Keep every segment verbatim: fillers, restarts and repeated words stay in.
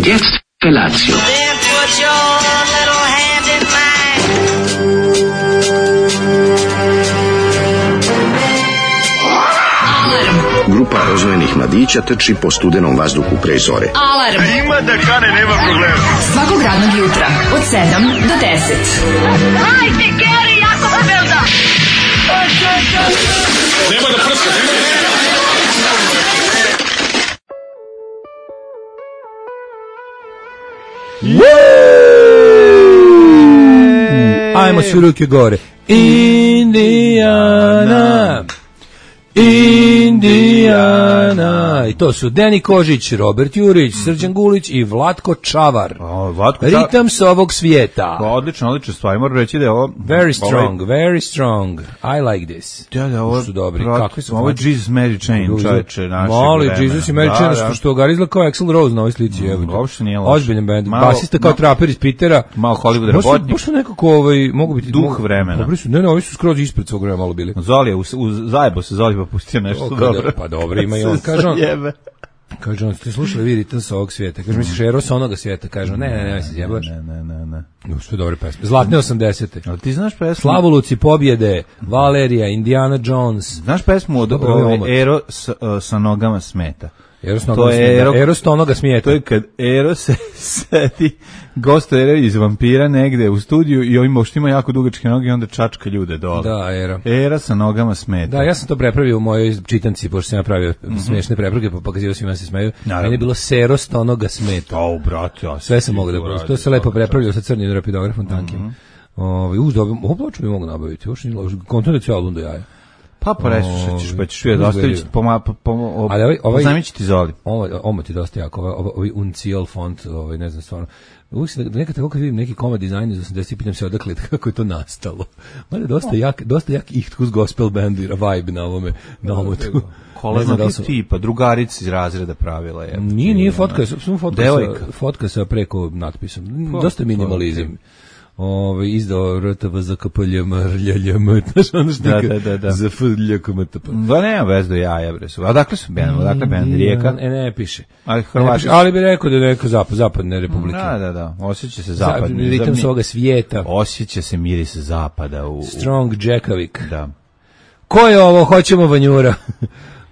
Und jetzt Felatio. Then put your little hand in mine. Grupa rozvojenih mladića trči po studenom vazduhu pre zore. Alarm. Ima da kane, nema problema. Svakog radnog jutra od sedam do deset. Hajde, Geri, jako se velda. Nema da prska, nema da prska. Ajmo svi ruke gore. Indijana, Indijana. I to su Deni Kožić, Robert Jurić, Srđan Gulić i Vlatko Čavar. O, Vlatko Čavar. Ritam s ovog svijeta. Odlično, odlično stvari. Moram reći da je ovo... Very strong, ovaj, very strong. I like this. Da, da, ovo su dobri. Prot, kakvi su? Ovo je Jesus Mary Chain, čoveče, našeg Mali vremena. Jesus i Mary da, Chain, da. što, što ga izgleda kao Axl Rose na ovoj slici. Mm, uopšte nije loš. Ozbiljan band. Malo, basista kao malo, traper iz Pitera. Malo Hollywood Baš su- robotnik. Baš su nekako ovaj, mogu biti... Duh mogu- vremena. Dobri su, ne, ne, ovi su skroz ispred svog vremena malo bili. Zoli je, u, u, zajebo se Zoli pa pustio nešto O, kada- dobro. pa dobro, ima i on. Kaže on, Jebe. kaže on, ste slušali vi ritam sa ovog svijeta? Kaže, misliš Eros onoga svijeta? Kaže on, ne, ne, ne, ne, se zjebaš. Ne, ne, ne, ne. No, sve dobre pesme. Zlatne osamdesete. Ali ti znaš pesmu? Slavoluci pobjede, Valerija, Indiana Jones. Znaš pesmu od Dobro, ovo je omot. ove Ero s, uh, sa nogama smeta? Eros To onoga je smijeta. Ero- Eros onoga smijeta. To je kad Ero se seti gostuje iz vampira negde u studiju i ovim što ima jako dugačke noge i onda čačka ljude dole. Da, Era. Era sa nogama smeta. Da, ja sam to prepravio u mojoj čitanci, pošto sam ja pravio smiješne prepravke, pa pokazivao svima se smeju. Naravno. Meni je bilo serost onoga smeta. O, brate, ja Sve sam mogao da prosto. To se lepo prepravljao sa crnim rapidografom tankim. Ovaj uz dobro, ovo ploču mi mogu nabaviti. Još nije loš. Kontonec je album do jaja. Pa preslušat ćeš, pa ćeš vidjeti, ostavit ću, poma, po, po, o, Ali ovaj- ovaj- poznamit ću ti Zoli. Ovo, ovo ti dosta jako, ovaj, ovaj, ovaj Uncial font, ovaj, ne znam stvarno. Uvijek se, nekad tako kad vidim neki komad dizajn iz osamdesetih, pitam se odakle, kako je to nastalo. Mada je dosta jak, dosta jak ihtus gospel bandu, vibe na ovome, na omotu. Koleznog da li su- tipa, drugarica iz razreda pravila je. Nije, nije fotka, samo fotka Devojka. sa, fotka sa preko natpisom. Pa, Dosta minimalizam. Ove, izdao R T V za K P L M, R L J M, znaš ono što Da, nikad- da, da, da. za F L K M T P. Da, nema vez do jaja, bre su. A dakle su band, odakle band, Rijeka? E, ne piše. Ali Ne Hrvati piše, ali bi rekao da je neka zapad, zapadne republike. Da, da, da, osjeća se Zapadni zapadni. ritam Zar svoga svijeta. Osjeća se miris zapada u... u- Strong Jackovik. Da. Ko je ovo? Hoćemo vanjura.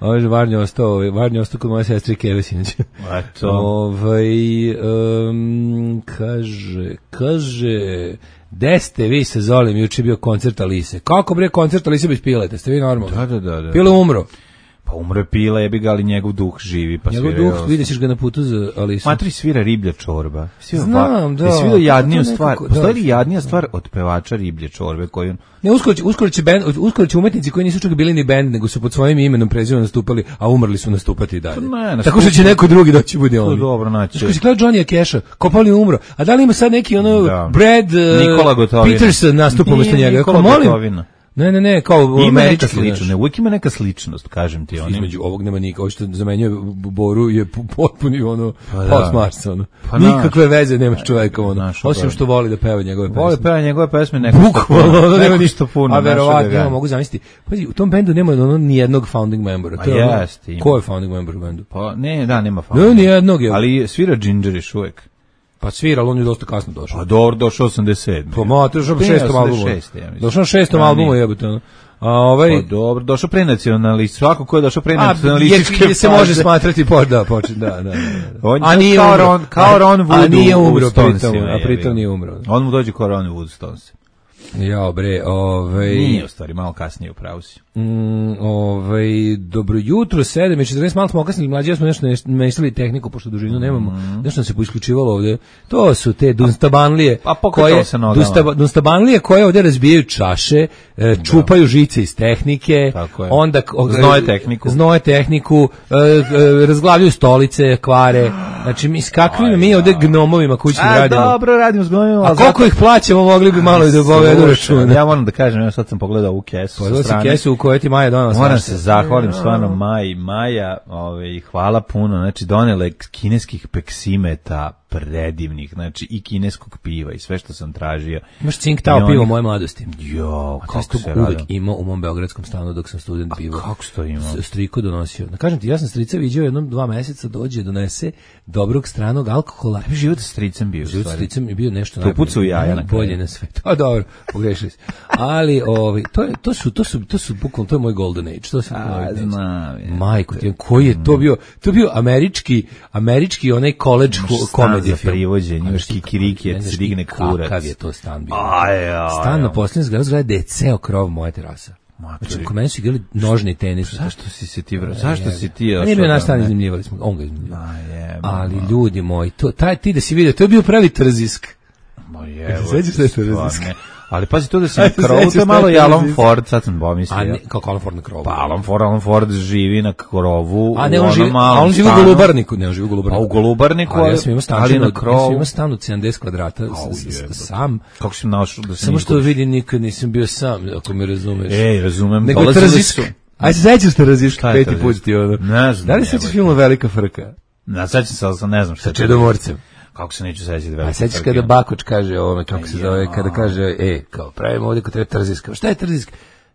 Ovo je Varnjo ostao, Varnjo ostao kod moje sestre Keve sinoć. Eto. Ovaj, um, kaže, kaže, gde ste vi sa Zolim, juče je bio koncert Alise. Kako bre koncert Alise bez Pileta, ste vi normalni? Da, da, da, da. Pile umro. Pa umre Pila, jebi ga, ali njegov duh živi, pa Njegov svira. duh, vidjet ćeš ga na putu za Alisu. Matri svira riblja čorba. Svira Znam, da. Jesi vidio jadniju To nekako- stvar? da. Postoji li jadnija stvar od pevača riblje čorbe koju on... Ne, uskoro će, uskoro će, band, uskoro će umetnici koji nisu čak bili ni band, nego su pod svojim imenom prezivom nastupali, a umrli su nastupati i dalje. Pa ne, nastup- Tako što će neko drugi doći bude To on. dobro naći. Znaš, ko si gledao Johnny Cash-a, Kopali umro, a da li ima sad neki ono Da. Brad uh, Nikola Gotovina. Peterson nastupa umjesto Nije njega? Nikola Ako molim, Gotovina. ne, ne, ne, kao Ima neka američki, sličnost, znaš. ne, uvijek ima neka sličnost, kažem ti. On Između ovog nema nikog, ovo što zamenjuje Boru je pu- potpuni ono Pa da. post Mars, ono. Pa Nikakve veze nema s čovekom, ono. Naš, Osim dobro. što voli da peva njegove pesme. Vole peva njegove pesme, neko Bukvalno, ono nema ništa ništa puno. A našega verovatno, ga- ja mogu zamisliti. Pazi, u tom bendu nema ono ni jednog founding membera. A To je ono- jeste, ima. Ko je founding member u bendu? Pa ne, da, nema Ne, fama. ni jednog je. Ali svira Ginger još uvijek. Pa svira, ali on je dosta kasno došao. Pa dobro, došao osamdeset sedme. Pa ma, to je došao na Ne, šestom albumu. osamdeset šeste, ja mislim. Došao na šestom Da, albumu, nije. jebote, ono. A ovaj... Pa dobro, došao prenacionalist. Svako ko je došao A, prenacionalističke je, se može smatrati po, da, počet, da, da, da. On A je nije kao umro. Ron, kao Ron Wood A nije u- u umro pritom, Stonesima, a jebi pritom ga. nije umro. On mu dođe kao Ron Wood Stones. Jao bre, ovaj... Nije u stvari, malo kasnije u pravu si. Mm, ovaj, dobro jutro, sedam i četrnaest, malo smo okasnili, mlađi, ja smo nešto mešali tehniku, pošto dužinu nemamo, nešto nam se poisključivalo ovde. To su te dunstabanlije, Pa pokretalo koje, se nogama. dunstaba- dunstabanlije koje ovde razbijaju čaše, e, čupaju žice iz tehnike, Tako je. onda k- o- Znoje tehniku. znoje tehniku, e, e, razglavljaju stolice, kvare, znači mi s kakvim mi ovde gnomovima kućnim A radimo. dobro, radimo s gojima. A koliko ih plaćamo, mogli bi malo i da povedu računa. Ja moram da kažem, ja sad sam pogledao u kesu Pa sa to si strane. kesu u kojoj ti Maja donala Moram svašta. se zahvalim stvarno Maji, Maja, ovaj, hvala puno, znači donele kineskih peksimeta, predivnih, znači i kineskog piva i sve što sam tražio. Imaš Tsingtao pivo moje mladosti. Jo, kako se se uvek imao u mom beogradskom stanu dok sam student pivo. Kako se to imao? Striku donosio. Da kažem ti, ja sam strica viđao jednom dva meseca, dođe, donese dobrog stranog alkohola. Tebi život sa stricem bio. Život sa stricem je bio nešto najbolje. To pucu jaja na bolje na svetu. A dobro, pogrešili se. Ali ovaj to je to su to su to su bukvalno to je moj golden age. To se majko, ti koji je to bio? To je bio američki američki onaj college comedy film. Privođenje, još kikiriki, je se digne kurac. Kakav je to stan bio? Stan na posljednjem zgradu gde je ceo krov moja terasa. Znači, kod mene su igrali nožni tenis. Zašto si se ti, zašto si ti? Nije bio naš stan, iznajmljivali smo, on ga iznajmljivao. Ali ljudi moji, to, taj, ti da si vidio, to je bio pravi trzisk. Ma jevo. Sećaš se trzisk? Ali pazi to da si na krovu, to je malo i Alan Ford, sad sam pomislio. A ne, kako Alan Ford na krovu? Pa Alan Ford, Alan Ford živi na krovu. A ne, on živi, a on živi u Golubarniku, ne, on živi u Golubarniku. A u Golubarniku, ali ja sam imao stan, ali na krovu. Ja sam imao stan od sedamdeset kvadrata, sam. Kako si našao da se samo što vidi, nikad nisam bio sam, ako me razumeš. Ej, razumem. Nego je trzisk. Aj se sećaš trzisk, peti put ti ono. Ne znam. Da li sećaš filmu Velika frka? Ne, sećam se, ali sam ne znam šta. Sa Čedomorcem. Kako se neću sećati velike. A sećaš kada Bakoč kaže ovome, kako se zove, kada kaže, e, kao pravimo ovdje kod treba trzisk. Šta je trzisk?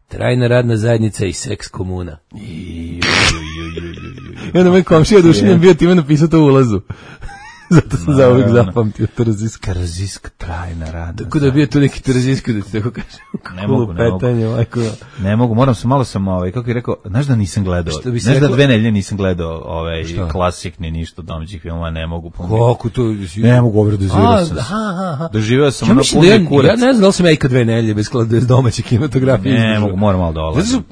Trajna radna zajednica i seks komuna. I onda moj komšija Dušanjan bio time napisao to u ulazu. Zato sam za uvijek zapamtio trzisk. Trzisk, trajna radna. Tako da je bio tu neki trzisk, da ti tako kažem. Ne mogu, ne mogu. Ne mogu, moram se malo sam, ovaj, kako je rekao, znaš da nisam gledao, znaš da dve nedelje nisam gledao ovaj, klasik ni ništa domaćih filmova, ne mogu. Kako to? Ne mogu govoriti, doživio sam. Doživio sam ono puni kurac. Ja ne znam da li sam ja ikad dve nedelje bez domaće kinematografije. Ne mogu, moram malo dolaziti.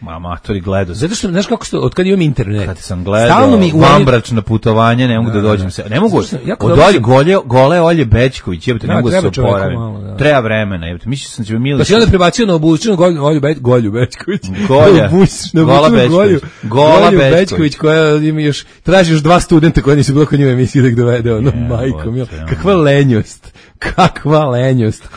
Amatori gledao. Zato što, znaš kako što, od kad imam internet. Kad sam gledao vanbračna putovanja, ne mogu da dođem se. Ne mogu, od Olje, gole, gole Olje Bećković, jebate, ne mogu da se oporavim. Treba vremena, jebate. Mislio sam će mi Milić. Pa si onda prebacio na obučenu Olju Bećković. Golja. Gola Bećković. Gola Bećković, koja ima još, traži još dva studenta koja nisu bilo kod njima emisije da ih dovede, ono, majko milo. Kakva lenjost. Kakva lenjost.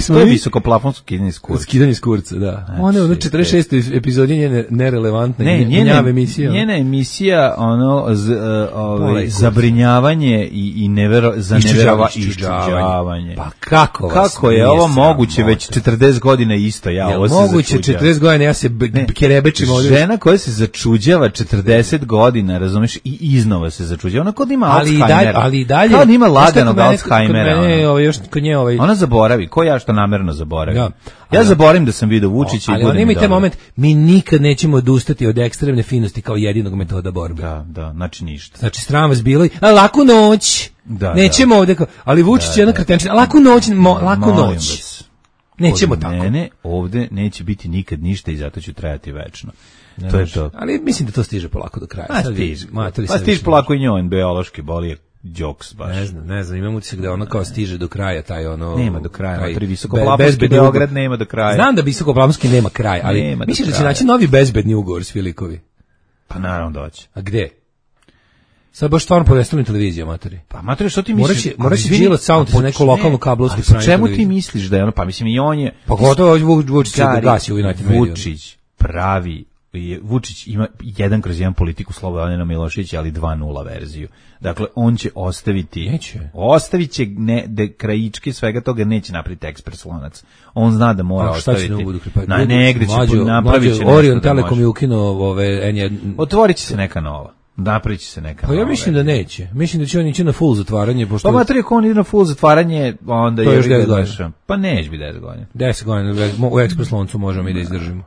To je visokoplafonsko skidanje iz kurca. Skidanje iz kurca, da. One, ono, četrdeset šeste epizodi njene nerelevantne, ne, njena emisija. Njena emisija, ono, z, uh, ovaj, zabrinjavanje i, i nevero, za neverova iščuđavanje. Pa kako vas Kako je ovo moguće već četrdeset godina isto, ja ja ovo se moguće četrdeset godina, ja se kerebečim ovdje. Žena koja se začuđava četrdeset godina, razumeš, i iznova se začuđava. Ona kod ima Alzheimer. Ali i dalje. Kao ima laganog Alzheimera. Ovaj, još kod nje ovaj... Ona zaboravi, ko ja što namerno zaboravim. Ja, ja zaboravim da sam vidio Vučića i budem. Ali on ima taj moment, mi nikad nećemo odustati od ekstremne finosti kao jedinog metoda borbe. Da, da, znači ništa. Znači sram vas bilo, a laku noć. Da, nećemo da. Ovdje kao, ali Vučić je jedna kretenčina, laku noć, mo, laku noć. Vas. Nećemo od tako. Mene ovdje neće biti nikad ništa i zato ću trajati večno. Ne to je to. Ali mislim da to stiže polako do kraja. A stiže. Pa stiže polako i njoj, biološki boli jokes baš. Ne znam, ne znam, imam utisak da ono kao stiže do kraja taj ono... Nema do kraja, taj, tri visokoplafonski Beograd nema do kraja. Znam da visokoplafonski nema kraj, ali mislim da će naći novi bezbedni ugovor s Filikovi. Pa naravno doći. A gde? Sad baš stvarno po vestavnim televizijama, matori. Pa matori, što ti misliš? Moraće Đilas Sound za neku lokalnu kablovsku prime. Čemu ti misliš da je ono, pa mislim i on je... Pa gotovo Vučić se gasi u United Media. Vučić pravi, Vučić ima jedan kroz jedan politiku Slobodana Miloševića, ali dva nula verziju. Dakle, on će ostaviti... Neće. Ostavit će ne, de, krajičke svega toga, neće napraviti ekspres lonac. On zna da mora a, ostaviti... Pa, na negde će mlađo, napravit će mlađo, Orion Telekom je ukinuo ove... En je... Otvorit će se neka nova. Napravit će se neka pa ja mislim da neće. Mislim da će on ići na full zatvaranje. Pošto... Pa matri, ako on ide na full zatvaranje, onda to je još deset godina. Pa neće biti deset godina. deset godina, u ekspres loncu možemo i da izdržimo.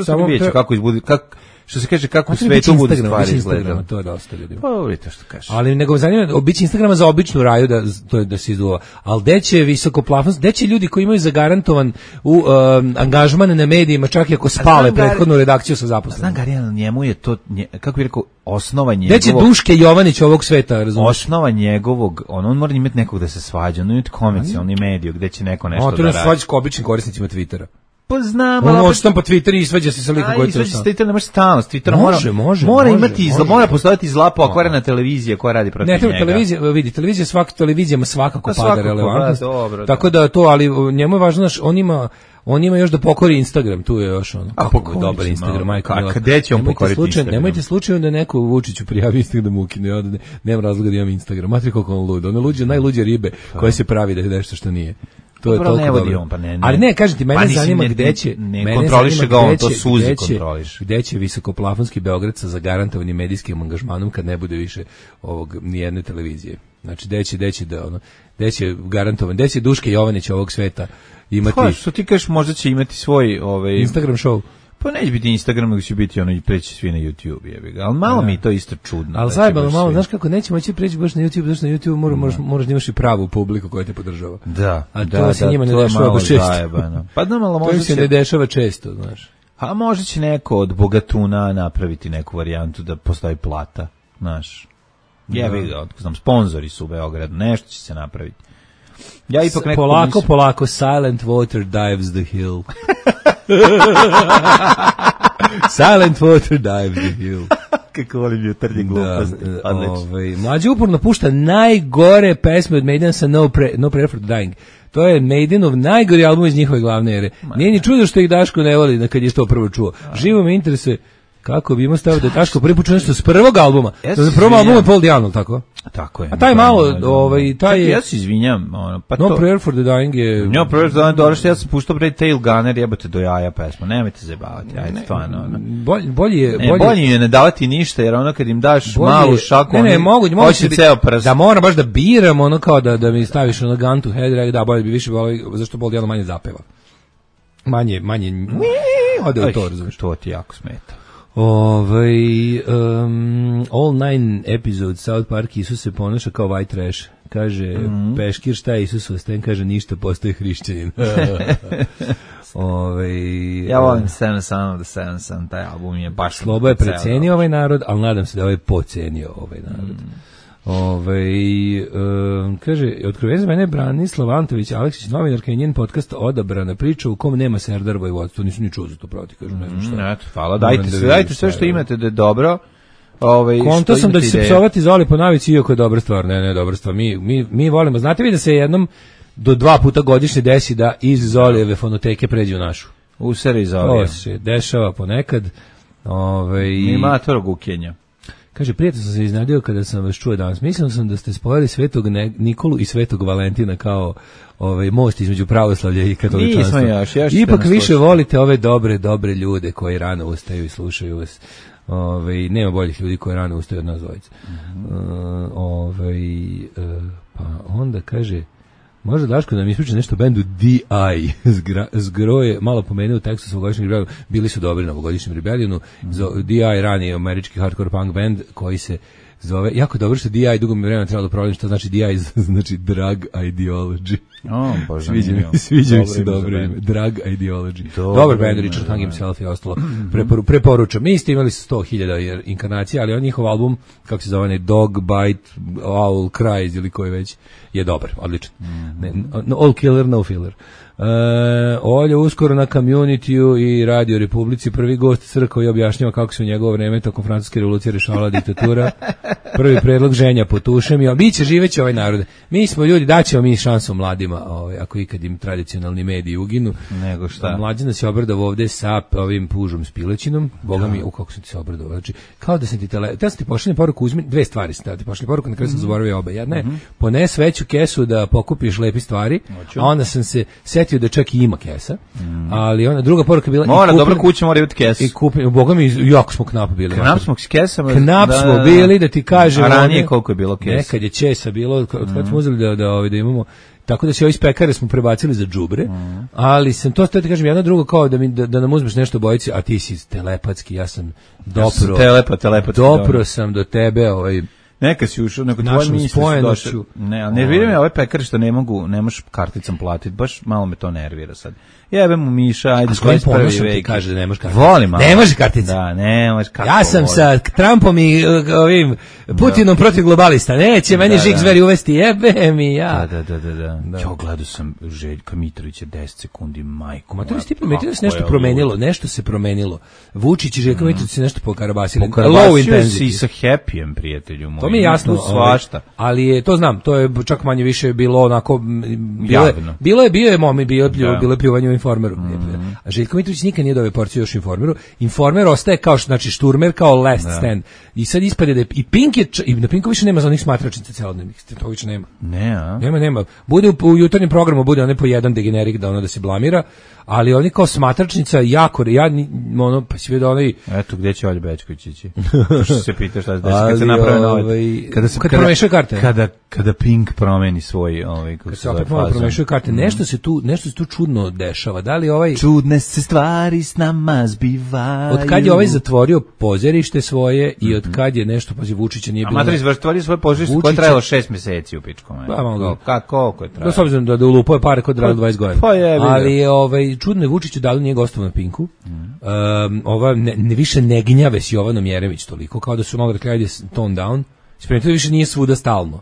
Samo vidjet će kako izbudi... Kako... Što se kaže kako u svetu budu stvari izgledaju. To je dosta ljudima. Pa vidite što kažeš. Ali nego zanima, obići Instagrama za običnu raju da to je da se izduva. Al gde će visokoplafonski, gde će ljudi koji imaju zagarantovan u um, angažman na medijima čak i ako spale prethodnu redakciju sa zaposlenima. Znam Garijan, njemu je to nje, kako bih rekao osnova njegovog. Gde će Duške Jovanić ovog sveta, razumiješ? Osnova njegovog, on on mora imati nekog da se svađa, on ima komercijalni medij gde će neko nešto da radi. On to se svađa s običnim korisnicima Twittera. Pa znam, on može tam po Twitteru i svađa se sa likom koji to sa Twittera, ne može stalno, s Twittera može, može, mora može, imati izla, mora postojati zla pokvarena televizija koja radi protiv njega. Ne, televizija, vidi, televizija svaka televizijama svakako pa pada relevantnost. Tako da to, ali njemu je važno, znaš, on ima On ima još da pokori Instagram, tu je još ono. A kako dobar Instagram, majko. A gde će on pokoriti Instagram? Nemojte slučajno da neko Vučiću prijavi Instagram da mu ukine, ja ne, nemam razloga da imam Instagram. Matri koliko on lud. On je luđe, najluđe ribe koje se pravi da je nešto što nije. To je toliko dobro. On, pa ne, ne. Ali ne, kažete, mene pa zanima ne, gde će... Ne, ne kontroliše ga on, to suzi kontroliše. Gde će visokoplafonski Beograd sa zagarantovanim medijskim angažmanom kad ne bude više ovog nijedne televizije. Znači, gde će, gde će da, ono, gde će garantovan, gde će Duške Jovanić ovog sveta imati... Pa, što ti kažeš, možda će imati svoj... Ovaj... Instagram show. Pa neće biti Instagram, nego će biti ono i preći svi na YouTube, jebi ga. Ali malo ja. mi to isto čudno. Ali zajebano malo, svi... znaš kako, neće moći preći baš na YouTube, zašto na YouTube mora, moraš, moraš da imaš i pravu publiku koja te podržava. Da, a to da, se da, njima ne dešava baš često. Zajebano. Pa da, malo možda to se će... ne dešava često, znaš. A možda će neko od bogatuna napraviti neku varijantu da postoji plata, znaš. Jebi ga, znam, sponzori su u Beogradu, nešto će se napraviti. Ja ipak neko polako, mislim... polako, silent water dives the hill. Silent water dives the hill. Kako volim jutarnje gluposti. Da, ovaj, mlađi uporno pušta najgore pesme od Maidena sa No, Pre, no Prayer for the Dying. To je Maidenov najgori album iz njihove glavne ere. Nije ni čudo što ih Daško ne voli kad je to prvo čuo. Živo me interesuje kako bi imao stavio da je Daško prvi put čuo nešto s prvog albuma. Ja da prvom albumu je Paul Diano, tako? Tako je. A taj malo, ovaj, taj je... Ja se izvinjam. Ono, pa No to... Prayer for the Dying je... No Prayer for the Dying, dobro što ja sam puštao pre Tail Gunner, jebate do jaja pesma. Nemojte zajebavati, ajde, stvarno. Ono. Bolje, bolje je... Ne, bolje je ne davati ništa, jer ono kad im daš malu šaku, ne, ne, oni mogu, mogu hoće ceo prst. Da moram baš da biram, ono kao da, da mi staviš ono gun to head, da bolje bi više, zašto Paul Diano manje zapeva. Manje, manje... Ode u to, razumiješ. To ti jako smeta. Ovaj um, all nine episodes South Park Isus se ponaša kao white trash. Kaže mm-hmm. Peškir šta je Isus Osten, kaže ništa, postoji hrišćanin. Ovaj ja volim Seven Son of the Seven Son, taj album je baš Slobo je precenio ovaj narod, ali nadam se da ovaj pocenio ovaj narod. Mm. Ovaj um, kaže otkroven za mene Branislav Antović Aleksić, novinarka i njen podcast Odabrana priča u kom nema Serdar Vojvodstvo, nisu ni čuo za to proti, kažu, ne znam šta. Mm, eto, hvala, dajte sve, dajte sve što imate da je dobro. Ovaj konto sam da će se psovati Zoli po navici, iako je dobra stvar, ne, ne, dobra stvar. Mi mi mi volimo. Znate vi da se jednom do dva puta godišnje desi da iz Zolijeve fonoteke pređe u našu. U seri Zolije. To se dešava ponekad. Ovaj ima to gukenja. Kaže, prijatno sam se iznenadio kada sam vas čuo danas. Mislio sam da ste spojili Svetog Nikolu i Svetog Valentina kao ovaj most između pravoslavlja i katoličanstva. Nismo još, još ipak više slušati. Volite ove dobre, dobre ljude koji rano ustaju i slušaju vas. Ove, nema boljih ljudi koji rano ustaju od nas dvojice. Mm-hmm. Uh, ove, uh, pa onda kaže, možda Daško da mi ispriča nešto o bendu D I. Zgro je malo pomenuo u tekstu svogodišnjeg Rebellionu. Bili su dobri na ovogodišnjem Rebellionu. Mm-hmm. D I rani američki hardcore punk band koji se zove, jako dobro što D I dugo mi vremena trebalo da provalim šta znači D I, znači drug ideology. Oh, bože, sviđa mi, sviđa mi se dobro ime. Drug ideology. Dobar band, Richard Hung himself i ostalo. Preporu, preporučam. Mi ste imali sto hiljada inkarnacija, ali on njihov album, kako se zove, Dog Bite, Owl Cries ili koji već, je dobar, odličan. Ne, no, all killer, no filler. Uh, Olje uskoro na Community-u i Radio Republici, prvi gost crkva i objašnjava kako se u njegovo vreme tokom francuske revolucije rešavala diktatura. Prvi predlog ženja potušem i biće živeće ovaj narod. Mi smo ljudi, daćemo mi šansu mladima, ovaj, ako ikad im tradicionalni mediji uginu. Nego šta? Mlađana se obradao ovde sa ovim pužom s pilećinom. Boga mi, u kako sam ti se obradao. Znači, kao da sam ti tele, da sam ti pošaljem poruku, uzmi dve stvari, sam ti pošaljem poruku, na kraju sam zaboravio oba. Jedna je, mm-hmm. pones veću kesu da pokupiš lepi stvari, Oću. A onda sam se setio da čak i ima kesa, mm. ali ona druga poruka bila mora dobra kuća, mora imati kesu. I kupim, boga mi, jako smo knap bili. Knap smo s kesama. Knap smo da, bili, da ti kažem. A ranije koliko je bilo kesa? Nekad je česa bilo, kad mm. smo uzeli da, da, da, da imamo, tako da se ovi iz pekare smo prebacili za džubre, mm. ali sam to, to ti kažem, jedno drugo kao da, mi, da, da nam uzmeš nešto bojici, a ti si telepatski, ja sam dopro, ja sam telepa, telepatski dopro sam do tebe, ovaj, neka si ušao, neko tvoje misli su došle. Ne, ali nervira me ove pekare što ne mogu, ne možeš karticom platiti, baš malo me to nervira sad. Jebem mu Miša, ajde, dvadeset prvi vek. Kaže da ne može kartica. Volim, ne može kartica. Da, ne može kartica. Ja sam sa Trumpom i ovim Putinom da. Protiv globalista. Neće da, meni da, žig zveri uvesti, jebe mi ja. Da, da, da, da. da. Ja gledao sam Željka Mitrovića deset sekundi, majko. Ma to je stipa, da se nešto promenilo, nešto se promenilo. Vučić i Željko Mitrović se nešto pokarabasili. Pokarabasio si sa Happyjem, prijatelju moj. To mi je jasno, tu svašta. Ali je, to znam, to je čak manje više bilo onako, bilo je, Javno. bilo je, bio je momi, bio je, Da. bilo je pljuvanje u Informeru. Mm. A Željko Mitrović nikad nije dobio porciju još u Informeru. Informer ostaje kao, znači, šturmer kao last Da. stand. I sad ispade da je, i Pink je, č- i na Pinku više nema za onih smatračnica celodnevnih, to više nema. Ne, a? Nema, nema. Bude u, u jutarnjem programu, bude one po jedan degenerik da ono da se blamira, ali oni kao smatračnica jako, ja, ni- ono, pa si vidio onaj, Eto, gde će Olja Bećković ići? To što se pita šta se desi, kad se Ali, naprave nove... ovaj, Kada se kad promešaju karte. Kada, kada Pink promeni svoj... Ovaj, kako kad se se zove opet malo fazon. promešaju karte, nešto se tu, nešto se tu čudno dešava. Da li ovaj, Čudne se stvari s nama zbivaju. od kad je ovaj zatvorio pozorište svoje i od kad je nešto, pazi, Vučića nije A bilo... Matrić zatvorio svoje požište koje je Vučića- trajalo šest meseci u pičkom. Pa, malo ga. Kako, koliko je Da, trajalo? s obzirom da, da ulupao pare kod radilo dvadeset godina. Pa jebi ga. Ali je ovaj, čudno je Vučiću dali nije gostovao na Pinku. Um, ova ne, ne više ne gnjave s Jovanom Jeremić toliko, kao da su malo rekli ajde tone down. Ispričajte, više nije svuda stalno.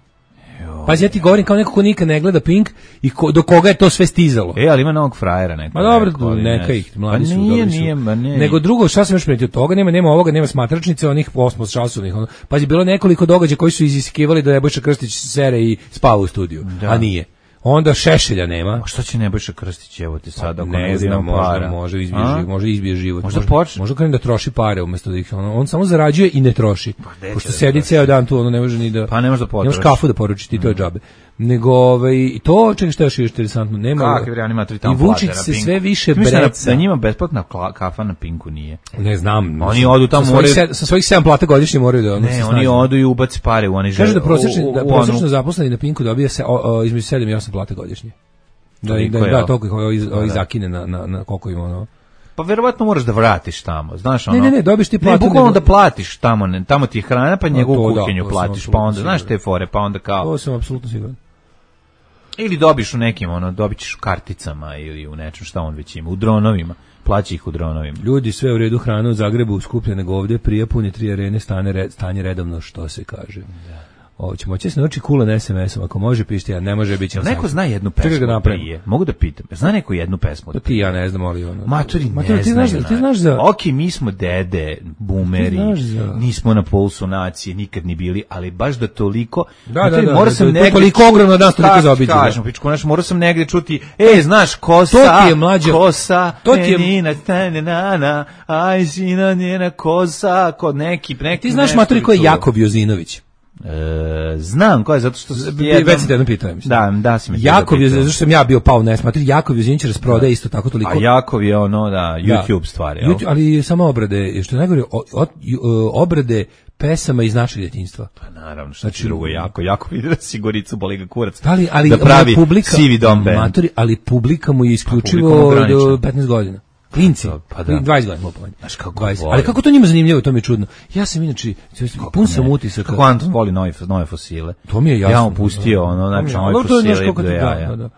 Pazi, ja ti govorim kao neko ko nikad ne gleda Pink i ko, do koga je to sve stizalo. E, ali ima novog frajera neko. Ma dobro, neko, ali neka ne- ih, mladi Pa su, nije, dobri su. nije, ma ne. Nego drugo, šta sam još primetio od toga, nema, nema ovoga, nema smatračnice, onih osmo časovnih. Ono. Pazi, bilo je nekoliko događaja koji su iziskivali da Nebojša Krstić sere i spava u studiju, Da. a nije. Onda Šešelja nema. A što će Nebojša Krstić, evo ti sad, ako Ne bude znam, imao možda, para? može izbije A? život, može izbije život. Možda može, počne. Možda krene da troši pare umesto da ih ono, on samo zarađuje i ne troši. gde Pošto će da sedi troši? ceo dan tu, ono ne može ni da Pa ne može da ne potroši. može kafu da poruči ti, to je džabe. Nego ovaj i to čega što je još interesantno, nema. Kakvi bre, oni ima tri tamo I Vučić plate na se Pinku. sve više Ti misliš da- breca. Da njima besplatna kla- kafa na Pinku nije. Ne znam. Oni odu tamo, sa svojih, moraju- se- sa svojih sedam plata godišnje moraju da ono se Ne, oni snađu. odu i ubaci pare u one žele. Kaže da prosječni u- u- da u prosječno onu- zaposleni na Pinku dobija se o, o, između sedam i osam plata godišnje. Da im Toliko da, je, da jel? toliko ih ovaj, ovaj Da. zakine na na na koliko ima ono. Pa verovatno moraš da vratiš tamo, znaš ono. Ne, ne, ne, dobiš ti Ne, platu, bukvalno nego- da platiš tamo, ne, tamo ti je hrana, pa njegovu to da, kuhinju to sam platiš, pa apsolutno onda, znaš siguran. te fore, pa onda kao... To sam apsolutno siguran. Ili dobiš u nekim, ono, dobit ćeš u karticama ili u nečem šta on već ima, u dronovima, plaći ih u dronovima. Ljudi, sve u redu, hrana u Zagrebu skuplja nego ovdje, Prijepolje, tri arene, stane red, stanje redovno, što se kaže. Ovo ćemo će se nauči kulan es em esom, ako može pišti, a ne može biti. Jel neko zna jednu Čekaj pesmu ga napravim. prije? Mogu da pitam, zna neko jednu pesmu? To ti ja ne znam, ali ono. Maturi ne Maturi, ti znaju, znaš, ti znaš za... Ok, mi smo dede, boomeri, Ti znaš za- nismo na pulsu nacije, nikad ni bili, ali baš da toliko... Da, Maturi, da, da, morao da, sam to je negde... toliko ogromno da nas toliko Kako zaobiđe, da. Kažem, pičku, znaš, morao sam negde čuti, e, znaš, kosa, To ti je mlađe- kosa, to ti je- menina, stane, nana, aj, sina, njena kosa, kod neki, neki... Ti znaš, nešto Maturi, bi ko je čuo. Jakov Jozinović? E, znam ko je, zato što... s- jednom- Već si te jedno pitao, mislim. Da, da si mi te Jakov je, pitao. zašto sam ja bio pao na Maturi, Jakov Jozinović rasprodaje isto tako toliko. A Jakov je ono, da, YouTube Da. stvari, jel? YouTube, ali samo obrade, što je najgore, o- od- ju- o- obrade pesama iz našeg djetinjstva. Pa naravno, što Znači, znači, drugo jako, jako vidi da si Goricu boli ga kurac. Da li, ali da pravi publika, sivi dom band. Matori, ali publika mu je isključivo publika mu ograničena. do petnaest godina. Klinci, Pa da. dvadeset godina mogu Znaš kako dvadeset. vole. Ali kako to njima zanimljivo, to mi je čudno. Ja sam inače, pun sam utisaka. Kako Anton voli nove, nove fosile. To mi je jasno. Ja mu pustio, ono, znači, To mi je- nove ali to je, znaš, fosile kako do ti- jaja. da, da, da.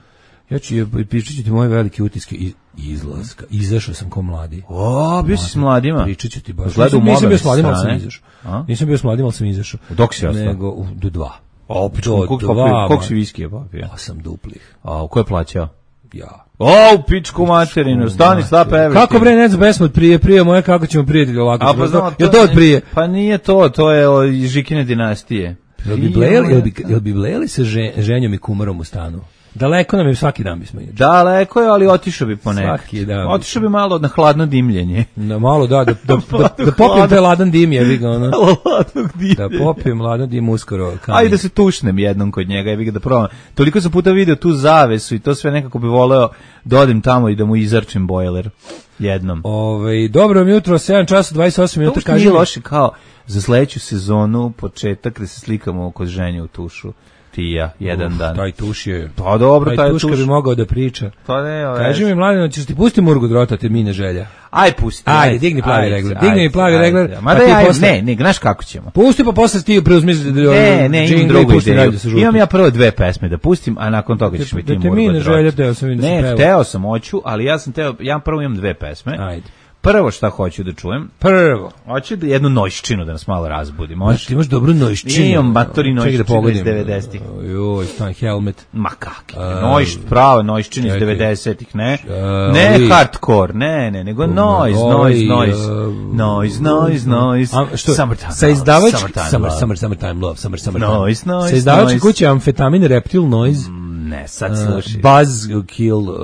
Ja ću, pričat ću ti moje velike utiske iz, izlaska. Izašao sam ko mladi. O, bio si s mladima. Pričat ću ti baš. Gledao u Nisam, nisam mobilne bio s mladim, ali sam strane. izašao. A? Nisam bio s mladim, ali sam izašao. Dok si ostao? Nego, u- do dva. O, pičku, Do koliko, dva, koliko, koliko ma. si viskija popio? Osam duplih. A, ko je plaćao? Ja. O, pičku materinu, stani, stop everything. Kako bre, ne znam, pesmu od prije, prije moje, kako ćemo prijatelji ovako. A pa znam, Jel to od prije? Pa nije to, to je od Žikine dinastije. Jel bi blejali, jel bi, jel bi blejali se že, ženjom i kumarom u stanu? Daleko nam je, svaki dan bismo išli. Daleko je, ali otišao bi ponekad. Svaki dan. Otišao bi malo na hladno dimljenje. Na malo, da, da, da, da, da Hladno. popijem taj ladan dim, je, vi ga, ono. Hladnog Da popijem ladan dim uskoro. kamen. Ajde da se tušnem jednom kod njega, ja bih ga da probam. Toliko sam puta video tu zavesu i to sve nekako bi voleo da odem tamo i da mu izarčim bojler jednom. Ove, dobro vam jutro, sedam časa dvadeset osam To minuta, uopšte kaži nije mi. loše kao za sledeću sezonu, početak da se slikamo kod ženje u tušu. Ti i ja, jedan Uf, dan. Taj tuš je... Pa dobro, taj tuška tuš. bi mogao da priča. Pa ne, ovaj. Kaži mi, mladino, ćeš ti pusti Murgu Drota, te mine želja. Aj pusti. Ajde, digni plavi regler, digni mi plavi regler, Ma pa da ti ja, posle- ne, ne, znaš kako ćemo. Pusti pa posle ti preuzmi Ne, ne, imam drugu ideju. Da Imam ja prvo dve pesme da pustim, a nakon toga ćeš mi ti Da te Murgo mine Drot. želja, teo sam vidim da si Ne, pevao. hteo sam, hoću, ali ja sam teo, ja prvo imam dve pesme. Ajde. prvo šta hoću da čujem, Prvo. hoću da jednu noćčinu da nas malo razbudi, možeš? Ti imaš dobru noćčinu. Imam matori Čekaj noćčinu da pogodim. iz devedesetih. Joj, stan helmet. Ma kakvi, noć, prava noćčina iz čekaj. devedesetih, ne? A, Ne ovi- hardcore, ne, ne, nego noise, Ovi, noise, noise, uh, noise, noise, noise, A, što, summertime sa love, izdavač summertime summer, love. summer, summertime love, summer, summer Noise, noise, sa izdavačke noise. kuće Amfetamin Reptile Noise, Ne, sad uh, sluši. Buzzkill, uh,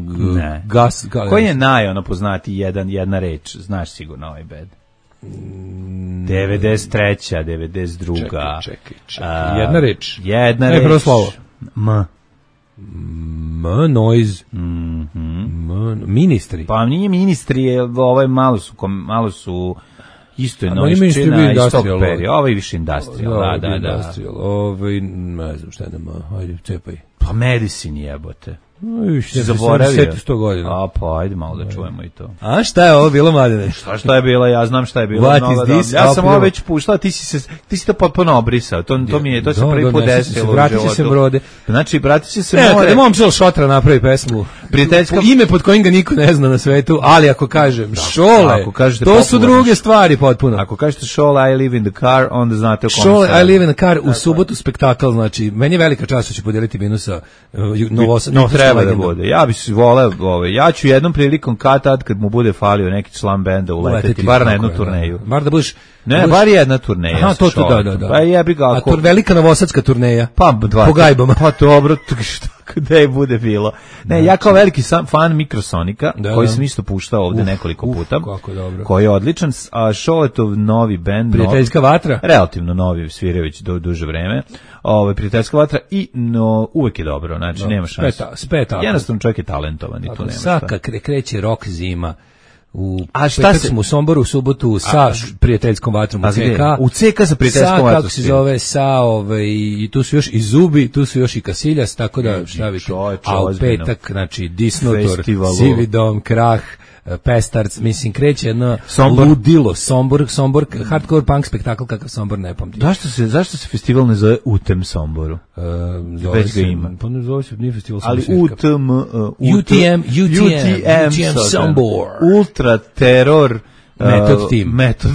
g- Ne. Gas, ga- Koji je naj ono poznati jedan, jedna reč, znaš sigurno ovaj bed. devedeset treća, devedeset druga. Čekaj, čekaj, čekaj. A, Jedna reč. Jedna Ne, reč. prvo slovo. M. M, noise. M, ministri. Pa nije ministri, je, ovaj malo su, kom- malo su isto je A meni ministri bio noćčina iz tog industrial, perioda. Ovo je više industrial, da, da, da. Industrial, ovaj, ne znam šta je nama, ajde, cepaj. Pa medicine jebote. Uj, Si zaboravio? sto godina. A pa ajde malo da čujemo i to. A šta je ovo bilo, Mladene? Šta šta je bilo? Ja znam šta je bilo. What mnogo is dobro. this? Ja sam A, ovo prvo. već puštao, ti si se ti si to potpuno obrisao. To to mi je to se Da, prvi da, put ne, sjećam se, desilo u vratit će se životu. Brode. Znači vratit će se Ne, more. kada momčil Šotra napravi pesmu, Prijateljska- po- ime pod kojim ga niko ne zna na svetu, ali ako kažem Šole, ako kažete to su popularno- druge stvari potpuno. Ako kažete Šole I live in the car, onda znate o kome Šole, se I radi. live in a car, u subotu spektakl, znači, meni je velika čast što ću podeliti vinu sa uh, Novosad. No, treba da bude. Ja bi se voleo, ovaj, ja ću jednom prilikom kad tad kad mu bude falio neki član benda uleteti, bar na jednu turneju. Bar da budeš... Ne, da budeš- bar jedna turneja. Aha, sa to, to, da, Šoletom. da, da. Pa jebi ga A ako... to velika novosadska turneja. Pa, dva, po gajbama. Pa dobro, to što gde bude bilo. Ne, ja kao veliki sam fan Mikrosonika, Da, koji da. sam isto puštao ovde Uf, nekoliko uf, puta, kako dobro. koji je odličan, a Šoletov novi bend, Prijateljska vatra. relativno novi, sviraju do duže vreme, ovaj Prijateljska vatra i no, uvek je dobro, znači nema šanse. Speta- speta. Jednostavno čovjek je talentovan i tu nema šta. Saka kre, kreće rok zima. U A šta petak se- smo u Somboru u subotu sa š- prijateljskom vatrom u A gde? C K. U C K sa prijateljskom Sa, vatrom kako se svira. zove, sa, ovaj, i tu su još i Zubi, tu su još i Kasiljas, tako da šta vi čoveče, a u ozbiljno. petak, znači, Disnotor, Festivalu. Sivi dom, Krah, Pestarc, mislim, kreće jedno Sombor. ludilo, Sombor, Sombor, hardcore punk spektakl kakav Sombor ne pamti. Zašto se, zašto se festival ne zove U T M Somboru? Uh, zove Već ga se- ima. Pa ne zove se, nije festival Ali samo U svirka. T M, uh, U T M, U T M, U T M Sombor. Ultra teror uh, Method Team. Metod.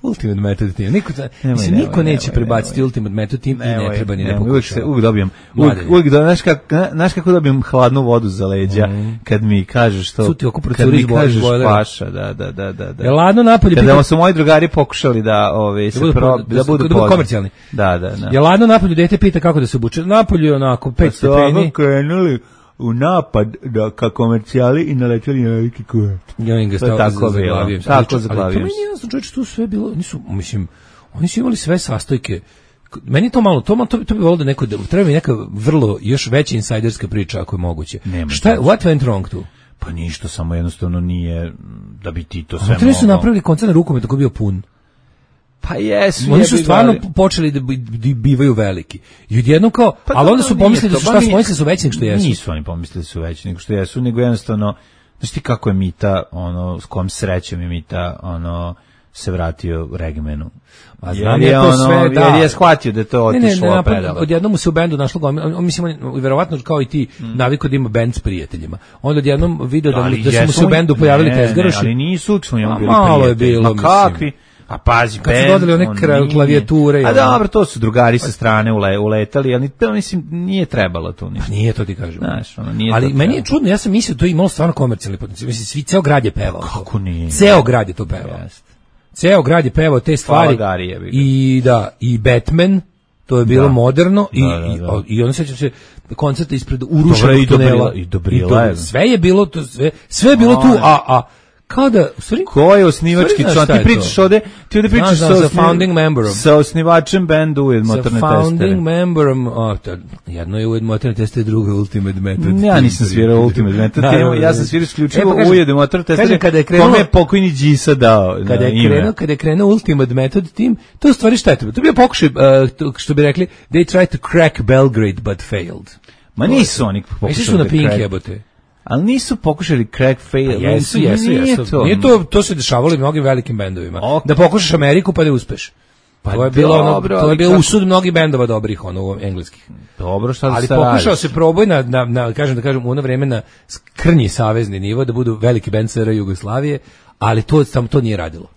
Ultimate Method Team. Niko, ta, Nemoj, mislim, nemoj, niko neće nemoj, prebaciti nemoj. Ultimate Method Team i ne treba ni ne Nemoj, uvijek se pokušava. uvijek dobijem. Uvijek, Mladene. uvijek do, znaš, kak, znaš kako dobijem hladnu vodu za leđa kad mi kažeš to. Cuti oko kad procuri mi iz bo- kažeš bojlera. paša, da, da, da, da. da. Je ladno napolje, Kada pita- su moji drugari pokušali da, ove, se budu pro, po- da, da su- budu da budu poznati. komercijalni. Da, da, da. je ladno napolju, dete pita kako da se obuče. Napolju je onako pet Pa su ovako stepeni. krenuli u napad da, ka komercijali i naleteli na veliki kurac. Ja im ga To je stavio tako za bilo. zaglavio se. Tako Ali- zaglavio Ali to meni se. je jasno, čovječe, tu sve bilo, nisu, mislim, oni su imali sve sastojke. Meni je to malo, to, malo- to, bi- to bi volio da neko, da, treba mi neka vrlo, još veća insajderska priča ako je moguće. Nema Šta je, to. what went wrong tu? Pa ništa, samo jednostavno nije da bi ti to sve Oni su mogao. napravili koncert na rukometu koji je bio pun. Pa jesu. Oni su jebi ga, stvarno ali- počeli da bi- da bivaju veliki. I odjednom kao, Pa ali onda dobro, su nije pomislili da to, su pa šta, nije- pomislili su veći nego što jesu. Nisu oni pomislili su veći nego što jesu, nego jednostavno, znaš ti kako je Mita, ono, s kojom srećem je Mita, ono, se vratio Regmenu. A Jer znam je ja to ono, sve, da. Jer je shvatio da je to Ne, ne, otišlo ne, napad, predalo. odjednom mu se u bendu našlo gomila, on, on, mislim, on, verovatno kao i ti, Mm. naviko da ima bend s prijateljima. Onda odjednom video da, Ali da su mu jesu se u oni- bendu pojavili ne, ne, tezgaroši. ali nisu uvijek smo njemu A bili malo je prijatelji. bilo, Ma mislim. kakvi? A pazi, Kad su bend, dodali one on kra- nije. klavijature i A ono. dobro, to su drugari sa strane ule, uletali, ali to, mislim, nije trebalo tu ništa. Nije to ti kažem. Znaš, ono, nije ali to meni je trebalo. čudno, ja sam mislio da to je imalo stvarno komercijalni potencijal. Mislim, svi, ceo grad je pevao. to. Kako nije? Ceo grad je to pevao. Jeste. Ceo grad je pevao te stvari. Hvala Gari, jebi ga. I da, i Batman, to je bilo Da. moderno i, Da, da, i, da. i onda sećam se koncerta ispred Dobro, urušenog i Dobrila- tunela. i Dobrila je. do- sve je bilo to, sve, sve je bilo tu, a, a kao da, u stvari, Ko je osnivački Stvari, znaš član? šta Ti je pričaš to? ovde, ti ovde pričaš Znam, sa, znam, sa osni- founding memberom. sa osnivačem benda Ujed sa motorne founding testere. memberom, o, to, jedno je Ujed motorne testere, drugo je Ultimate Method. Ja nisam svirao Ultimate Method Naravno, Team, ja sam ne. svirao E, isključivo pa kažem- Ujed motorne testere, kažem, kada je krenulo- kome je pokojni Đisa dao Kada na je ime. krenuo, kada je krenuo Ultimate Method Team, to je u stvari šta je to? To je bio pokušaj, uh, to, što bi rekli, they tried to crack Belgrade but failed. Ma nisu oni Misliš pokušali su na da Pink crack- jebote? Ali nisu pokušali crack fail. Pa jesu, jesu, Nije jesu. to. Nije to, to se dešavalo i mnogim velikim bendovima. Ok. Da pokušaš Ameriku pa da uspeš. Pa to je bilo ono, dobro, to je ali bio kako- usud mnogih bendova dobrih, ono engleskih. Dobro, šta da Ali se pokušao radiš? se proboj na, na, na kažem da kažem u ono vreme na krnji savezni nivo da budu veliki bend S R Jugoslavije, ali to samo to nije radilo.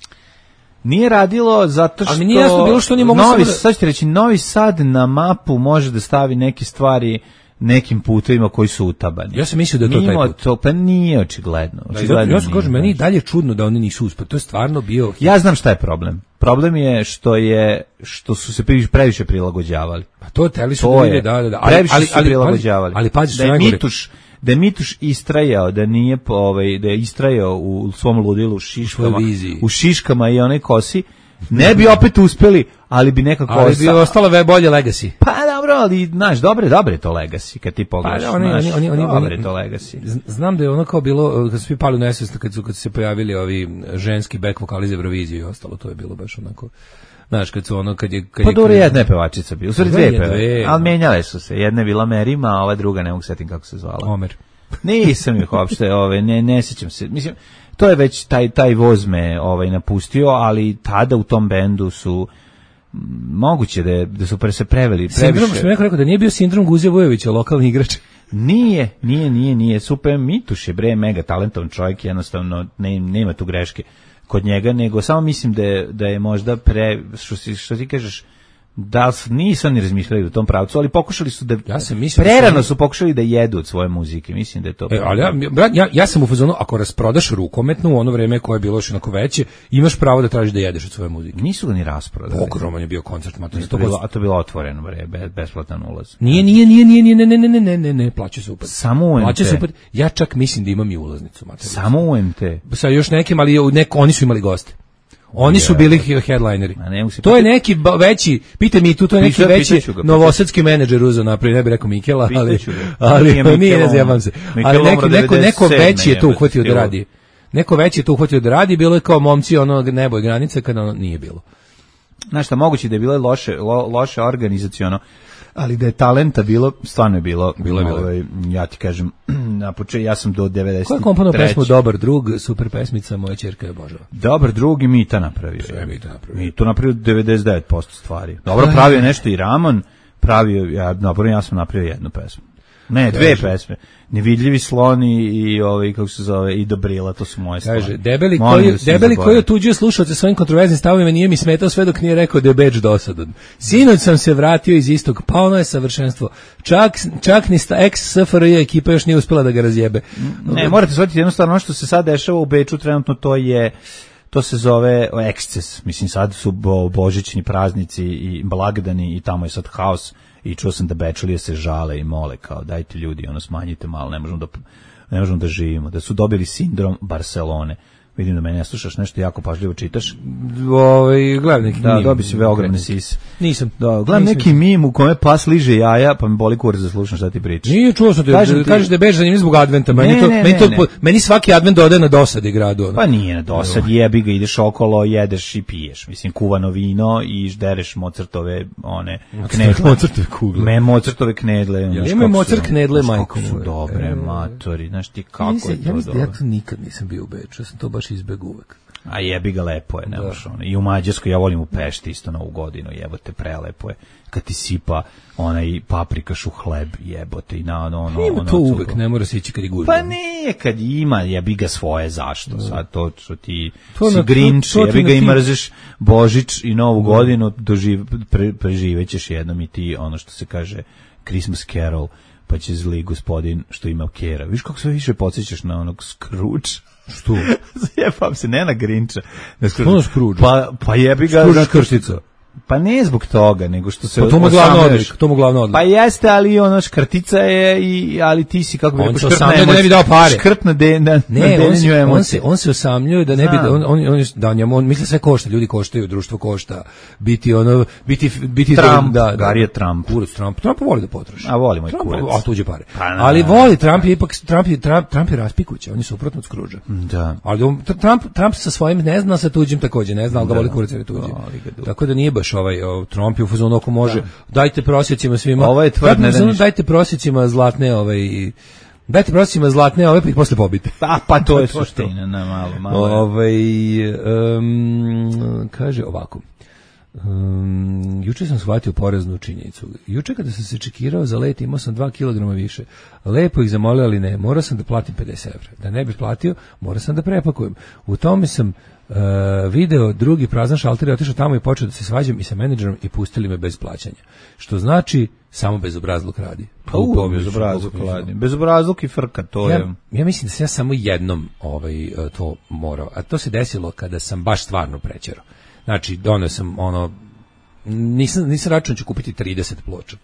Nije radilo zato što... Ali mi nije jasno bilo što oni mogu Novi, samo da- sad ću ti reći, Novi Sad na mapu može da stavi neke stvari nekim putevima koji su utabani. Ja sam mislio da je to taj Mimo put. To, pa nije očigledno. Da, očigledno ja sam nije, kažem, meni i znaš. dalje je čudno da oni nisu uspeli. To je stvarno bio... Ja znam šta je problem. Problem je što je što su se previše, previše prilagođavali. Pa to teli su To da je, vide, da, da, da. previše su se prilagođavali. Ali, ali pazi, što da je najgore. Mituš, da je Mituš istrajao, da nije po- ovaj da je istrajao u svom ludilu u šiškama, svojoj viziji. u šiškama i onoj kosi, ne bi opet uspeli, ali bi nekako Ali bi ostala ve bolje legacy. Pa dobro, ali znaš, dobre, dobre je to legacy kad ti pogledaš. Pa, oni- znaš, oni- oni- oni- dobre je oni- to legacy. Z- Znam da je ono kao bilo, kad su svi pali u nesvest, kad su, kad su se pojavili ovi ženski back vokali za Euroviziju i ostalo, to je bilo baš onako, znaš, kad su ono, kad je... Kad Pa je- dobro, kad- jedna je pevačica bila, u stvari Dve dve je, pevačice, dve. ali menjale su se, jedna je bila Merima, a ova druga ne mogu setim kako se zvala. Omer. Nisam ih uopšte, ove, ne, ne sjećam se. Mislim, to je već taj, taj voz me ovaj, napustio, ali tada u tom bendu su m, moguće da, je, da su pre se preveli Sindrom, previše. što mi neko rekao, da nije bio sindrom Guzija Vujovića, lokalni igrač. Nije, nije, nije, nije. Super Mituš je bre mega talentovan čovjek, jednostavno ne, nema tu greške kod njega, nego samo mislim da je, da je možda pre, što, si, što ti kažeš, da su, nisu ni razmišljali u tom pravcu, ali pokušali su da, Ja sam mislio da su prerano oni- su pokušali da jedu od svoje muzike, mislim da je to... E, ali ja, brat, ja, ja sam u fazonu, ako rasprodaš rukometnu u ono vreme koje je bilo još onako veće, imaš pravo da tražiš da jedeš od svoje muzike. Nisu ga ni rasprodali. Ogroman je bio koncert, mater. To bilo, a to je bilo otvoreno, bre, be- besplatan ulaz. Nije, nije, nije, nije, nije, ne, ne, ne, ne, ne, ne, ne, plaća se upad. Samo u Plaća M T. se upad. Ja čak mislim da imam i ulaznicu, mater. Samo u M T. Sa još nekim, ali u neko, oni su imali goste. Oni su bili he- headlineri. A ne mogu se To je pitati- neki ba- veći, pite mi tu, to je neki Pita- veći pitaću ga, novosadski menadžer uzeo napravi, ne bih rekao Mikela, ali, Pitaću ga. ali Nije nije, Mikel, ne on- zjebam se. Mikel Ali neki, umro neko, neko devedeset sedme veći je to jebote, uhvatio da bilo. radi. Neko veći je to uhvatio da radi, bilo je kao momci ono nebo i granice kada ono nije bilo. Znaš šta, moguće da je bilo loše, lo, loše organizaciono, ali da je talenta bilo, stvarno je bilo. Bilo je, bilo je. ovaj, ja ti kažem, na početku, ja sam do devedeset Ko je komponovao pesmu Dobar drug, super pesmica, moja ćerka je obožava. Dobar drug i Mita napravio. Sve je Mita napravio. Mita napravio devedeset devet posto stvari. Dobro, pravio je nešto i Ramon, pravio, ja, napravio, ja sam napravio jednu pesmu. Ne, dve pesme. Nevidljivi sloni i ovaj kako se zove i Dobrila, to su moje stvari. Kaže, debeli Molim koji, da se ne debeli zaboravim. koji otuđuje slušalce svojim kontroverznim stavovima nije mi smetao sve dok nije rekao da je beč dosadan. Sinoć sam se vratio iz istog, pa ono je savršenstvo. Čak, čak ni sta ex-S F R J ekipa još nije uspela da ga razjebe. Ne, morate shvatiti jednostavno ono što se sad dešava u Beču trenutno, to je to se zove eksces. Mislim, sad su bo, božićni praznici i blagdani i tamo je sad haos i čuo sam da Bečalije se žale i mole kao dajte ljudi, ono smanjite malo, ne možemo da, ne možemo da živimo. Da su dobili sindrom Barcelone. Vidim da mene ne slušaš, nešto jako pažljivo čitaš. Ovaj, gledam neki Da, mim. dobi si ve ogromne sise. Nisam. Da, gledam Nisam. neki mim u kome pas liže jaja, pa mi boli kurac da slušam šta ti pričaš. Nije, čuo sam te, Kažem da ti- kažeš da je bež zanimljiv zbog adventa. Meni, Ne, to, ne, meni, to, ne, po- ne. meni svaki advent dodaje na dosadi gradu. Ono. Pa nije na dosad, jebi ga, ideš okolo, jedeš i piješ. Mislim, kuvano vino i ždereš Mozartove, one, knedle. Mozartove kugle. Me, Mozartove knedle. Ja znaš imam kako Mozart su- knedle, znaš majko kako su moja. dobre, E, matori, znaš ti Ja kako mislim- je ja to mislim da ja dobro. to nikad nisam bio u Beču, ja sam to baš izbeg uvek. A jebi ga, lepo je, ne možeš ono. I u Mađarskoj, ja volim u Pešti isto novu godinu, jebote, prelepo je. Kad ti sipa onaj paprikaš u hleb, jebote, i na ono, ono, Ima ono to cugo. uvek, ne mora se ići kad je gužva. Pa nije, kad ima, jebi ga svoje, zašto? Sad to što ti To si na- Grinch, to- to ti jebi na ga i tim- mrzeš Božić i Novu godinu, doživ, pre, preživećeš jednom i ti, ono što se kaže, Christmas Carol, pa će zli gospodin što ima kera. Viš kako sve više podsjećaš na onog Scrooge? Što? Zajebam se, ne na Grinča. Na Što na Scrooge? Pa, pa jebi ga... Scrooge zato- krštica. Pa ne zbog toga, nego što se... Pa to mu je glavno osamljuješ. odlik, to mu je glavno odlik. Pa jeste, ali ono škrtica je, i, ali ti si, kako bi On rekao, se škrt na osamljuje da ne bi dao pare. Škrt na, de, na, na Ne, on deljenju se, on emocija. se, on se osamljuje da ne bi, Znam. on, on, on, je- da njemu, on misli sve košta, ljudi koštaju, društvo košta, biti ono, biti, biti Trump, da, da, Gari je Trump. Kurac Trump, Trump voli da potroši. A voli moj Trump, kurac. a tuđe pare. Pa, na, Ali na, voli, Trump je ipak, Trump je, Trump, Trump je raspikuća, on je suprotno od Scroogea. Da. Ali on, Trump, Trump sa svojim ne zna, sa tuđim takođe ne zna, ali ga voli kurac jer je tuđi. Voli ga dugo. Tako da nije baš ovaj, o, Trump je u fazonu ako može, dajte prosjecima svima. Ovo je tvrd, Trump je u ne da fazonu, ništa. dajte prosjecima zlatne, ovaj, dajte prosjecima zlatne, ove pa ih posle pobite. A, pa to je To je to. suština, na malo, malo. je. Ovaj em, kaže ovako. Um, juče sam shvatio poreznu činjenicu. Juče kada sam se čekirao za let imao sam dva kilograma više. Lepo ih zamolio, ali ne. Morao sam da platim pedeset evra. Da ne bih platio, morao sam da prepakujem. U tome sam uh, video drugi prazan šalter i otišao tamo i počeo da se svađam i sa menadžerom i pustili me bez plaćanja. Što znači samo bezobrazluk radi. Pa u, bezobrazluk radi. Bezobrazluk i frka, to ja, je... Ja mislim da sam ja samo jednom ovaj, to morao. A to se desilo kada sam baš stvarno prećerao. Znači, donio sam ono, nisam, nisam račun ću kupiti trideset ploča.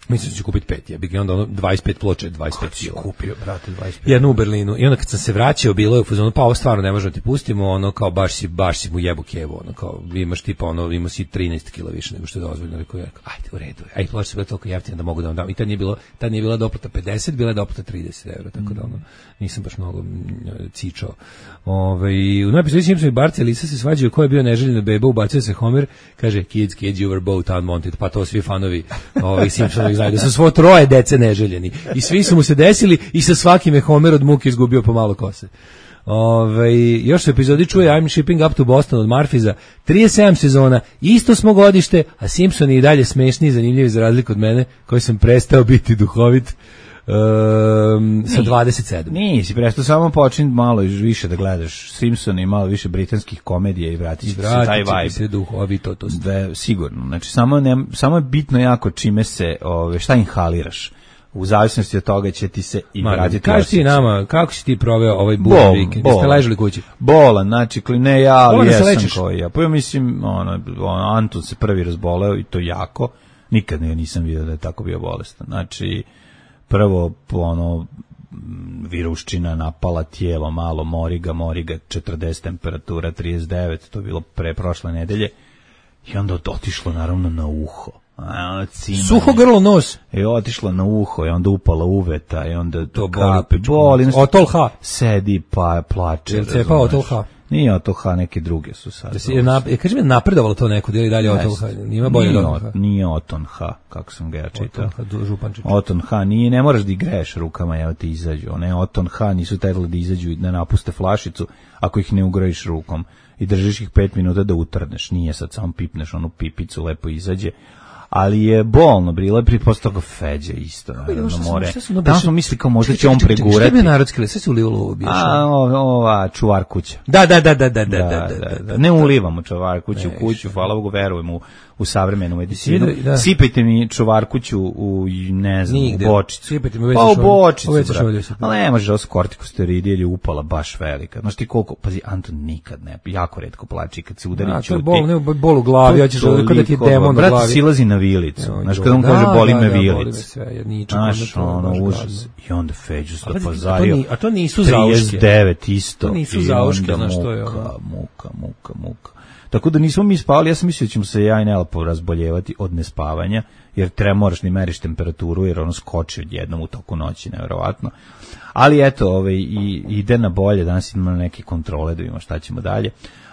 Mislim da ću kupiti pet, ja bih onda ono dvadeset pet ploča, dvadeset pet kila. Kupio, brate, dvadeset pet. Jednu u Berlinu. I onda kad sam se vraćao, bilo je u fazonu, pa ovo stvarno ne možemo ti pustimo, ono kao baš si, baš si mu jebu kevu, ono kao imaš tipa ono, imaš si trinaest kila više nego što je dozvoljeno. Rekao ja, ajde u redu, ajde ploče su bile toliko jeftine da mogu da vam dam. I tad nije bilo, tad nije bila doplata pedeset, bila je doplata trideset evra, tako da ono, nisam baš mnogo cičao. Ove, u novoj epizodi Simpson i Bart i Lisa se svađaju ko je bio neželjena beba, ubacuje se Homer, kaže kids, kids, you were both unwanted, pa to svi fanovi ovih Simpsonovih znaju da su svo troje dece neželjeni. I svi su mu se desili i sa svakim je Homer od muke izgubio pomalo kose. Ove, još se epizodi čuje I'm shipping up to Boston od Marfiza, trideset sedam sezona, isto smo godište, a Simpsoni i dalje smešni i zanimljivi za razliku od mene, koji sam prestao biti duhovit. Um, sa dvadeset sedam. Nisi, presto samo počin malo više da gledaš Simpsona i malo više britanskih komedija i vratit će se taj vibe. Se duhovitost. Da, sigurno. Znači, samo, ne, samo je bitno jako čime se, ove, šta inhaliraš. U zavisnosti od toga će ti se i vratiti. Kaži ti nama, kako si ti proveo ovaj budan vikend? Jeste ležali kući? Bolan, znači, ne ja, ali jesam koji ja. Pa ja mislim, ono, ono, Anton se prvi razboleo i to jako. Nikad ne, nisam vidio da je tako bio bolestan. Znači, prvo, ono, viruščina napala tijelo, malo moriga, moriga, četrdeset temperatura, trideset devet, to je bilo pre prošle nedelje. I onda otišlo, naravno, na uho. A, suho grlo, nos. I otišlo na uho, i onda upala uveta, i onda to kape, boli. boli Otol H. Sedi, pa plače. Jel cepa Otol H? Nije Otol H, neke druge su sad. Da si je nap, kaži mi, napredovalo to neko, ili dalje Otol H? Nima bolje nije, Otol H. Nije Oton H, kako sam ga ja čitao. Oton H, Župančić. Oton H, nije, ne moraš da igreš rukama, evo ti izađu. One Oton H nisu trebali da izađu i da napuste flašicu ako ih ne ugrojiš rukom. I držiš ih pet minuta da utrneš. Nije sad samo pipneš onu pipicu, lepo izađe. Ali je bolno, bilo je pripost toga Feđa isto, naravno, more. Tamo smo mislili kao možda će on pregurati. Šta je bio narodski, sve se ulivalo u biješu? A, ova, čuvar kuća. Da, da, da, da, da, da, da, da. Ne ulivamo čuvar kuću u kuću, hvala Bogu, verujemo u, u savremenu medicinu. Sipajte mi čuvar kuću u, ne znam, u bočicu. Sipajte mi u pa u bočicu, brate. Ali ne može, ovo su kortikosteroidi ili upala baš velika. Znaš ti koliko, pazi, Anton nikad ne, jako retko plači kad se udari ćuti. Bol, ne, bol u glavi, ja ćeš kada ti je demon u glavi. Brate, silazi na vilicu. Znaš, kada on kaže boli me vilic. Znaš, ono, užas. I onda Feđu se dopazario. A to nisu zauške. trideset devet isto. To nisu zauške, znaš što je. Muka, muka, muka, muka. Tako da nismo mi spavali, ja sam mislio da ćemo se ja i Nela porazboljevati od nespavanja, jer treba moraš ni meriš temperaturu, jer ono skoči odjednom u toku noći, nevjerovatno. Ali eto, ovaj, i, ide na bolje, danas imamo neke kontrole, da vidimo šta ćemo dalje.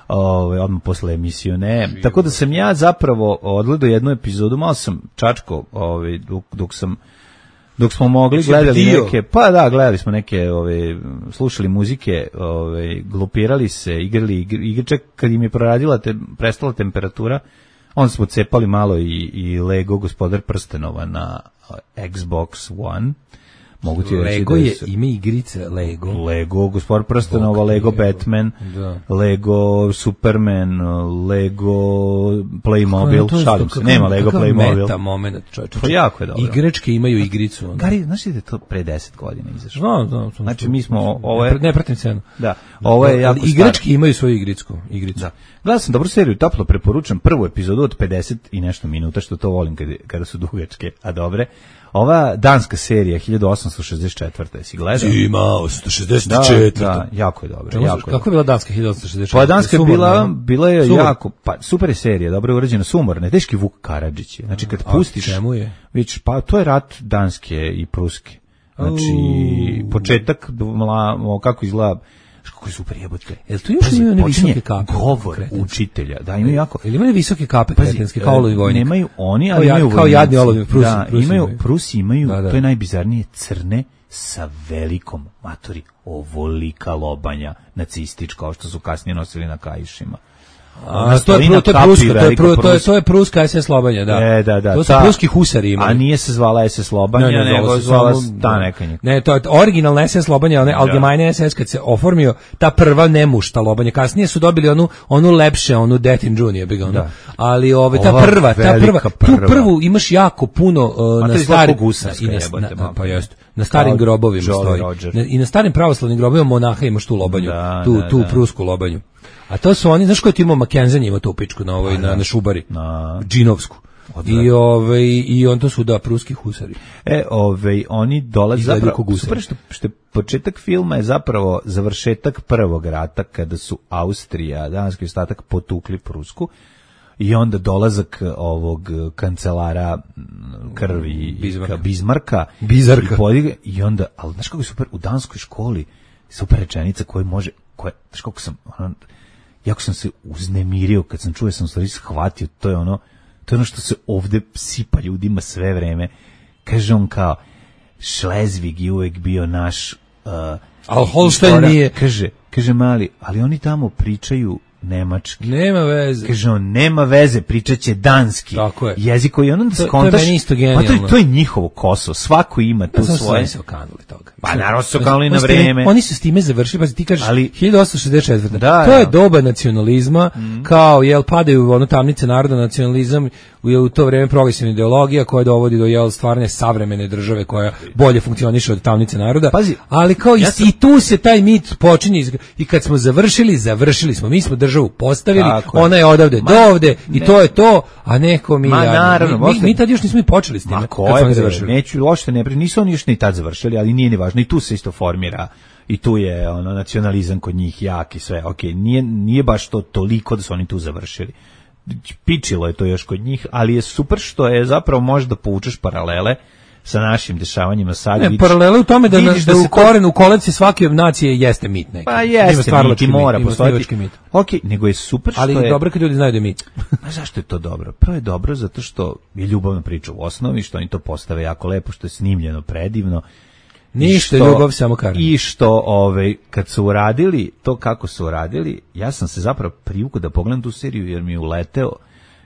Ove, odmah posle emisiju ne. Tako da sam ja zapravo odgledao jednu epizodu, malo sam čačko, ove, dok, dok sam dok smo mogli, gledali neke, pa da, gledali smo neke, ove, slušali muzike, ove, glupirali se, igrali igre, čak kad im je proradila, te, prestala temperatura, onda smo cepali malo i, i Lego Gospodar prstenova na Xbox One. Mogu ti reći Lego da je ime igrice Lego. Lego Gospodar prstenova, Lego Batman, da. Lego Superman, Lego Playmobil, šalim se, nema Lego Playmobil. Meta moment, čovječe. To jako je dobro. Igračke imaju igricu. Onda. Gari, znaš da je to pre deset godina izašlo? Znam, znam. Znači mi smo, ovo je... Ne pratim cenu. Da, ovo je jako staro. Igračke imaju svoju igricu. igricu. Da. Gledao sam dobru seriju, toplo preporučam prvu epizodu od pedeset i nešto minuta, što to volim kada, kada su dugačke, a dobre. Ova danska serija hiljadu osamsto šezdeset četvrte si gledao? Zima osamsto šezdeset četvrte. Da, da, jako je dobro. Jako kako je bila danska hiljadu osamsto šezdeset četvrte? Pa danska je bila, bila je Sumor. jako, pa super je serija, dobro je urađena, sumorna, teški Vuk Karadžić. Znači kad a, pustiš, čemu je? Već, pa to je rat danske i pruske. Znači, uh. početak, mla, kako izgleda, kako je super jebote. Jel tu još imaju one visoke kape? Govor učitelja, da, imaju jako. Ili imaju visoke kape kretenske, kao olovi vojnik? Nemaju oni, ali imaju kao jadni olovi, Prusi. Da, imaju, Prusi imaju, da, da. To je najbizarnije, crne sa velikom, matori, ovolika lobanja nacistička, kao što su kasnije nosili na kaišima. A to je to je pruska, to je pru, to je to je pruska es es Slobanja, da. E, da, da. To su ta, pruski husari imali. A nije se zvala es es Slobanja, ne, ne, nego zvala se ta neka njega. Ne, to je originalna es es Slobanja, ona Allgemeine es es kad se oformio, ta prva nemušta Lobanja. Kasnije su dobili onu onu lepše, onu Detin Junior bi ga ono. Ali ove ta prva, ta prva, tu prvu imaš jako puno uh, na starim i na, na, pa jest. Na starim grobovima stoji. Na, I na starim pravoslavnim grobovima monaha imaš tu Lobanju, da, tu da, tu da. Prusku Lobanju. A to su oni, znaš ko je imao Mackenzie ima tu pičku na ovoj, na, na Šubari, na Džinovsku. I, ovaj, i on to su, da, pruski husari. E, ovaj, oni dolaze zapravo, super što, što početak filma je zapravo završetak prvog rata, kada su Austrija, danski ostatak potukli Prusku, i onda dolazak ovog kancelara krvi Bizmarka, Bizmarka, Bizarka. I, podige, i onda, ali znaš kako je super, u danskoj školi super rečenica koja može, koja, znaš kako sam, ono, jako sam se uznemirio kad sam čuo, sam stvari shvatio, to je ono, to je ono što se ovde sipa ljudima sve vreme. Kaže on kao, Šlezvig je uvek bio naš... Uh, Al Holstein nije. Kaže, kaže mali, ali oni tamo pričaju nemački. Nema veze. Kaže on, nema veze, pričat će danski. Tako je. Jezik koji on onda to, skontaš. To je meni isto genijalno. Pa to, to je njihovo Kosovo, svako ima tu pa, svoje. Pa se okanuli toga. Pa naravno su okanuli na vreme. Oni su s time završili, pa ti kažeš, ali, hiljadu osamsto šezdeset četvrte. Da, to je da. doba nacionalizma, mm. kao, jel, padaju ono tamnice naroda, nacionalizam, u, u to vreme progresivna ideologija koja dovodi do, jel, stvarne savremene države koja bolje funkcioniše od tamnice naroda. Pazi, ali kao ja i, sam... i tu se taj mit počinje i kad smo završili, završili smo. Mi smo državu postavili, tako ona je odavde Ma, do ovde i ne. to je to, a neko mi... Ma, ja, naravno, mi, mi, mi tad još nismo i počeli s time. Ma ko je, završili. Neću lošte, ne, nisu oni još ni tad završili, ali nije ni važno. I tu se isto formira, i tu je ono nacionalizam kod njih jak i sve. Ok, nije, nije baš to toliko da su oni tu završili. Pičilo je to još kod njih, ali je super što je zapravo možda povučeš paralele sa našim dešavanjima sad. Ne, vidiš, paralele u tome da, na, da, da u korenu, u kolevci svake nacije jeste mit neki. Pa jeste mit i mora postojati. Mit. Ok, nego je super što ali je... Ali dobro kad ljudi znaju da je mit. A zašto je to dobro? Prvo je dobro zato što je ljubavna priča u osnovi, što oni to postave jako lepo, što je snimljeno predivno. Ništa, ljubav samo karma. I što, ovaj, kad su uradili to kako su uradili, ja sam se zapravo privukao da pogledam tu seriju, jer mi je uleteo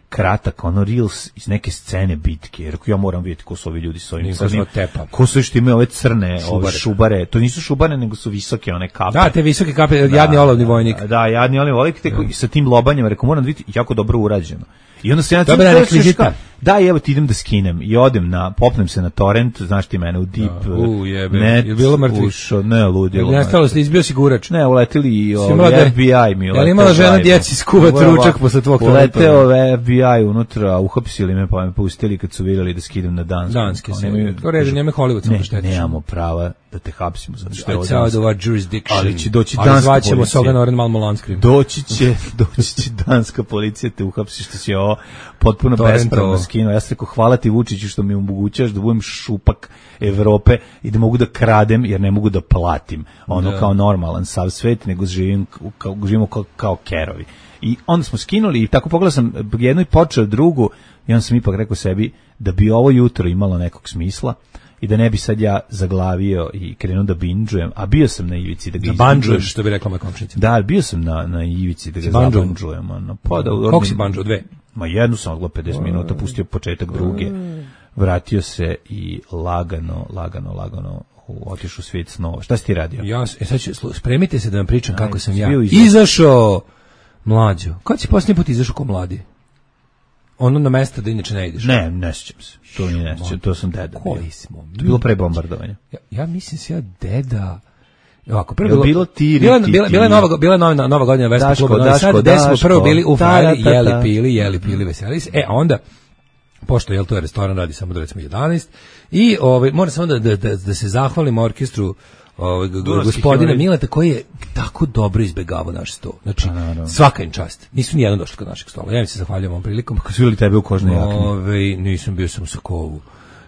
kratak, ono reels iz neke scene bitke, jer ja moram vidjeti ko su ovi ljudi s ovim crnim, ko su što imaju ove crne šubare. Ove šubare, to nisu šubare, nego su visoke one kape. Da, te visoke kape, da, jadni olovni vojnik. Da, da jadni olovni vojnik, te, i sa tim lobanjama, rekao, moram vidjeti, jako dobro urađeno. I onda se ja dobra rekvizita. Da, evo ti idem da skinem i odem na, popnem se na torrent, znaš ti mene u deep da, u, jebe. net, je bilo mrtvi. Ušo, ne, ludilo. Ne, stalo se, izbio si gurač. Ne, uletili i ovaj F B I mi uleteo. Je li imala žena djeci skuvat ručak posle tvog telefona? Uleteo F B I unutra, uhapsili me pa me pustili kad su vidjeli da skidam na dansku. Danski se. To reže, nema Hollywood samo štetiš. Ne, nemamo prava da te hapsimo, zato što je ovo danska. Ali će doći danska policija. Ali zvaćemo Soga Noren Malmolanskrim. Doći će, doći će danska policija te uhapsi što si ovo potpuno bespravno skinuo. Ja sam rekao, hvala ti Vučiću što mi omogućaš da budem šupak Evrope i da mogu da kradem jer ne mogu da platim. Ono da. Kao normalan sav svet, nego živim kao, živimo kao, kao kerovi. I onda smo skinuli i tako pogledao sam jednu i počeo drugu i onda sam ipak rekao sebi da bi ovo jutro imalo nekog smisla i da ne bi sad ja zaglavio i krenuo da binđujem, a bio sam na ivici da ga banđuješ, što bi rekla moja komšinica. Da, bio sam na, na ivici da ga zabanđujem. Ono, pa da, koliko si banđuo, dve? Ma jednu sam odgledao pedeset minuta, pustio početak druge, vratio se i lagano, lagano, lagano otišao u svijet snova. Šta si ti radio? Ja, e, sad ću, spremite se da vam pričam Aj, kako sam ja izašao mlađo. Kad si posljednji put izašao ko mladi? Ono na mesta da inače ne ideš? Ne, ne sjećam se. To mi ne sjećam, to sam deda. Koji smo? To je bilo pre bombardovanja. Ja, ja mislim se ja deda... Ovako, prvo bilo, bilo tiri, bila, bila, bila je nova, bila je nova, nova godina Vespa kluba Novi Sad, gde smo prvo bili u Fajli, jeli, pili, jeli, pili, veselili se. E, a onda, pošto, jel, to je restoran, radi samo do recimo jedanaest, i ovaj, moram samo da, da, da, da se zahvalim orkestru ovaj, gospodina Mileta, koji je tako dobro izbegavao naš sto. Znači, a, svaka im čast. Nisu ni jedan došli kod našeg stola. Ja mi se zahvaljujem ovom prilikom. Kako su bili tebe u kožnoj jakni? Ovaj, nisam, bio sam u Sokovu.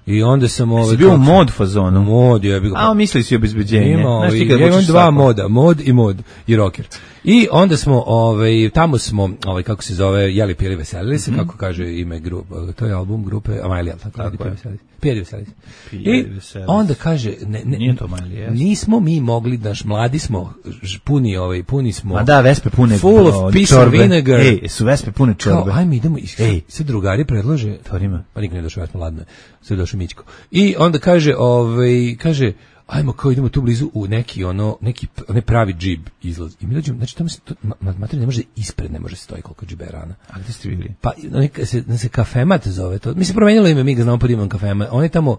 I onda sam ovaj bio u mod fazonu. Mod je bio. A mislili si obezbeđenje. Ima, znaš ti kad ja imam dva moda, mod i mod i rocker. I onda smo, ovaj, tamo smo, ovaj, kako se zove, jeli, pili, veselili se, kako kaže ime grupe, to je album grupe Amailija, tako, tako pili, veselili se. Pili, veselili se. I onda kaže, ne, ne, nije to Amailija, nismo mi mogli, naš mladi smo, ž- puni, ovaj, puni smo. A da, vespe pune full of piece of vinegar. Ej, su vespe pune čorbe. Kao, ajme, idemo, i Ej. sve drugari predlože, Tvorima. pa nikad nije došao, ja smo ladno, sve došao Mićko. I onda kaže, ovaj, kaže, ajmo kao idemo tu blizu u neki ono neki onaj pravi džib izlaz. I mi dođemo, znači tamo se to ma, materija ne može ispred, ne može se stoji koliko džiberana. A gde ste bili? Pa neka se se Kafemat zove to. Mi se promenilo ime, mi ga znamo pod imenom Kafemat. On je tamo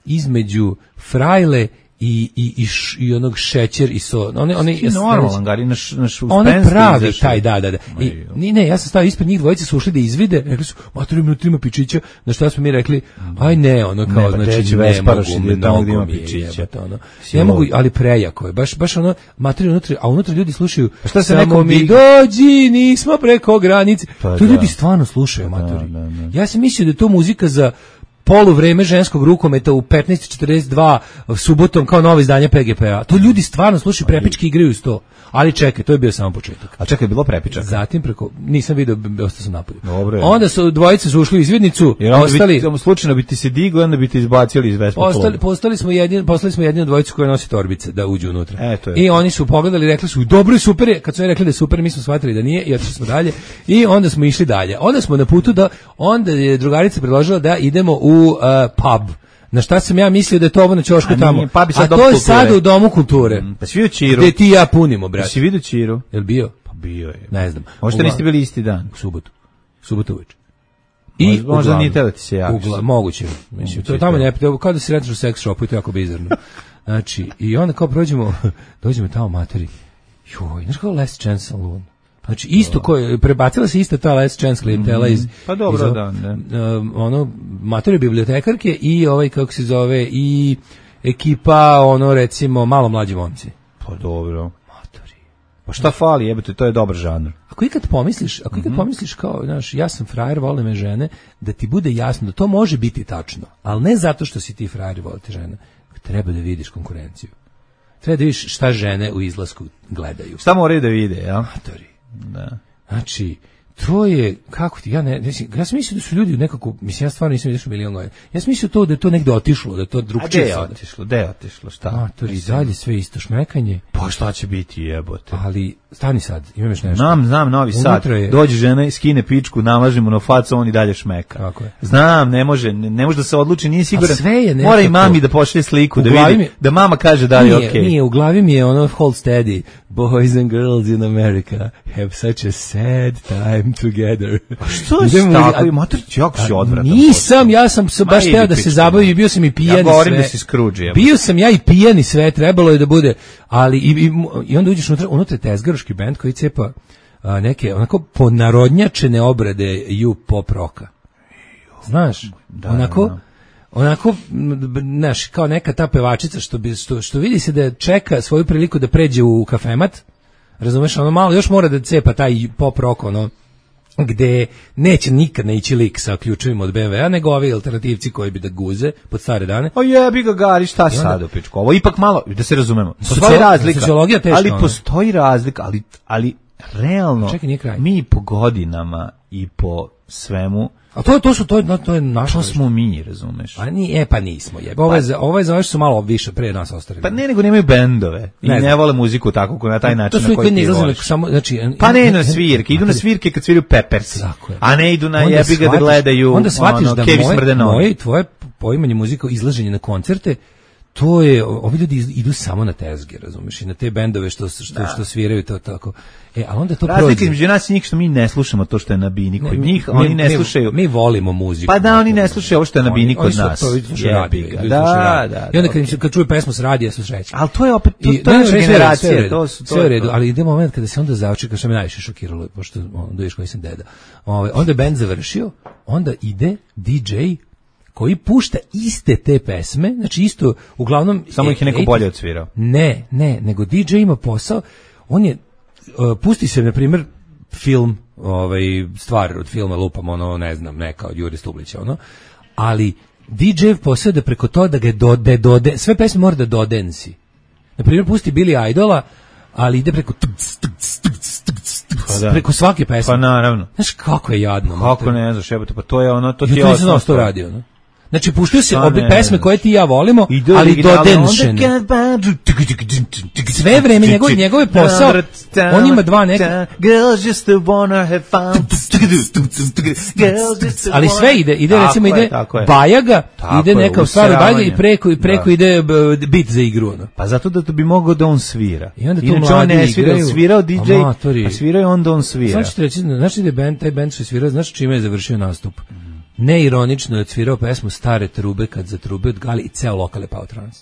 između Frajle i i i, š, i onog šećer i so. One one normalan gari naš naš on pravi taj, da, da, da. I ni ne, ja sam stao ispred njih, dvojice su ušli da izvide, rekli su: "Materi, minutima pičića." Na šta smo mi rekli: "Aj ne, ono kao ne, znači ne mogu, tamo gde ima pičića." Ono. Ne mogu, ali prejako je. Baš baš ono materi unutra, a unutra ljudi slušaju. A šta se samo neko mi mi- dođi, nismo preko granice. Pa To da. ljudi stvarno slušaju, materi. da, da. Ja sam mislio da je to muzika za poluvreme ženskog rukometa u petnaest četrdeset dva subotom kao novo izdanje P G P-a. To ljudi stvarno slušaju, prepički igraju uz to. Ali čekaj, to je bio samo početak. A čekaj, bilo prepičaka. Zatim preko, nisam video, ostao sam napolju. Dobro je. Onda su dvojice su ušli u izvidnicu, Jer onda ostali, bi, slučajno bi ti se digao, onda bi ti izbacili iz vespa. ostali, postali smo jedini, poslali smo jedinu dvojicu koja nosi torbice da uđu unutra. E, to je I to. oni su pogledali, rekli su dobro je, super je. Kad su oni rekli da je super, mi smo shvatili da nije i otišli smo dalje. I onda smo išli dalje. Onda smo na putu da, onda je drugarica predložila da idemo u uh, pub. Na šta sam ja mislio da je to ovo na ćošku A tamo. nije, pub je sad A Dom to je kulture. sad u Domu kulture. Pa si vidio Čiru? Gde ti i ja punimo, brate. Si vidio Čiru? Jel bio? Pa bio je. Ne znam. Možda Uglavnom- niste bili isti dan. U subotu. Subotu uveče. Možda- možda uglavnom- nije teo da ti se javiš. Ugla, moguće. Mislim, to je Moguće tamo je to. ne, to- kao da se retiš u seks shopu i to je jako bizarno. Znači, i onda kao prođemo, dođemo tamo materi. Joj, znaš kao Last Chance Saloon. Znači, isto koje, prebacila se ista ta Last Chance klijentela iz... Pa dobro, iz, da, da. um, ono, materije bibliotekarke i ovaj, kako se zove, i ekipa, ono, recimo, malo mlađi momci. Pa dobro. Matori. Pa šta fali, jebote, to je dobar žanr. Ako ikad pomisliš, ako ikad pomisliš kao, znaš, ja sam frajer, vole me žene, da ti bude jasno da to može biti tačno, ali ne zato što si ti frajer i vole te žene, treba da vidiš konkurenciju. Treba da vidiš šta žene u izlasku gledaju. Šta moraju da vide, ja? Matori. Da. Znači, to je, kako ti, ja ne, mislim, ja sam mislio da su ljudi nekako, mislim, ja stvarno nisam vidio milion godina. Ja sam mislio to da je to negde otišlo, da je to A gde drugčije je sada. otišlo, gde je otišlo, šta? Matori, dalje sve isto šmekanje, Pa šta će biti, jebote? ali stani sad, imam još nešto. Znam, znam, Novi Sad. Unutra je- Dođe žena, skine pičku, namažemo na facu, on i dalje šmeka. Tako je. Znam, ne može, ne, ne može da se odluči, nije siguran. sve je Mora i nekako- mami da pošalje sliku, U da glavi vidi, mi- da mama kaže da li je Nije, okej. nije, u glavi mi je ono hold steady. Boys and girls in America have such a sad time together. Što je Idemo u- tako? a- Matorić, jako si a odvratan. Nisam, ja sam se Ma baš idi teo da se pičku, zabavim no. i bio sam i pijan Ja i govorim sve. da si Scrooge, jebote. Bio sam ja i pijan i sve, trebalo je da bude, ali i, i, i onda uđeš unutra, unutra je tezgaroški bend koji cepa a, neke onako ponarodnjačene obrade ju pop roka. Znaš, da, onako, da. onako, m, znaš, kao neka ta pevačica što, bi, što, što vidi se da čeka svoju priliku da pređe u kafemat, razumeš, ono malo, još mora da cepa taj pop rock, ono, gde neće nikad ne ići lik sa ključevima od B M W-a, nego ovi alternativci koji bi da guze pod stare dane. O jebi ga Gari, šta I onda- sad u pičku? Ovo ipak malo, da se razumemo. Postoji Socio- razlika. sociologija teška, ali ono. postoji razlika, ali, ali realno, Čekaj, nije kraj. mi po godinama i po svemu, A to, to su, to, je- to je naša. to smo mi, razumeš? A ni, e, pa nismo, jebe. Ovo je, za- ovo je za ove što su malo više pre nas ostali. Pa ne, nego nemaju bendove i Ne ne, znam. vole muziku tako ko na taj način to su na i koji koji ne ti izlaze voliš. samo, znači... Pa ne idu na svirke, idu na svirke kad sviraju Peppers, Tako je. a ne idu na Onda jebi ga da shvatiš- gledaju onda shvatiš ono, da Kevi moje, Smrdenovi. moje i tvoje poimanje muzika, izlaženje na koncerte, to je, ovi ljudi iz- idu samo na tezge, razumiješ, i na te bendove što, što, što sviraju to tako. E, a onda to Razlika prođe. između nas i njih što mi ne slušamo to što je na bini kod Mi- njih, mi- oni ne mi- slušaju. Mi volimo muziku. Pa da, oni ne slušaju ovo što je na Oni- bini oni kod su- nas. to vidi slušaju radio, Jebi ga. ljudi Da, slušaju radio. da, I onda da, kad, im- kad čuju pesmu s radija, su srećni. ali to je opet, to, I- to je ne, naša sve u redu, sve u generacija, redu, to su, to sve u je redu, to. ali ide moment kada se onda zaočeka, što me najviše šokiralo, pošto ono, da vidiš koji sam deda. Ovaj, onda je bend završio, onda ide D J koji pušta iste te pesme, znači isto, uglavnom... Samo ih je neko ej, bolje odsvirao. Ne, ne, nego D J ima posao, on je, uh, pusti se, na primjer, film, ovaj, stvar od filma, lupam, ono, ne znam, neka od Jure Stublića, ono, ali D J posao je da preko toga da ga dode, dode, sve pesme mora da dodensi. Na primjer, pusti Billy Idola, ali ide preko tc, tc, tc, Pa da. preko svake pesme. Pa naravno. Znaš kako je jadno. Kako mater. ne znaš, jebote, pa to je ono, to ti Ja je to nisam znao osnov. što to radi, ono. Znači, puštaju se Pa obe ne, pesme ne, koje ti i ja volimo, Ide ali originalno, dodenšene. onda kad- Sve vreme njegov, njegov je posao, on ima dva neka... Girls just wanna have fun. Girls just Ali wanna- sve ide, ide Tako recimo je, ide tako je. Bajaga, Tako ide je, neka u stvari Bajaga i useravanje. preko, i preko Da. ide b, bit za igru, ono. Pa zato da to bi mogao da on svira. I onda tu Inače on mladi ne svira, igraju, svirao D J, amatori. pa svirao je onda on svira. Znači ti reći, znaš da je band, taj band što je svirao, znaš čime je završio nastup? Neironično je odsvirao pesmu Stare trube kad za trube od Gali i ceo lokal je pao trans.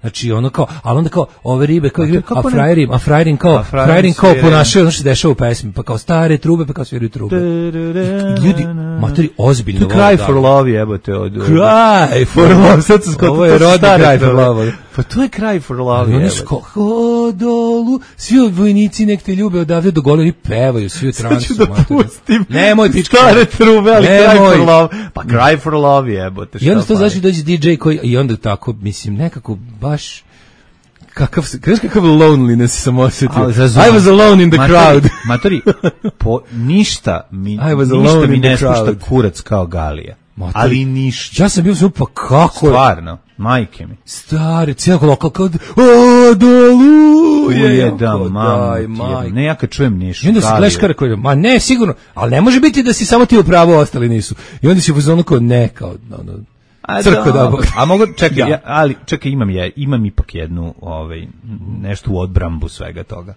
Znači ono kao, ali onda kao ove ribe kao igraju, a kako ne- frajerim, a frajerim kao, A frajerim frajerim kao sviraju. ponašaju ono što se dešava u pesmi, pa kao stare trube, pa kao sviraju trube. Ljudi, matori, ozbiljno To je vole Cry da- for Love, jebote. Od, od, Cry for love, sad sam skontao, Ovo je to su rodni stare Cry for trube. Love. Pa to je Cry for Love, Ali oni jebote. su kao, hodolu, svi od vojnici nek te ljube odavde do gole i pevaju, svi u transu. Ću da matori. pustim Nemoj, pička. stare trube, ali Cry Nemoj. for Love. Pa Cry for Love, jebote. I onda šta to fali? znači dođe D J koji, i onda tako, mislim, nekako baš, kakav, se- kažeš kakav loneliness sam osjetio. Ali razumem. I was alone in the Matori, crowd. Matori, po, ništa mi, I was ništa alone mi in the ne spušta crowd. kurac kao Galija. Matori, Ali ništa. Ja sam bio sam, pa kako je, Stvarno, majke mi. stari, cijelo lokal kao, o, dolu, Uje da, mamu, ne ja kad čujem ništa. I onda se gledaš kada koji, ma ne, sigurno, ali ne može biti da si samo ti u pravu, a ostali nisu. I onda si u fazonu kao ne, kao, ono, A, crkva da, dobro. A mogu čekaj, Ja. ja, ali čekaj, imam ja, imam ipak jednu, ovaj nešto u odbrambu svega toga.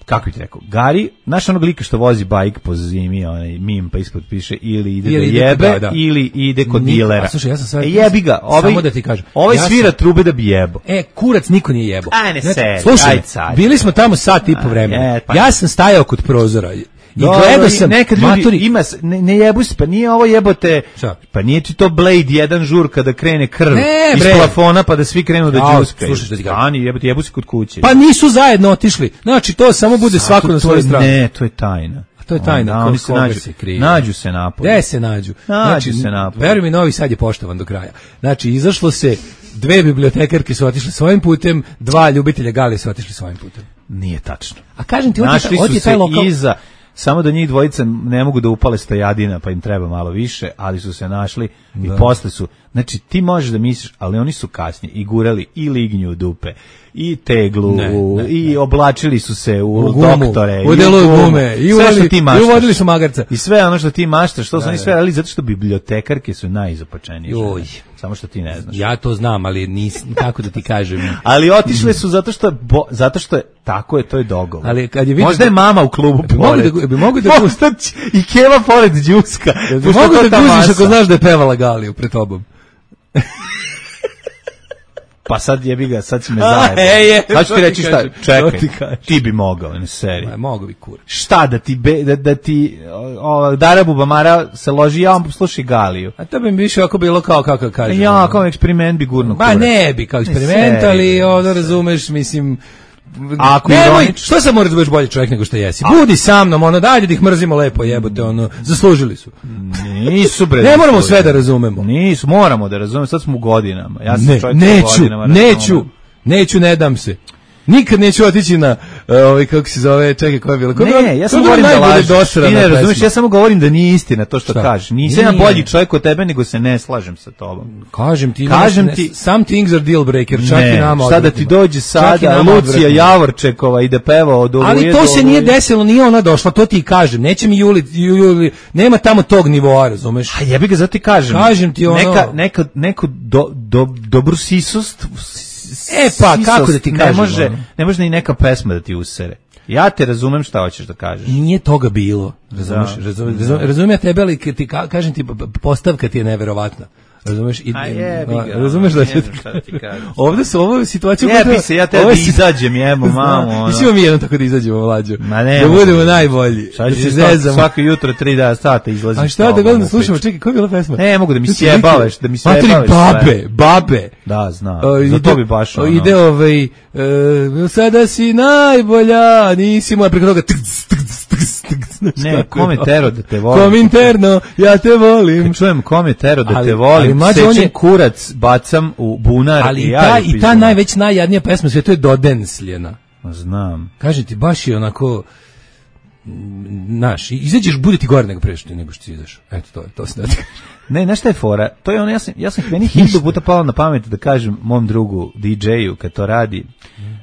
Kako bih ti rekao? Gari, znaš onog lika što vozi bajk po zimi, onaj mim pa ispod piše ili ide Ili do ide kod- jebe da, da. ili ide kod Ni- dilera. a slušaj, ja sam sad- e, jebi ga, ovaj, samo da ti kažem. ovaj Ja svira sam- trube da bi jebo. E, kurac niko nije jebo. Aj, ne seri, slušaj, aj sad. bili smo tamo sat i po vremena. je, pa- Ja sam stajao kod prozora i Dobro, gledao i sam, nekad ljudi, matori, ima, s- ne, ne jebu se, pa nije ovo jebote, Šta? pa nije ti to Blade jedan žur kada krene krv Ne, iz bre. plafona pa da svi krenu da Jao, džuskaju. slušaj što ti kažem. Ani, jebote, jebu se kod kuće. pa nisu zajedno otišli. Znači, to samo bude svako To- na to svojoj je- strani. Ne, to je tajna. A to je tajna, Da, ko- oni se koga nađu, se krije. nađu se napolje. Gde se nađu? Nađu se napolje. Veruj mi, Novi Sad je poštovan do kraja. Znači, izašlo se, dve bibliotekarke su otišle svojim putem, dva ljubitelja Gali su otišli svojim putem. Nije tačno. A kažem ti, ovdje, Našli ovdje su je taj se lokal... iza, samo da njih dvojica ne mogu da upale stojadina, pa im treba malo više, ali su se našli i posle su, znači ti možeš da misliš, ali oni su kasnije i gurali i lignju u dupe, i teglu, Ne, u- ne, i oblačili su se u, U gumu, doktore, u i delu gumu. gume, i sve što uvodili- ti i maštaš. uvodili su magarca. I sve ono što ti maštaš, što su oni sve radili, zato što bibliotekarke su najizopačenije žene. Joj. Samo što ti ne znaš. Ja to znam, ali nis, kako da ti kažem. Ali otišle su zato što bo, zato što je tako je, to je dogovor. Ali kad je vidio možda je da- mama u klubu Bi mogu pored. da- bi mogu da- Možda će i Keva pored đuska. Jel ti pošto mogu to da ta guziš masa. ako znaš da je pevala Galiju pred tobom? Pa sad jebi ga, sad si me A, zajebao. e, je, Sad ću to ti ti reći šta, kažem, to čekaj, ti kažem. ti bi mogao, ne seri. Ma, mogu bi kur. Šta da ti, be, da, da ti o, o, Dara Bubamara se loži, ja vam slušaj Galiju. A to bi mi više ako bilo kao kako kažem. Ja, ono. kao eksperiment bi gurno Ba kurac. ne bi kao eksperiment, Ne, ali seri, ono razumeš, mislim, Ako nemoj, ironično- što sad moraš da budeš bolji čovjek nego što jesi? Budi sa mnom, ono, dajde da ih mrzimo lepo, jebote, ono, zaslužili su. Nisu bre. Ne moramo nisu, sve da bre. razumemo. Nisu, moramo da razumemo, sad smo u godinama. Ja sam Ne, čovjek u neću, godinama, neću, razumem. neću, ne dam se. Nikad neću otići na, uh, ovaj, kako se zove, čekaj, koja je bila? Koja je bila- Ne, ja koja samo je bila govorim da najbolje lažeš. dosrana Ti ne razumeš, pesma? ja samo govorim da nije istina to što Šta? kažeš. Nisam ja Nije. bolji čovjek od tebe, nego se ne slažem sa tobom. Kažem ti, Kažem ne, ti- some things are deal breaker, čak i nama. sada ti odvratnima. dođe Čak i sada nama Lucija odvratnima. Javorčekova i da peva od Oluje Ali do to se nije Oluje. desilo, nije ona došla, to ti kažem. Neće mi Juli, Juli, nema tamo tog nivoa, razumeš? A jebi ga, zato ti kažem. Kažem ti ono- Neka, neka, neko do, do, dobru sisost... E pa, sisost kako da ti ne kažem, Može, ono? ne može ni neka pesma da ti usere. Ja te razumem šta hoćeš da kažeš. Nije toga bilo, razumeš? Da. Razumem, razumem, razumem ja tebe, ali kad ti ka, kažem ti, p- p- postavka ti je neverovatna. Razumeš? I, A jebi ga, a, razumeš da ne će znam šta ti kažem. Ovde su ovo situacija... Jebi se, ja te da izađem, jebo, mamu, ono. Mislimo mi jednom tako da izađemo, mlađo. Ma ne, da može. budemo najbolji. Sad Da ću se svako, zezamo. svako jutro tri da sata izlazim. A s šta da tobom gledam u da slušamo? priču. Čekaj, koja je bila pesma? Ne, mogu da mi Znači, sjebavaš, da mi Materi, sjebavaš babe, sve. babe. Da, znam. O, Za ide- to bi baš o, ono. Ide ovaj, e, sada si najbolja, nisi moja, preko toga tks, tks, tks, tks, znaš Ne, kako je kom je to? tero da te volim. Kominterno, ja te volim. Kad čujem kom je tero da Ali- te ali volim, mlađe, on sečem je- kurac, bacam u bunar Ali i i ja ta, ju i ta pizdim. najveć najjadnija pesma sve to je Dodensljena. Znam. Kaže ti, baš je onako, naš, izađeš, bude ti gore nego pre što nego što ti ideš. Eto, to je, to se da ti kažem. Ne, znaš šta je fora? To je ono, ja sam, ja sam meni hiljadu puta palo na pamet da kažem mom drugu D J-u kad to radi,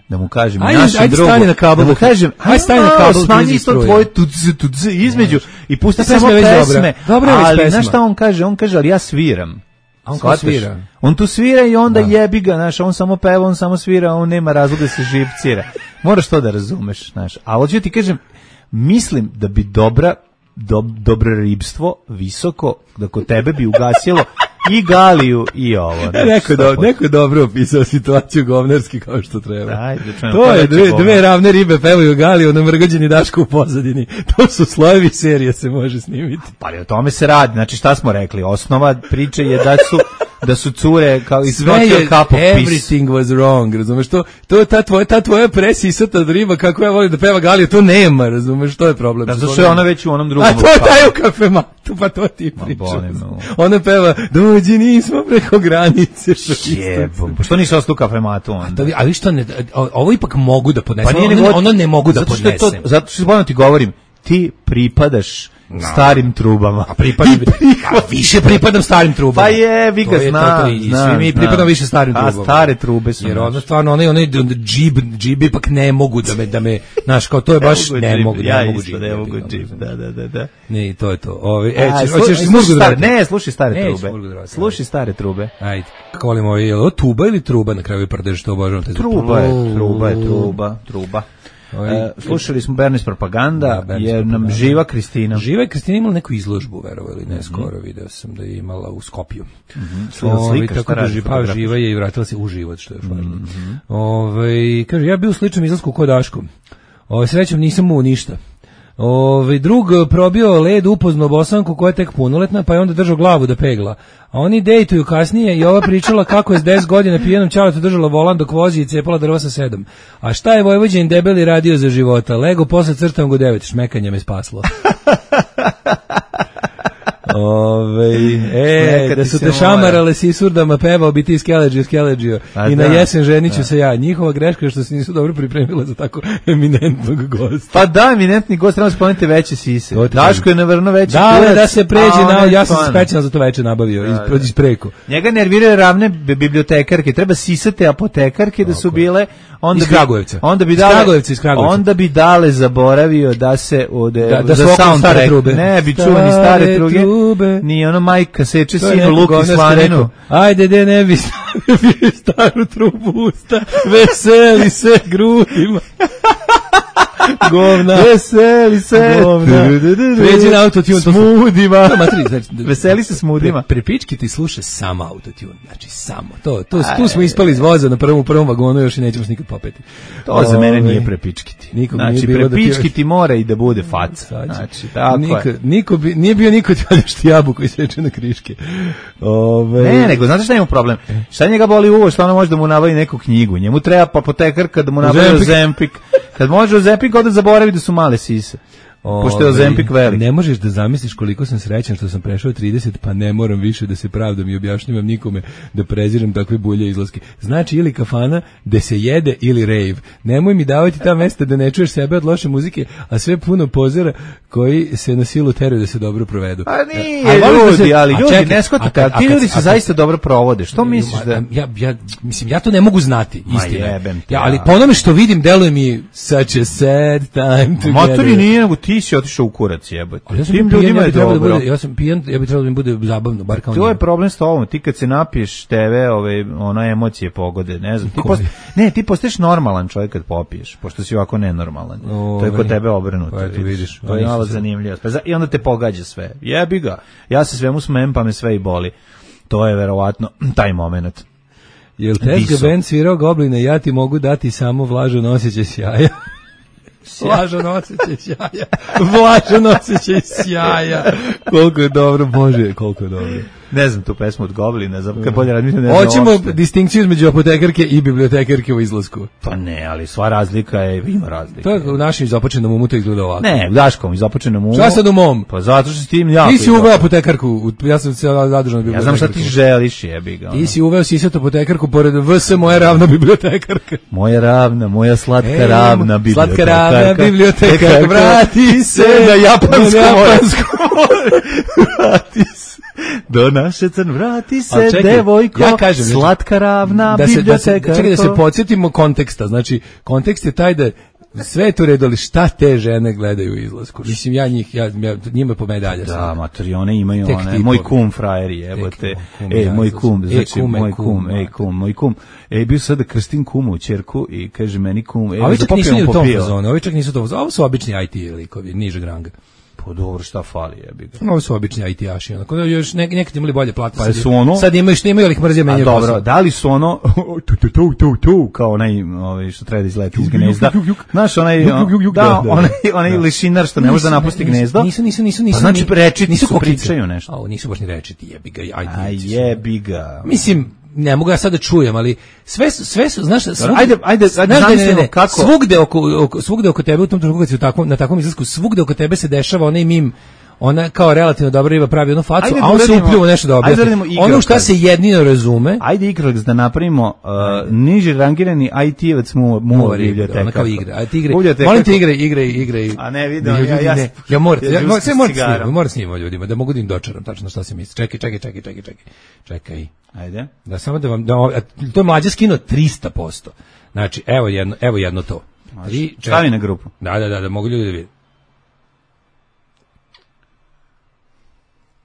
da mu kažem ajde, našem ajde drugu, stani na kabel, da mu kažem, ajde stani na kabel, smanji isto tvoje tudz, tudz između i pusti Ta samo pesma je već pesme. dobra. Dobra je već ali pesma. znaš šta on kaže? On kaže, ali ja sviram. A on Shvataš? svira. On tu svira i onda Da. jebi ga, znaš, on samo peva, on samo svira, on nema razloga da se živcira. Moraš to da razumeš, znaš. A hoću ti kažem, mislim da bi dobra do, dobro ribstvo visoko, da kod tebe bi ugasilo i Galiju i ovo. Ne, Neko, do, neko je dobro opisao situaciju govnarski kao što treba. Ajde, čujem, to pa je reći dve, govnar. dve ravne ribe pevaju Galiju na mrgađeni Daško u pozadini. To su slojevi serije, se može snimiti. Pa ali o tome se radi. Znači šta smo rekli? Osnova priče je da su da su cure kao iz Sve je, cup of peace. everything was wrong, razumeš, to, to ta tvoja, ta tvoja presisata riba, kako ja volim da peva Galija, to nema, razumeš, to je problem. Da, zato što je ona već u onom drugom. A to je taj u kafematu, pa to ti Ma, pričam. boli me. Ona peva, dođi nismo preko granice. Jebom. Što nisi ostao u kafematu onda? Da, vi- ali što ne, o- ovo ipak mogu da podnesem, Pa nije ono, nego- ono ne mogu da zato što je podnesem. to, zato što bojno ti govorim, ti pripadaš starim trubama. A pripadam, a više pripadam starim trubama. Pa jebi ga, To je to, znam, to je, i znam, svi mi znam. pripadamo više starim A trubama. stare trube su Jer naše. ono stvarno, onaj, onaj džib, džib ipak ne mogu da me, da me, znaš, kao to je baš, ne džib, mogu, ne ja mogu isto džib. ne jebi mogu ga, džib, ono, da, da, da, da. Ne, i to je to. Ove, e, A, ćeš, slu- hoćeš slušaj smurgu stare- drvati? Ne, slušaj stare Neću trube. smurgu drvati, Slušaj stare trube. Ajde. Kako volimo, ovaj, je li ovo tuba ili truba na kraju prdež, što obožavam te. Truba je, truba je, truba, truba. Ovaj, E, slušali smo Bernis propaganda, Da, Bernis jer nam propaganda. živa Kristina. Živa je Kristina imala neku izložbu, verovo ili ne, skoro video sam da je imala u Skopju. Slika, Ovaj, slika, tako šta da radi ži- pa fotograf? živa je i vratila se u život, što je važno. Ovaj, kaže, ja bio u sličnom izlasku kod Daško. Ovaj, srećom nisam mu ništa. Ovaj, drug probio led upoznao bosanku koja je tek punoletna, pa je onda držao glavu da pegla. A oni dejtuju kasnije i ova pričala kako je s deset godina pijenom ćaletu držala volan dok vozi i cepala drva sa sedam. A šta je Vojvođanin debeli radio za života? Lego posle crtam go devet, šmekanje me spaslo. Ove, e, Nekad da ti su se te mora. šamarale s Isurdama, pevao bi ti skeleđio, skeleđio. A I na da, jesen ženiću se ja. Njihova greška je što se nisu dobro pripremila za tako eminentnog gosta. Pa da, eminentni gost, trebamo spomenuti veće sise. To ti Daško je navrno veći Da, kurac, da se pređe, a na, on je ja sam se stvarno. specijalno za to veče nabavio, iz, da. iz preko. Njega nerviraju ravne bi- bibliotekarke, treba sisate apotekarke da su bile, onda Iz bi, Kragujevca. onda bi Iz dale, Kragujevca, iz Kragujevca. onda bi dale zaboravio da se ode, Da- da za su okolo soundtrack, stare trube. ne bi čuo ni stare Stare truge, trube. ni ono majka seče To je sinu neko luk i govnarski slaninu. rekao, ajde, de ne bi stavio staru trubu u usta, veseli se grudima. Govna. Veseli se. Govna. Pređi na autotune. to su- Smudima. To, matri, znači, Veseli se smudima. Pre, prepički ti sluša samo autotune, znači samo. To, to, tu smo ispali iz voza na prvom, u prvom vagonu, još i nećemo se nikad popeti. To za mene Ove, nije prepičkiti. Nikog Znači, nije bilo da ti prepičkiti još- mora i da bude faca. Sad će. Znači, tako niko, je. niko bi, nije bio niko ti odeš ti jabuku i seče na kriške. Ove, Ne, nego, znate šta ima problem? Šta njega boli uvo, što ona može da mu nabavi neku knjigu? Njemu treba apotekarka da mu nabavi Ozempik. Ozempik. Kad može Ozempik, onda zaboravi da su male sise. Pošto je Ove, Ozempik velik. Ne možeš da zamisliš koliko sam srećan što sam prešao trideset, pa ne moram više da se pravdam i objašnjavam nikome da prezirem takve bulje izlaske. Znači ili kafana gde se jede ili rave. Nemoj mi davati ta mesta da ne čuješ sebe od loše muzike, a sve puno pozera koji se na silu teraju da se dobro provedu. A nije, A volim da ljudi, se- ali a ljudi, čekaj, ne shvatite, a kad- a ti a kad- ljudi a se kad- zaista dobro provode. Što misliš da... Ja, ja, mislim, ja to ne mogu znati, Ma istina. jebem ti, Ja, ali ja. po onome što vidim, deluje mi such a sad time together. Motori nije, nego ti si otišao u kurac, jebote. Ali ja sam Tim pijan, ljudima ja je bi trebalo da dobro. bude, ja sam pijan, ja bi trebalo da mi bude zabavno, bar kao To je njima. problem s tobom, ti kad se napiješ tebe, ove, ona emocije pogode, ne znam, ti Koji? post, ne, ti postaješ normalan čovjek kad popiješ, pošto si ovako nenormalan. To je kod Ove, tebe obrnuto. pa eto, vidiš, To je nisam malo se- zanimljivo. Pa za- I onda te pogađa sve. Jebi ga. Ja se svemu smem, pa me sve i boli. To je verovatno taj moment. Jel Tezga Diso. band svirao Gobline, ja ti mogu dati samo vlažan osjećaj sjaja. Vlažan osjećaj sjaja. Vlažan osjećaj sjaja. Koliko je dobro, Bože, koliko je dobro. Ne znam tu pesmu od Goblina, za kad bolje razmišljam, ne znam. Hoćemo uopšte. distinkciju između apotekarke i bibliotekarke u izlasku. Pa ne, ali sva razlika je, ima razlika. To je u našem izopačenom umu to izgleda ovako. Ne, Daškom, izopačenom umu. Šta sad u mom? Pa zato što s tim jako... Ti si uveo apotekarku, u- ja sam se zadržao na bibliotekarku. Ja znam šta ti želiš, jebi ga. Ti ono. si uveo sisatu apotekarku pored V S moja ravna bibliotekarka. Moja ravna, moja slatka E, ravna bibliotekarka. slatka ravna bibliotekarka, vrati se na japansko na more. japansko Vrati se. Do naše crn, vrati se, Ali čekaj, devojko, ja kažem, znači, slatka ravna da se, da se, bibliotekarko. čekaj da se podsjetimo konteksta. Znači, kontekst je taj da sve je to redu, ali šta te žene gledaju u izlasku? Mislim, ja njih, ja, ja njima po medalje. Da, matori, one imaju Tek one, tipovi. moj kum frajeri, jebote. Tek kum, E, ja, moj to kum, sam- znači, e, kume, moj kum, kum, ej, kum, moj kum. E, bio sam da krstim kumu, ćerku, i kaže meni kum, e, A ovi čak da nisu popijemo ni u tom po pivo. fazonu, ovi čak nisu u tom fazonu. Ovo su obični I T likovi, nižeg ranga. Pa dobro, šta fali, jebi ga. Ovo su obični I T-aši, onako da još nek, nekad imali bolje plate. Pa sad, su ono- sad imaju što imaju, ali ih mrzio A menjaju dobro, posao. da li su ono tu tu tu tu tu kao onaj ovaj što treba da izleti iz gnezda. Znaš onaj Juk, juk, juk, juk, da, da, da, onaj da. onaj lišinar što ne može da napusti gnezdo. Nisu, nisu, nisu, nisu. Pa znači ni- rečiti nisu su, kokice. pričaju nešto. A, ovo nisu baš ni rečiti, jebi ga, I T. A jebi ga. Mislim, ne mogu ja sad da čujem, ali sve su, sve su, znaš, svugde, Ajde, ajde, ajde, znaš da ne, ne, zamislimo ne, kako- svugde oko, oko, svugde oko tebe, u tom trenutku kad si u takvom, na takvom izlasku, svugde oko tebe se dešava onaj mim, ona kao relativno dobra riba pravi jednu facu, Ajde da a on se uradimo- upljuo nešto da ajde da objasni. uradimo igrokaz. Ono šta se jedino razume, Ajde igrok da napravimo uh, niži rangirani I T-evac mu mu Mora igra, biblioteka. ona kao igra. A ti igre, Biblioteka- molim te igre, igre, igre. A ne, vidim, Ljudi, ja- ja- ne, ja moram, ja ja, žustim sve moram cigarom. snimati, moram snimati ljudima, da mogu da im dočaram tačno šta se misli. Čekaj, čekaj, čekaj, čekaj, čekaj. Čekaj. Ajde. Da samo da vam, da, a to je mlađe skino trista posto. Znači, evo jedno, evo jedno to. Tri, četiri. Stavi na grupu. Da, da, da, da mogu ljudi da vide.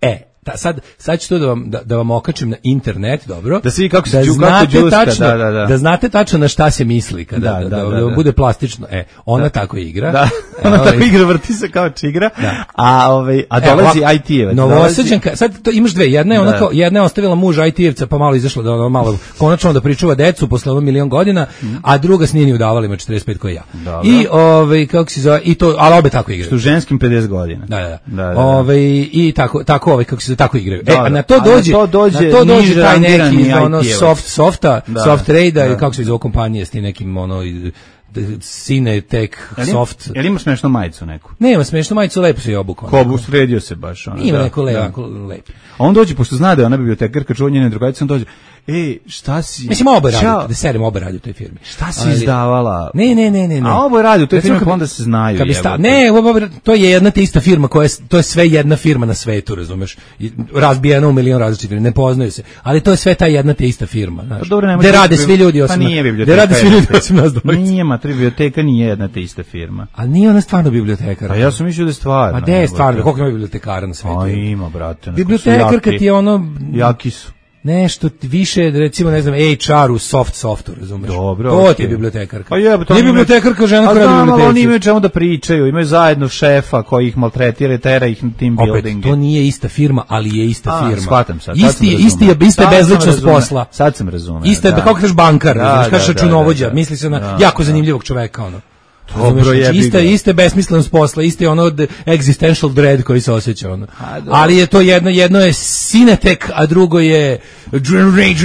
E, ta, sad, sad ću to da vam, da, da vam okačim na internet, dobro? Da se vidi kako se da đu- kako znate đuska, tačno, da, da, da. znate tačno na šta se misli kada, Da, da, da, da, da, da da. bude plastično. E, ona tako igra. Da. E, Ona ovaj, tako igra, vrti se kao čigra. Da. A ovaj a Evo, dolazi ovako, I T-evac. Novosađanka, sad to imaš dve, jedna je ona Da. kao, jedna je ostavila muža I T-evca pa malo izašla da ono malo konačno da pričuva decu posle ono milion godina, a druga s nije udavali ima četrdeset pet kao ja. Dobro. I ovaj kako se zove, i to, ali obe tako igraju. Što ženskim pedeset godina. Da, da, da. Da, da, da. Ovaj, i tako tako ovaj kako se tako igraju. E, Da, a da. na to A na dođe, to dođe na to dođe niže taj neki rangirani iz ono I T-evac. soft softa, Da, soft trade da. kako se zove kompanije s tim nekim ono i- d- Sine Tech Jel im- Soft. Jel ima smešnu majicu neku? Nema smešno, majicu lepo se je obukao. Ko sredio se baš ona. Ima da, neko da. lepo, lepo. A on dođe, pošto zna da je ona bibliotekarka, čuva njene drugarice, on dođe, ej, šta si? Mislim, oba radi, Ćao. da serem oba radi u toj firmi. Šta si Ali- izdavala? Ne, ne, ne, ne, ne. A oboje radi u toj Recimo, firmi, kad pa bi- onda se znaju, kad bi sta- jebote. ne, oba- to je jedna te ista firma, koja je, to je sve jedna firma na svetu, razumeš? I razbijena u milion različitih firmi, ne poznaju se. Ali to je sve ta jedna te ista firma, znaš. Pa dobro, ne Gde može rade biti- svi ljudi pa osim nije na- biblioteka. gde rade svi jedna ljudi te- osim nas dvojice. Nije, ma, tri biblioteka nije jedna te ista firma. Ali nije ona stvarno bibliotekar. A ja sam mislio da je stvarno. A gde je jebote. stvarno? Koliko ima bibliotekara na svetu? A ima, brate. Bibliotekarka ti je ono Jaki su. nešto više, recimo, ne znam, H R u soft softu, razumeš? Dobro, To ti okej. je bibliotekarka. Pa jebote, Nije oni imaju- bibliotekarka žena A koja je znam, ali oni biblioteci. imaju čemu da pričaju, imaju zajedno šefa koji ih maltretira i tera ih na team Opet, building. to nije ista firma, ali je ista A, firma. shvatam sad. sad Isti, sam je- razumeo. isti je, ista je Sad sam bezličnost razumeo. posla. Sad sam razumeo. Ista je, da. kako kažeš bankar, Da, razumeš, da, kažeš da, računovođa, da, da. misli se na Da, jako da. zanimljivog čoveka, ono. Dobro, Razumeš, znači, jebi ista, ga. ista je besmislenost posla, isti je ono od existential dread koji se osjeća, ono. A, dobro. Ali je to jedno, jedno je Cinetek, a drugo je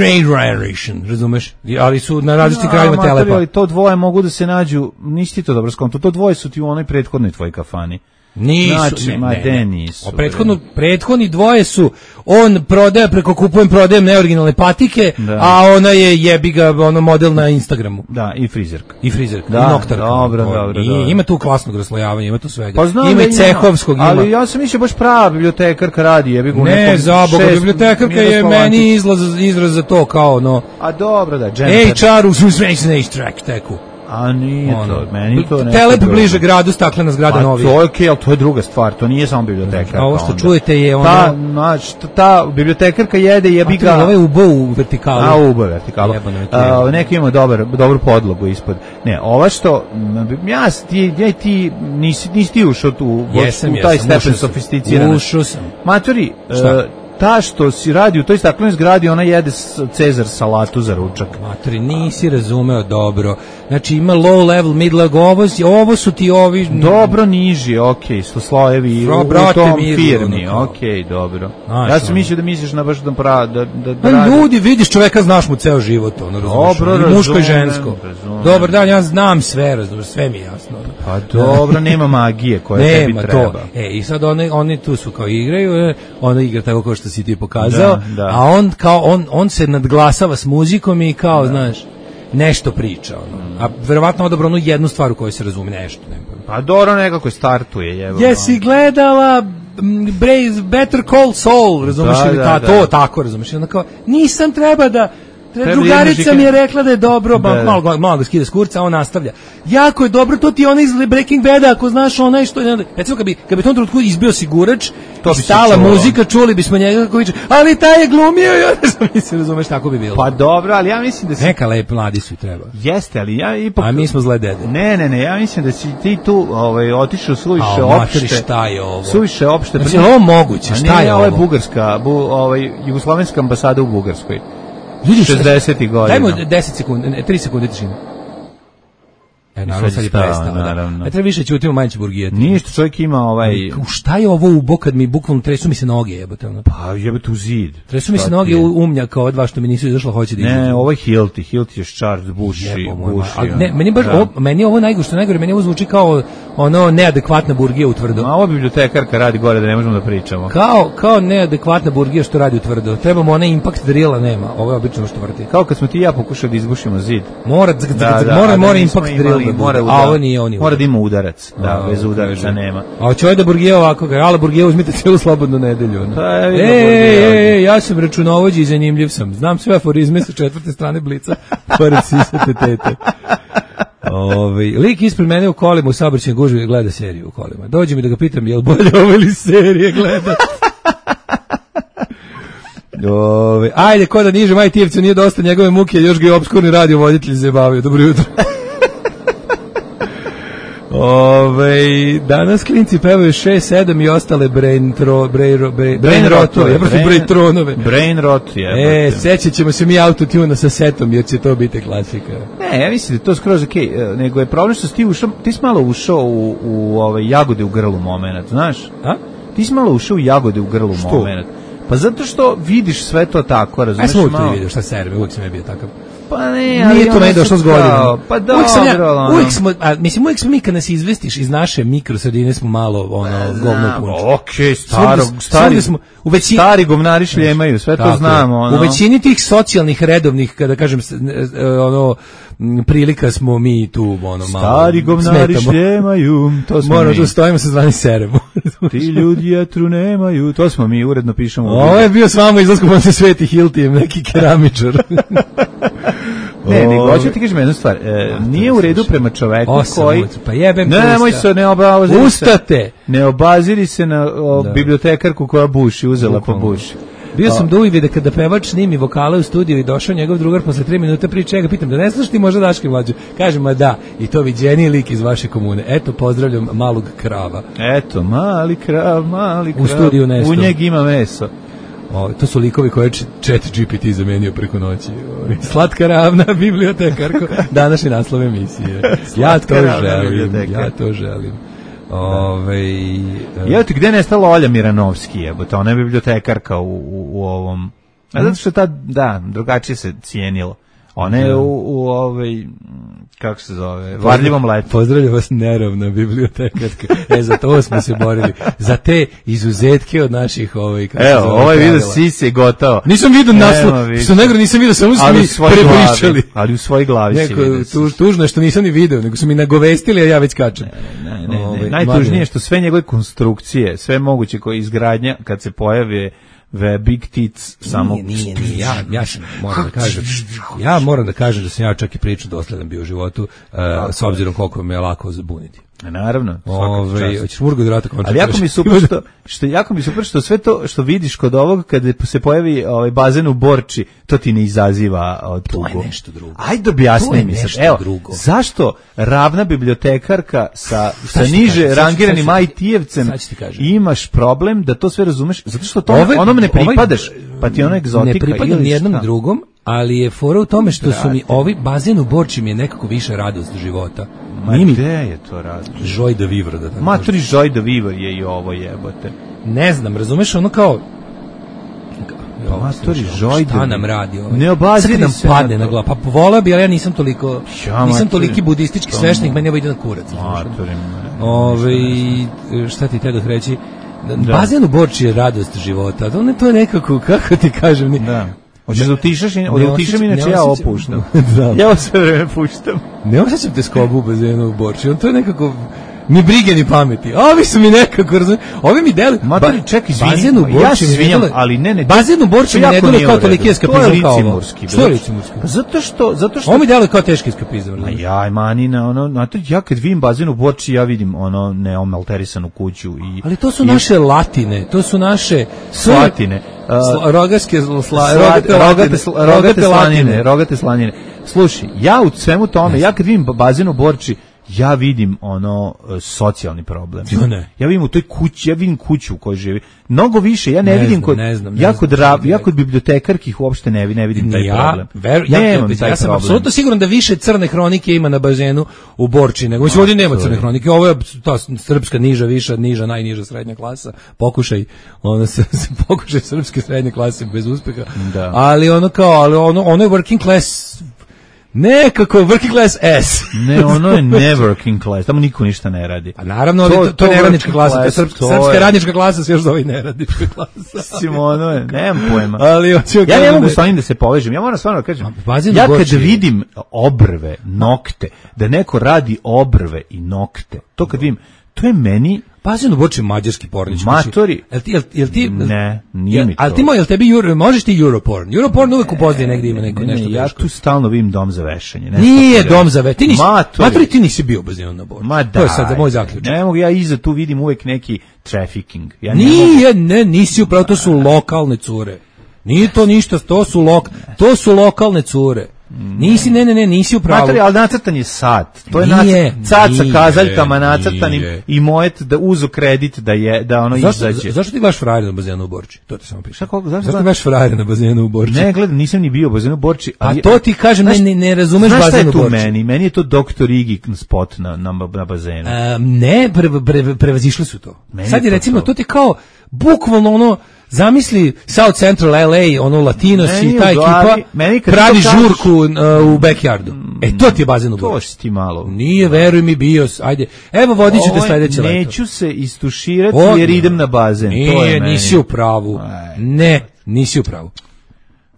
Generation, razumeš? Ali su na različitim krajima matori, Telepa. ali to dvoje mogu da se nađu, nisi ti to dobro skonto, to dvoje su ti u onoj prethodnoj tvojoj kafani. Nisu, Znači, ne, ma ne, de ne. nisu, O, prethodno, bre. prethodni dvoje su, on prodaje preko kupujem, prodajem neoriginalne patike, Da. a ona je jebi ga ono model na Instagramu. Da, i frizerka. I frizerka, Da, i noktarka. dobro, O, dobro, i dobro. Ima tu klasnog raslojavanja, ima tu svega. Pa znam ima da i cehovskog, ima. Ali ja sam mislio baš prava bibliotekarka radi, jebi ga u Ne, nekom za Boga, šest- bibliotekarka je Miroslav meni Antić. izlaz, izraz za to kao ono A dobro da, Jennifer. H R u Svensen track teku. A nije Ono, to, meni to nešto Telep drugo. bliže gradu, staklena zgrada Pa novi. to je okej, ali to je druga stvar, to nije samo bibliotekarka. A ovo što onda. čujete je ono- Ta, znači, ta- ta bibliotekarka jede, jebi ga... Ovo je ubo u vertikalu. A, ubo vertikalu. Jebano je to. A, neki ima dobar, dobru podlogu ispod. Ne, ova što, m, ja, s- ti, ja, ti nisi, nisi ti ušao tu, Jesam, u taj jesam, stepen ušao sam. sofisticiranosti. Ušao sam. Matori, Šta? e, ta što si radi u toj staklenoj zgradi, ona jede Cezar salatu za ručak. Matori, nisi razumeo dobro. Znači ima low level, mid level, ovo, ovo su ti ovi... Dobro niži, okej, okay, sto slojevi Bro, u, brate, u tom mirno, firmi, ono okej, okay, dobro. Znaš, ja sam ono. mislio da misliš na baš da pra, da, da, da Pa radi. ljudi, vidiš čoveka, znaš mu ceo život, ono, razumiješ, Dobro, ono, i muško i razumem, žensko. razumem. Dobar dan, ja znam sve, razumiješ, sve mi je jasno. Ono. Pa dobro, nema magije koja tebi Nema treba. to. E, i sad oni, oni tu su kao igraju, e, ona igra tako kao što si ti pokazao, Da, da. a on kao, on, on se nadglasava s muzikom i kao, znaš, nešto priča, ono. A verovatno odabro onu jednu stvar u kojoj se razume nešto. Ne. Pa dobro, nekako startuje, jevo. Jesi gledala m, Brave, Better Call Saul, razumiješ, Da, ili da, ta, da. to tako, razumiješ, onda kao, nisam treba da, Treba drugarica da mi je rekla da je dobro, Da, ba, da. malo, ga- malo ga skida s kurca, a on nastavlja. Jako je dobro, to ti je ona iz Breaking Bada, ako znaš onaj što je, recimo kad bi, kad bi u tom trenutku izbio sigurač, To i bi se stala čulo. muzika, čuli bismo njega kako viče, ali taj je glumio i onda sam mislim, razumeš, tako bi bilo. Pa dobro, ali ja mislim da si... Neka lep mladi su i treba. Jeste, ali ja ipak... A mi smo zle dede. Ne, ne, ne, ja mislim da si ti tu ovaj, otišao suviše A, materi, opšte. šta je ovo? Suviše opšte. Znači, je li ovo moguće? A Šta nije, je ovo je ovo? Bugarska, bu, ovaj, Jugoslovenska ambasada u Bugarskoj. Ljudi, šezdesetih godina. Dajmo deset sekundi, ne, tri sekunde tišine. E, naravno, sad je stao, prestao, da. naravno. Ne treba više ćutimo, manje će burgijeti. Ništa, čovjek ima ovaj... U šta je ovo ubo kad mi bukvalno tresu mi se noge, jebote, ono. Pa jebate u zid. Tresu mi se Šta noge ti je? u umnja kao dva što mi nisu izašlo, hoće da izađu. Ne, ovo je Hilti, Hilti je Charles Bushi, Jebo moj Bushi. ma- ali ne, meni baš da. ovo, meni je ovo najgore, što je najgore, meni ovo zvuči kao ono neadekvatna burgija u tvrdo. Ma ova bibliotekarka radi gore da ne možemo da pričamo. Kao, kao neadekvatna burgija što radi u tvrdo. Trebamo onaj impact drila, nema. Ovo je obično što vrti. Kao kad smo ti i ja pokušali da izbušimo zid. Mora, zg, zg, Da, zg, da, mora, a da mora nismo impact imali, drill da bude. mora A udar- ovo nije, on je Mora udar. da ima udarac, da, A, bez udaraca kaže. nema. A hoće ovaj da burgija ovako, ga, ala burgija uzmite cijelu slobodnu nedelju. Ono. Pa, ja E, vidim e, burgija. e, ja sam računovođi i zanimljiv sam. Znam sve aforizme sa četvrte strane Blica, pored sisate tete. Ove, lik ispred mene u kolima u saobraćajnoj gužvi gleda seriju u kolima. Dođe mi da ga pitam je li bolje ovo ili serije gleda. Ove, ajde, ko da niže Majtijevcu nije dosta njegove muke, još ga je obskurni radio voditelj zabavio. Dobro jutro. Ove, danas klinci pevaju šest sedam i ostale brain, tro, brain, ro- brain, brain rotove, ja prosim brain tronove. Brain rot, E, jebate. sećat ćemo se mi autotuna sa setom, jer će to biti klasika. Ne, ja mislim da je to skroz okej, okay. Nego je problem što si ti ušao, ti si malo ušao u, u ove jagode u grlu momenat, znaš? A? Ti si malo ušao u jagode u grlu Što? momenat. Pa zato što vidiš sve to tako, Aj razumeš sam uvijek to malo. i vidio, šta serve, uvijek sam ja bio takav. Pa ne, ali Nije to ono meni došlo sad s godinama. kao, Pa dobro, uvijek sam ja, ono. uvijek smo, a, mislim, uvijek smo mi kad nas izvestiš iz naše mikrosredine smo malo, ono, govno punče. Okej, staro, Svugde- stari, svugde smo, u većini, stari govnari šljemaju, sve to Tako je. znamo. Ono. U većini tih socijalnih redovnih, kada kažem, s- e, ono, m, prilika smo mi tu, ono, malo, Stari govnari smetamo. šljemaju, to smo Moramo mi. tu stojimo sa zvani seremo. Ti ljudi jetru nemaju, to smo mi, uredno pišemo. u Ovo je bio s vama izlaskom, on se sveti Hiltijem, neki keramičar. Ne, nego Ove. hoću ti kažem jednu stvar. E, nije u redu prema čoveku Osam koji... ulica, pa jebem te Ne, nemoj usta. se, ne obaziri se. Ustate! Ne obaziri se na o, Da. bibliotekarku koja buši, uzela pa Bukvalno. buši. Bio sam do uvide kada pevač snimi vokale u studiju i došao njegov drugar posle tri minuta priče, ja ga pitam da ne znaš ti možda Daške mlađe? Kaže, ma da, i to viđeniji lik iz vaše komune. Eto, pozdravljam malog krava. Eto, mali krav, mali krav. U studiju nešto. U njeg ima meso. O, to su likovi koje je chat G P T zamenio preko noći. O, slatka ravna bibliotekarko, današnji naslov emisije. Ja to ravna želim, biblioteka. ja to želim. Ove, Evo ti, gde je nestala Olja Miranovski, jebote, ona je bibliotekarka u, u, u ovom... A zato što ta, da, drugačije se cijenilo. Ona je u, u ovaj, kako se zove, varljivom letu. Pozdravljam vas nerovna bibliotekarka. E, za to smo se borili. Za te izuzetke od naših ovaj, kako se Evo, zove, ovaj video pravila. sisi je gotao. Nisam vidio Nema naslov, više. što negro nisam vidio, samo su Ali mi u svojoj prepričali. glavi, ali u svojoj glavi si Neko, vidio. tu, tužno je što nisam ni video, nego su mi nagovestili, a ja već kačem. Ne, ne, Ovaj, ne. Najtužnije mladen. je što sve njegove konstrukcije, sve moguće koje izgradnja, kad se pojave ve Big Tits, samo... Nije, nije, nije. Ja, ja sam, moram da kažem, ja moram da kažem da sam ja čak i priču dosledan bio u životu, uh, s obzirom koliko me je lako zabuniti. Naravno, svaka Ove, čast. hoćeš murgu da vrata končati? Ali jako mi je super što, što jako mi je super što sve to što vidiš kod ovog kada se pojavi ovaj bazen u Borči, to ti ne izaziva od tugu. To je nešto drugo. Ajde To objasni je mi sad. nešto Evo, drugo. zašto ravna bibliotekarka sa sa ću ti niže kažem, sad ću- rangiranim sad ću- I T-evcem sad ću ti kažem. imaš problem da to sve razumeš zato što to Ove onom ne ne pripadaš, pa ti ona egzotika. Ne pripadam ni jednom drugom, ali je fora u tome što su mi ovi bazen u Borči mi je nekako više radost života. Ma gde je to radost? Joy de vivre, da tako. Maturi Joy de vivre je i ovo jebote. Ne znam, razumeš, ono kao Matori Joy šta nam radi ovaj? Ne obaziri nam se padne na glavu. Pa voleo bi, ali ja nisam toliko ja, nisam toliki budistički sveštenik, meni ovo ide na kurac. Matori. Ove, šta ti te da reći? Da. Bazen u Borči je radost života. Da ne to je nekako, kako ti kažem, ni. Da. Hoćeš da utišaš, da utišam, inače ja opuštam. Da. Ja sve vreme puštam. Ne osjećam te skobu u bazenu u Borči. On to je nekako ni brige ni pameti. Ovi su mi nekako, razumiješ, ovi mi deluju. Matori, ček, izvini, bazen u Borči ja se izvinjam, ali ne, ne. Bazen u Borči mi ne deluje kao toliki eskapizam kao ovo. Što je licimurski? Pa zato što, zato što... Ovo mi deluje kao teški eskapizam. Ma jaj, manina, ono, Matori, ja kad vidim bazen u Borči, ja vidim ono neomalterisanu kuću i... Ali to su naše latine, to su naše... Slatine. Rogaške, rogate slanine, rogate slanine. Slušaj, ja u svemu tome, ja kad vidim bazen u Borči, ja vidim ono socijalni problem. Jo, ne. Ja vidim u toj kući, ja vidim kuću u kojoj živi. Mnogo više, ja ne, ne vidim znam, kod ne znam, ne ja kod znam, ja kod bibliotekarkih uopšte ne, ne vidim taj ja, problem. Ver, ja, ja, ja sam apsolutno siguran da više crne hronike ima na bazenu u Borči nego no, ovdje nema crne hronike. Ovo je ta srpska niža, viša, niža, najniža srednja klasa. Pokušaj, ono se, se pokušaj srpske srednje klase bez uspeha. Da. Ali ono kao, ali ono ono je working class. Nekako working class S. Ne, ono je ne working class, tamo niko ništa ne radi. Pa naravno, to, to, to je neradnička klasa, to je srpska, to srpska je radnička klasa, sve još zove neradnička klasa. Simono je, nemam pojma. Ali, ja ne mogu s onim da se povežem, ja moram stvarno da kažem, ja kad vidim obrve, nokte, da neko radi obrve i nokte, to kad vidim, to je meni... Bazen u Borči mađarski pornić. Matori. Jel ti, jel, jel ti, ne, nije mi to. Ali ti moj, jel tebi, Euro, možeš ti Europorn? Europorn uvek u pozadini negdje ima neko, nešto ne, ja teško. tu stalno vidim dom za vešanje. Nije dom za vešanje. Ti nisi, Matori. Matori, ti nisi bio u bazenu na Borči. Ma da. To je sad za moj zaključak. Ne mogu, ja iza tu vidim uvek neki trafficking. Ja ne Nije, mogu... ne, nisi upravo, to su lokalne cure. Nije to ništa, to su, lok, to su lokalne cure. Nisi, ne, ne, ne, nisi u pravu. Materi, ali nacrtan je sat. To je nije, nacrtan, sat sa kazaljkama nacrtanim nije. I mojet da uzu kredit da je da ono zašto, izađe. Zašto ti baš frajer na bazenu u Borči? To ti samo piše. Šta, koliko, zašto, zašto ti baš frajer na bazenu u Borči? Ne, gledam, nisam ni bio u bazenu u Borči. Ali, a to ti kažem, znaš, ne, ne razumeš bazenu u Borči. Meni? Meni je to doktor Igi spot na, na, na bazenu. A, ne, pre, pre, prevazišli su to. Meni sad je to recimo, to. to ti kao bukvalno ono, zamisli South Central L A, ono Latinos i ta ekipa pravi žurku uh, u backyardu. E, to ti je bazen u Borči. To si ti malo. Nije, veruj mi, bio. Ajde, evo vodit ću te sledeće leto. Neću se istuširati o, jer idem na bazen. Nije, to je nisi u pravu. Aj. Ne, nisi u pravu.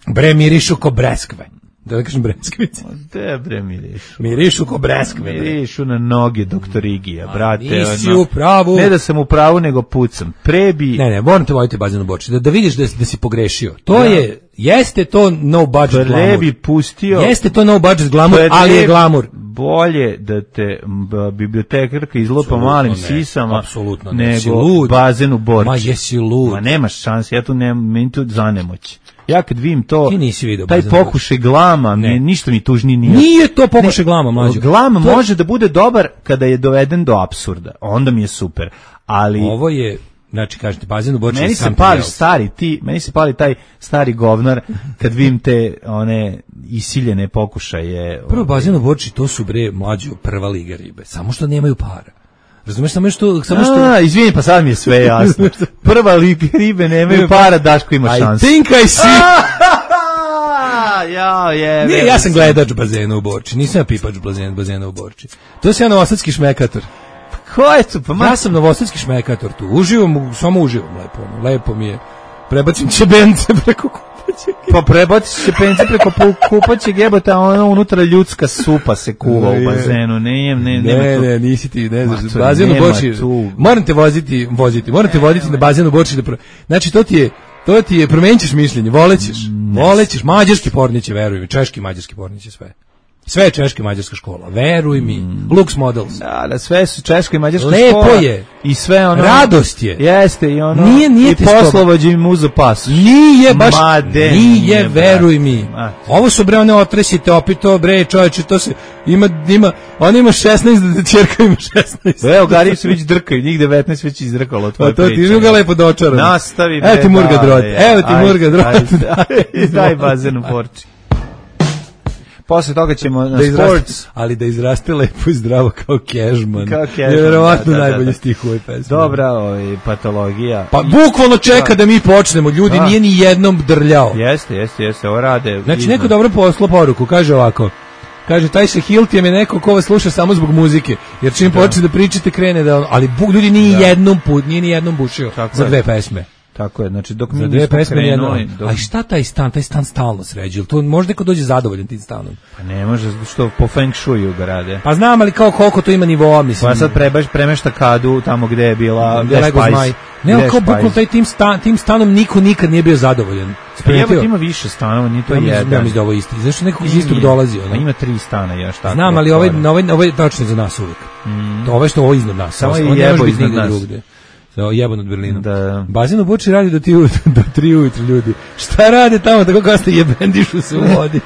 Bre, mirišu ko breskve. Da ne kažem breskvice. Te bre mirišu. Mirišu ko breskve. Mirišu na noge doktor Igija, brate. Nisi ono, u pravu. Ne da sam u pravu, nego pucam. Prebi... Ne, ne, moram te voditi bazen u Borči. Da, da vidiš da, da si pogrešio. To da. je, jeste to no budget Prebi glamour. Prebi pustio... Jeste to no budget glamour, Prebi, ali je glamour. Bolje da te b, bibliotekarka izlopa malim ne, sisama apsolutno ne, nego bazen u Borči. Ma jesi lud. Ma nemaš šanse, ja tu nemam, meni tu zanemoć. Ja kad vidim to, video, taj pokušaj glama, ne. Mi, ništa mi tužni nije. Nije to pokušaj glama, mlađo. Glam to... može da bude dobar kada je doveden do apsurda, onda mi je super. Ali ovo je, znači kažete, bazen u Borči. Meni se pali stari ti, meni se pali taj stari govnar kad vidim te one isiljene pokušaje. Prvo bazen u Borči, to su bre mlađo prva liga ribe, samo što nemaju para. Razumeš, samo što... Samo što... A, izvini, pa sad mi je sve jasno. Prva liga ribe nemaju para, Daško ima šansu. I think I see... ja, je, Nije, ja sam gledač bazena u Borči, nisam ja pipač bazena u Borči. To je ja novosadski šmekator. Ko je to? Pa ma... Ja sam novosadski šmekator tu, uživam, samo uživam lepo, lepo mi je. Prebacim čebence preko kupaćeg. Pa prebacim čebence preko kupaćeg jebota, ono unutra ljudska supa se kuva u bazenu, ne, ne, ne, ne, ne, nisi ti, ne znaš, bazen u Borči, moram te voziti, voziti, moram te voditi na bazen u Borči, da pro... znači to ti je, to ti je, promenit ćeš mišljenje, volećeš, volećeš, mađarski porniće, veruj mi, češki mađarski porniće, sve. Sve je češka i mađarska škola, veruj mi. Mm. Lux Models. Da, da, sve su češka i mađarska Lepo škola. Lepo je. I sve ono... Radost je. Jeste, i ono... Nije, nije i poslovođe im uzo pas. Nije baš... Made, nije, nije, veruj mi. A. Ovo su bre, one otresite, opito, bre, čovječe, to se... Ima, ima, ona ima šesnaest, da ćerka ima šesnaest. Evo, Gari se već drkaju, njih devetnaest već izdrkalo tvoje priče. To ti ga lepo dočaram. Nastavi. Evo ti Murga Drot, evo ti Murga Drot. Daj bazen u Borči. Posle toga ćemo na da sports. Ali da izraste lepo i zdravo kao Cashman. Kao Cashman. Je verovatno da, da, najbolji da. stih u ovoj pesmi. Dobra ovaj, patologija. Pa bukvalno čeka da mi počnemo. Ljudi da. Nije ni jednom drljao. Jeste, jeste, jeste. Ovo rade. Znači izno. neko dobro poslao poruku. Kaže ovako. Kaže, taj se Hiltijem je neko ko vas sluša samo zbog muzike. Jer čim da. Počne da pričate krene da on... Ali bu, ljudi nije da. jednom put, nije ni jednom bušio tako za dve je. pesme. Tako je, znači dok mi za dve pesme krenuli, dok... A šta taj stan, taj stan stalno sređuje, to možda neko dođe zadovoljan tim stanom. Pa ne može, što po feng shuiu ga rade. Pa znam, ali kao koliko to ima nivoa, mislim. Pa sad prebaš, premešta kadu tamo gde je bila, gde je Spice. Ne, ali kao bukvalno taj tim, stan, tim stanom niko nikad nije bio zadovoljan. Evo ima više stanova, nije to ja jedan. Ja mislim da ovo isti. Zašto nekog iz istog dolazi? Ono? Ima tri stana još tako. Znam, ali ovaj, ovaj, ovaj tačno za nas uvijek. Mm. To ovo što ovo iznad nas. Samo je jebo iznad nas. So, jebo nad Berlinom. Da. Bazen u Buči radi do, ti, do tri ujutru ljudi. Šta rade tamo, tako kao ste jebendišu se u vodi.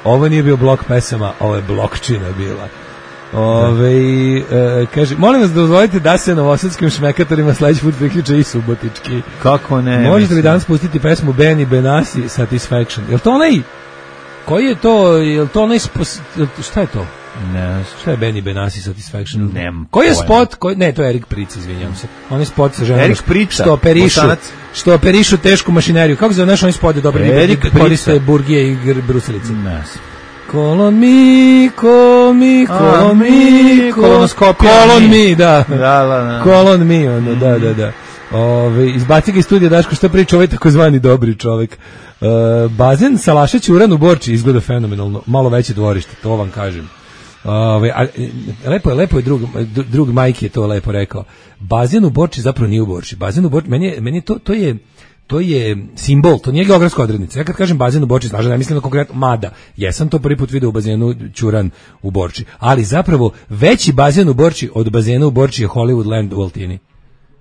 Ovo nije bio blok pesama, ovo je blokčina bila. Ove, e, kaže, molim vas da dozvolite da se novosadskim šmekatorima sledeći put priključe i subotički. Kako ne? Možete mislim. li danas pustiti pesmu Benny Benassi Satisfaction? Je li to onaj, koji je to, je li to onaj, spos, šta je to? Ne, šta je Benny Benassi Satisfaction? Nem. Koji je spot? Koji, ne, to je Erik Pric, izvinjavam se. On je spot sa ženom što operišu, što operišu tešku mašineriju. Kako se zoveš onaj spot je dobro? Erik koriste burgije i brusilice. Ne. Kolon mi, ko mi, kolon mi, kolonoskopija. Kolon mi, da. Da, da, da. Kolon mi, ono, da, da, da. Ove, izbaci ga iz studija, Daško, šta priča ovaj takozvani dobri čovjek. Uh, bazen Salašeć Uran u Borči izgleda fenomenalno, malo veće dvorište, to vam kažem. Ove, a, lepo je, lepo je drug, drug Majki je to lepo rekao. Bazen u Borči zapravo nije u Borči. Bazen u Borči, meni je, meni to, to je to je simbol, to nije geografska odrednica. Ja kad kažem bazen u Borči, znaš da ne mislim na konkretno, mada, jesam to prvi put video u bazenu Ćuran u Borči, ali zapravo veći bazen u Borči od bazena u Borči je Hollywoodland u Altini.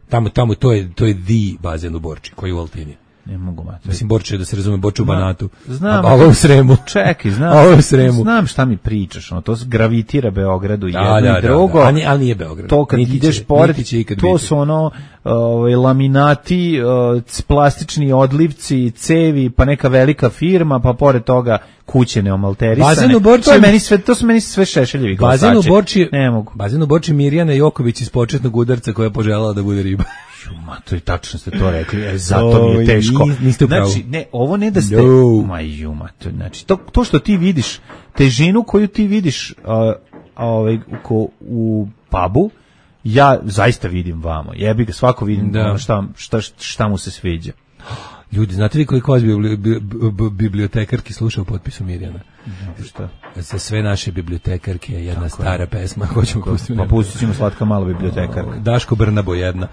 Tamo, tamo to je, to je the bazen u Borči, koji je u Altini. Ne mogu mati. Mislim, Borče, da se razume, Borče u Banatu. Znam. A ovo u Sremu. Čekaj, znam. A ovo u Sremu. Znam šta mi pričaš, ono, to gravitira Beogradu da, jedno da, i drugo. Da, da. Ali, ali nije Beograd. To kad niti ideš će, pored, to biti. su ono, ovaj, laminati, uh, plastični odlivci, cevi, pa neka velika firma, pa pored toga kuće neomalterisane. Bazen u Borči, to, je meni sve, to su meni sve šešeljevi glasači. Bazen u Borči, ne mogu. Bazen u Borči Mirjana Joković iz početnog udarca koja je poželjela da bude riba. Ma, to je tačno ste to rekli, e, zato mi je teško. Niste u pravu. Znači, ne, ovo ne da ste... No. Ma, juma, to, znači, to, to što ti vidiš, težinu koju ti vidiš uh, ovaj, u, u pubu, ja zaista vidim vamo. Jebi ga, svako vidim da. Ono šta, šta, šta mu se sviđa. Ljudi, znate li koliko vas bibliotekarki sluša u potpisu Mirjana? No, šta? Za sve naše bibliotekarke je jedna tako stara je. pesma. Hoćemo pustiti. Pa pustit ćemo Slatka mala bibliotekarka. Daško Brnabo jedna.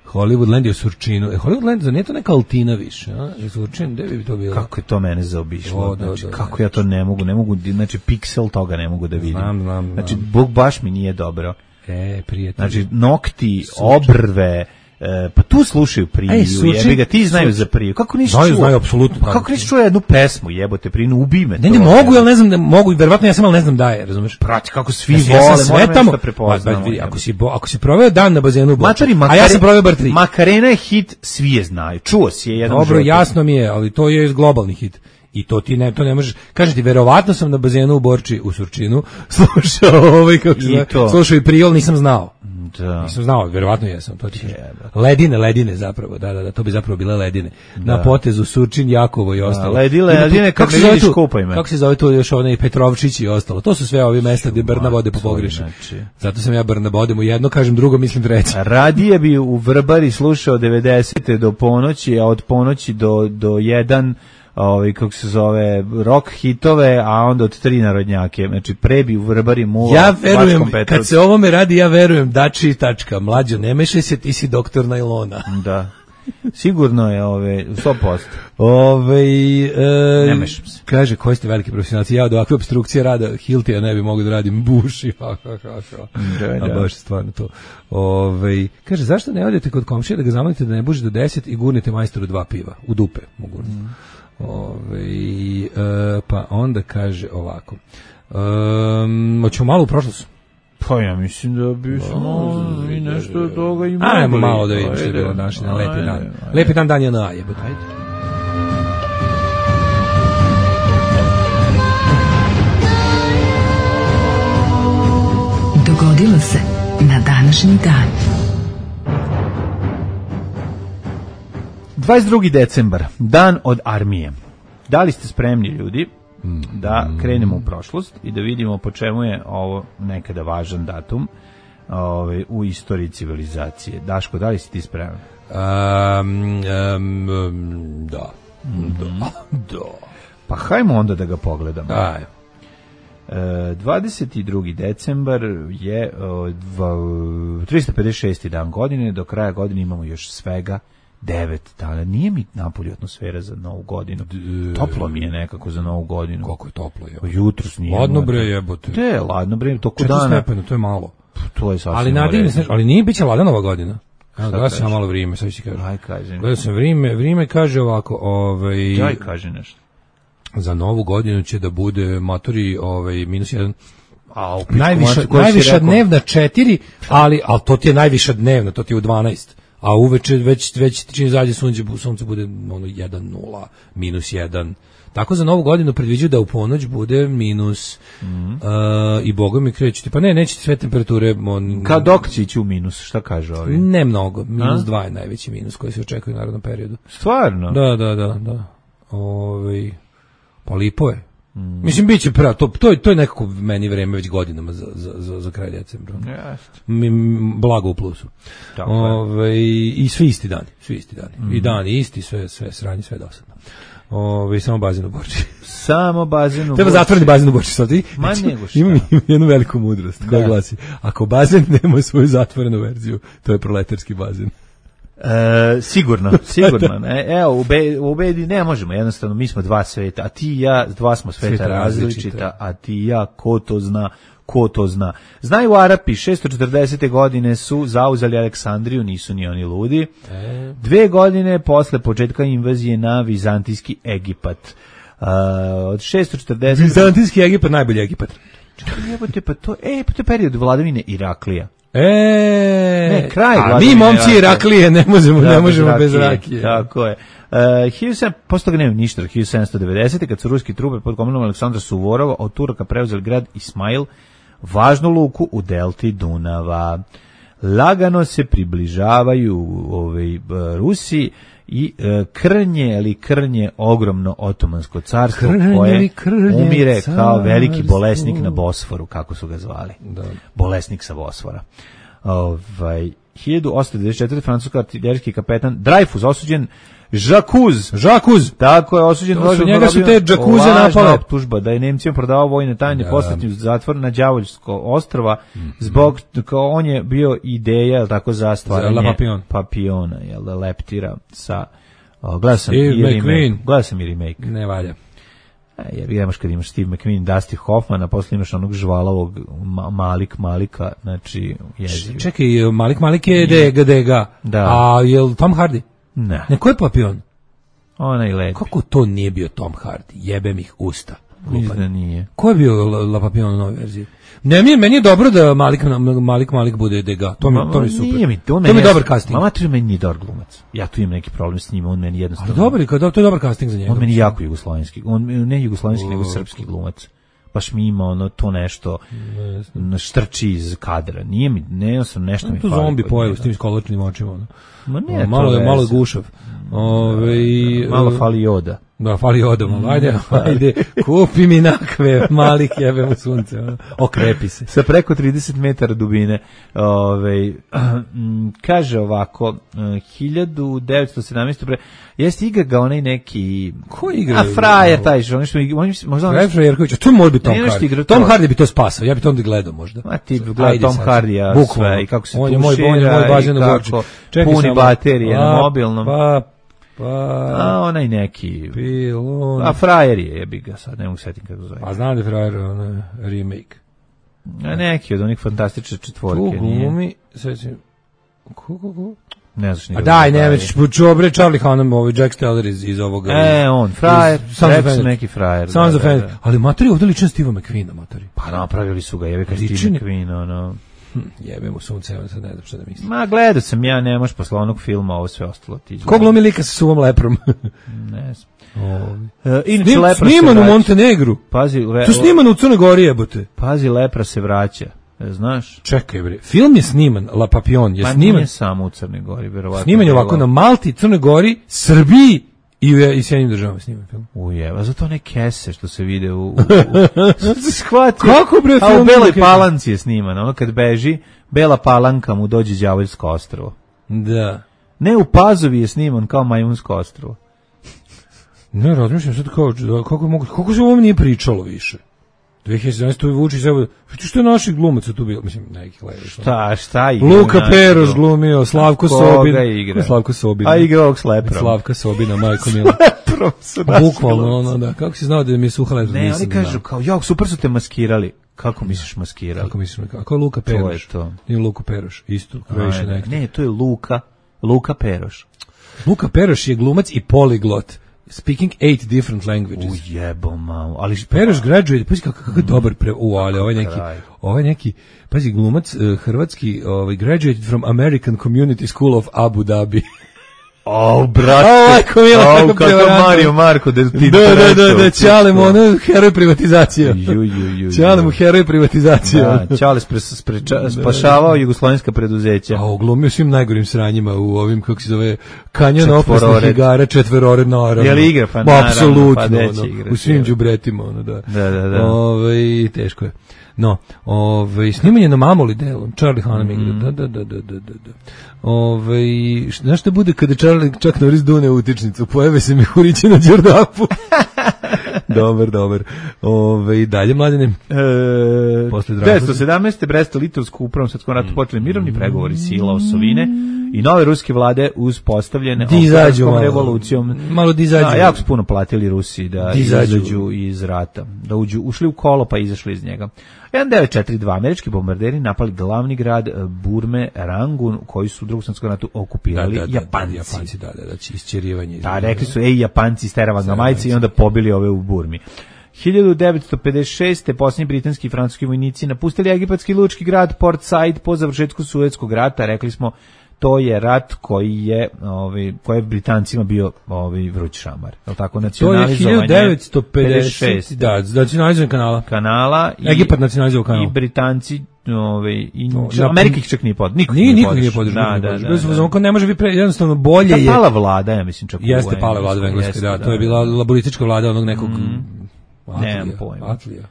Hollywoodland je u Surčinu. E, Hollywoodland, za nije to neka Altina više, a? Je Surčin, gde bi to bilo? Kako je to mene zaobišlo? O, da, znači, da, kako da, ja to ne mogu, ne mogu, znači, piksel toga ne mogu da vidim. Znam, znam, znam. Znači, Bog baš mi nije dobro. E, prijatelj. Znači, nokti, Surčin. Obrve, E, pa tu slušaju Priju, jebi ga, ti znaju za Priju. Kako nisi znaju, čuo? Znaju, apsolutno. Pa kako nisi čuo jednu pesmu, jebote, Priju, ubij me. Ne, ne mogu, ja ne znam, ne mogu, verovatno ja sam, ali ne znam da je, razumeš? Prati, kako svi ja vole, sve moram tamo, nešto prepoznamo. Ako si, bo, ako si proveo dan na bazenu u Borči, Matari, a ja sam proveo bar tri. Makarena je hit, svi je znaju, čuo si je jedan Dobro, jasno mi je, ali to je globalni hit. I to ti ne, to ne možeš. Kažete, verovatno sam na bazenu u Borči u Surčinu slušao ovaj kako se slušao i Prijol, nisam znao. Da. Nisam znao, verovatno jesam, to ti kažem. Ledine, ledine zapravo, da, da, da, to bi zapravo bile ledine. Da. Na potezu Surčin, Jakovo i ostalo. Da, ledile, ledine, kako se zove tu? Kako se zove to još onaj Petrovčić i ostalo. To su sve ovi mesta gdje Brna vode po pogreši. Znači. Zato sam ja Brna vodem u jedno, kažem drugo, mislim treće. Radije bi u Vrbari slušao devedesete do ponoći, a od ponoći do, do jedan ovaj kako se zove rock hitove, a onda od tri narodnjake. Znači prebi u Vrbari mula. Ja verujem, kad se ovome radi, ja verujem, dači tačka, mlađo, ne mešaj se, ti si doktor najlona. Da. Sigurno je ove sto posto. Ove, e, Ne mešam se. kaže, koji ste veliki profesionalci, ja od ovakve obstrukcije rada Hiltija ne bi mogu da radim buši. Ha, ha, ha, ha. Da, A da. baš je stvarno to. Ove, kaže, zašto ne odete kod komšije da ga zamolite da ne buži do deset i gurnete majstoru dva piva? U dupe mogu. Mm. Ove, e, pa onda kaže ovako. Um, hoćemo malo u prošlost. Pa ja mislim da bismo i nešto od toga i mogli. Ajmo malo da vidimo što je Ajde. bilo naši na lepi Ajde, dan. ajde. Lepi dan dan je na jebote. Ajde. Dogodilo se na današnji dan. dvadeset drugi decembar, dan od armije. Da li ste spremni, ljudi, da krenemo u prošlost i da vidimo po čemu je ovo nekada važan datum ovaj, u istoriji civilizacije? Daško, da li si ti spreman? Um, um, um, da. Da. Da. Pa hajmo onda da ga pogledamo. Aj. E, dvadeset drugi decembar je o, dva, tristo pedeset šesti dan godine, do kraja godine imamo još svega devet dana. Nije mi napolju atmosfera za novu godinu. Toplo mi je nekako za novu godinu. Koliko je toplo je. Jutros nije. Ladno bre jebote. Te, ladno bre, toko Četiri dana. stepena, to je malo. To je sasvim. Ali nadigne se, ali nije biće ladna nova godina. Evo, gledao sam kažeš? malo vrijeme, sad ću ti kažem. Aj, kažem. Gledao sam vrijeme, vrijeme kaže ovako, ovaj, Jaj, kaže nešto. za novu godinu će da bude matori ovaj, minus jedan. A, u Najviša, pičku, koji si najviša rekao? dnevna četiri, ali, ali to ti je najviša dnevna, to ti je u dvanaest. A uveče već, već čini zađe sunce, sunce bude ono jedan nula, minus jedan. Tako za novu godinu predviđaju da u ponoć bude minus mm. uh, i Boga mi krećete. Pa ne, nećete sve temperature. On, Kad dok će ići u minus, šta kaže ovi? Ne mnogo, minus A? dva je najveći minus koji se očekuje u narodnom periodu. Stvarno? Da, da, da, da. Ove, pa lipo je. Mm. Mislim, bit će pravo, to, to, je, to je nekako meni vreme već godinama za, za, za, za kraj decembra. Jeste. Mi, blago u plusu. Tako je. Ove, I svi isti dani, svi isti dani. Mm. I dani isti, sve, sve sranje, sve dosadno. Ove, samo bazen u Borči. Samo bazen u Treba Borči. zatvoriti bazen u Borči. Sad, i, Ma znači, nego šta. imam, imam jednu veliku mudrost koja Da. glasi, ako bazen nema svoju zatvorenu verziju, to je proletarski bazen. E, sigurno, sigurno. Ne? Evo, u, be, u Bedi ne možemo, jednostavno, mi smo dva sveta, a ti i ja, dva smo sveta, Sveta različita, različita. a ti i ja, ko to zna, ko to zna. Znaju Arapi, šesto četrdesete godine su zauzeli Aleksandriju, nisu ni oni ludi. E. Dve godine posle početka invazije na vizantijski Egipat. Uh, od šesto četrdeset Vizantijski Egipat, najbolji Egipat. Jebote, pa to, e, pa to je period vladavine Iraklija. E, Ne, kraj a mi vladavine momci Rakije. Iraklije ne možemo, Da, ne bez možemo bez rakije, rakije. Tako je. Uh, hiljadu sedamsto posle toga nema ništa, hiljadu sedamsto devedesete kad su ruski trupe pod komandom Aleksandra Suvorova od Turaka preuzeli grad Ismail, važnu luku u delti Dunava. Lagano se približavaju ovaj, Rusi i uh, krnje ili krnje ogromno otomansko carstvo Krnje koje li krnje umire kao veliki carstvo. bolesnik na Bosforu, kako su ga zvali. Da. Bolesnik sa Bosfora. Ovaj hiljadu osamsto devedeset četvrte francuski artiljerijski kapetan Dreyfus osuđen Žakuz. Žakuz. Tako je osuđen. To su lažno njega su te zarobio- džakuze lažna napale. optužba da je Nemcima prodavao vojne tajne, Da. poslatio u zatvor na Đavoljsko ostrva Mhm. zbog kao on je bio ideja, jel tako, za stvaranje Za La Papillon. papiona, jel da, leptira sa o, gledao sam Steve i remake. McQueen. Gledao sam i remake. Ne valja. E, jer imaš kad imaš Steve McQueen, Dusty Hoffman, a posle imaš onog žvalavog ma, Malik Malika, znači jezivo. Čekaj, Malik Malik je Dega Dega. Da. A je li Tom Hardy? Ne, Ne, ko je Papion? onaj lepi. Kako to nije bio Tom Hardy? Jebem ih usta. Mislim da nije. Ko je bio La, La Papillon u novoj verziji? Ne, mi je, meni je dobro da Malik Malik Malik bude Dega. To mi, to mi je super. Nije mi, to, to mi je dobar casting. Mama tu meni nije dobar glumac. Ja tu imam neki problem s njim, on meni jednostavno. Ali dobar je, kao- to je dobar casting za njega. On meni jako jugoslovenski. On ne jugoslovenski, nego srpski glumac. Baš mi ima ono to nešto na štrči iz kadra. Nije mi, ne sam nešto mi To fali zombi kod pojavu njega. s tim skoločnim očima. Ono. Ma ne, Ono, malo to je malo je veze. gušav. Ove, Malo fali joda. Da, fali odo malo. Ajde, ajde, kupi mi nakve malih jebem u sunce. Ono. Okrepi se. Sa preko trideset metara dubine. Ove, kaže ovako, hiljadu devetsto sedamnaeste. Pre, jeste igra ga onaj neki... Ko igra? A frajer taj što, oni što možda... Frajer Frajerković, to mora biti Tom Hardy. Tom to. Hardy bi to spasao, ja bi to onda gledao možda. A ti gleda Tom Hardy, sve, i kako se on tušira, moj, moj bazen i kako Čekaj puni samo. baterije na Pa, mobilnom. Pa, pa... A onaj neki... Pilon... A frajer je, jebi ga sad, ne mogu setim kako zove. A znam da je frajer ono, remake. A neki od onih fantastične četvorke. Tu glumi, sve si... Ko, ko, ko? Ne znaš A nikog. daj, ne već, čobre Charlie Hunnam, ovaj Jack Steller iz, iz ovoga. E, on, frajer, Sons rekao neki frajer. Sons da, of da, Anarchy. da. Ali matori ovdje ličan Steve McQueen-a, matori. Pa napravili su ga, jebi ka Ličan Steve je- McQueen, ono... Hm, jebe mu sunce, evo sad ne znam šta da mislim. Ma, gledao sam ja, nemaš posle onog filma, ovo sve ostalo ti. Ko glumi lika sa suvom leprom? Ne znam. Ovi. E, inače, Snim, lepra se sniman u vraća. Montenegru. Pazi, le, To je snimano u Crnoj Gori, jebote. pazi, lepra se vraća. E, znaš? Čekaj bre, film je sniman, La Papillon je Pa sniman. nije samo u Crnoj Gori, verovatno. Sniman je ovako na Malti, Crnoj Gori, Srbiji i u i Sjedinjenim državama sniman film. Ujeva, zato one kese što se vide u... u, u shvatio. Kako, bre, A u film Beloj kese? Palanci je sniman, ono kad beži, Bela Palanka mu dođe đavoljsko ostrvo. Da. Ne, u Pazovi je sniman kao Majmunsko ostrvo. Ne, razmišljam sad kao, da, kako, mogu, kako se o ovom nije pričalo više. dve hiljade sedamnaeste. tu je Vučić, evo, što je naših glumaca tu bilo, mislim, nekih levih. Šta, šta igra? Luka naš Peroš to? glumio, Slavko Koga Sobin. igra? Ko Slavko Sobin. A igra ovog s leprom. Slavka Sobina, majko mila. Leprom su naši Bukvalno, glumci. ono, da. Kako si znao da mi je suha letra? Ne, Nisam oni kažu znao. kao, jao, super su te maskirali. Kako misliš maskirali? Kako misliš, kako je Luka To je Peroš? to. Nije Luka Peroš, isto, Croatian Ajde. actor. Ne, to je Luka, Luka Peroš. Luka Peroš je glumac i poliglot, speaking eight different languages. Ujebo malo, ali Peroš graduate, pazi kako, kako je dobar pre... U, ali ovaj neki, kraj. ovaj neki, pazi, glumac uh, hrvatski, ovaj, graduated from American Community School of Abu Dhabi. O, brate. O, majko mila, Au, kako kako prevarantno. Mario Marko da ti Da, da, da, prečao, da, Ćale mu pusto. ono, heroj privatizacije. Ju, ju, ju, Ćale ju. mu heroj privatizacije. Da, Čale spre, spreča, spašavao jugoslovenska preduzeća. A uglumio svim najgorim sranjima u ovim, kako se zove, kanjon Četvorored. opasnih igara, četverored, naravno. Je li igra? Pa Ma, naravno, apsolutno, pa gde će ono, igrati, u svim je. đubretima, ono, da. Da, da, da. Ove, teško je. No, ove, snimanje na Mamoli delom, Charlie Hunnam igra, Mm. da, da, da, da, da, da. Ove, znaš šta bude kada Charlie čak Norris dune utičnicu, pojave se mi Hurići na Đerdapu. dobar, dobar. Ove, i dalje, mladene. E, Posle Dragulja. devetsto sedamnaeste. Brest-Litovsku upravom svetskom ratu počeli mirovni pregovori sila osovine i nove ruske vlade uspostavljene Di izađu Oktobarskom malo. revolucijom. Malo di izađu. Da, jako su puno platili Rusi da Di izađu. izađu iz rata, da uđu, ušli u kolo pa izašli iz njega. devet četiri dva američki bombarderi napali glavni grad e, Burme, Rangun, koji su u drugom svjetskom ratu okupirali Da, da, da, Japanci. Japanci, da, da, da, isćerivanje. Da, rekli su, ej, Japanci steravan ga majice i onda pobili ove u Burmi. hiljadu devetsto pedeset šeste. posljednji britanski i francuski vojnici napustili egipatski lučki grad Port Said po završetku Suetskog rata. Rekli smo, to je rat koji je, ovaj, koji je Britancima bio ovaj, vruć šamar. Je li tako? To je Nacionalizovanje hiljadu devetsto pedeset šest. Da, nacionalizovan kanala. kanala. I, Egipat nacionalizovao kanal. I Britanci, ovaj, i, Da, Amerika ih čak nije pod, niko Nije, niko podržao. nije podržao. Da, da, da, da, da. da. Ne može biti pre, jednostavno bolje Ta je. pala vlada, ja mislim čak. u Jeste pala vlada u Engleskoj, Engleskoj, da, jeste, to je bila laboristička vlada onog nekog Atlija. Nemam pojma. Atlija.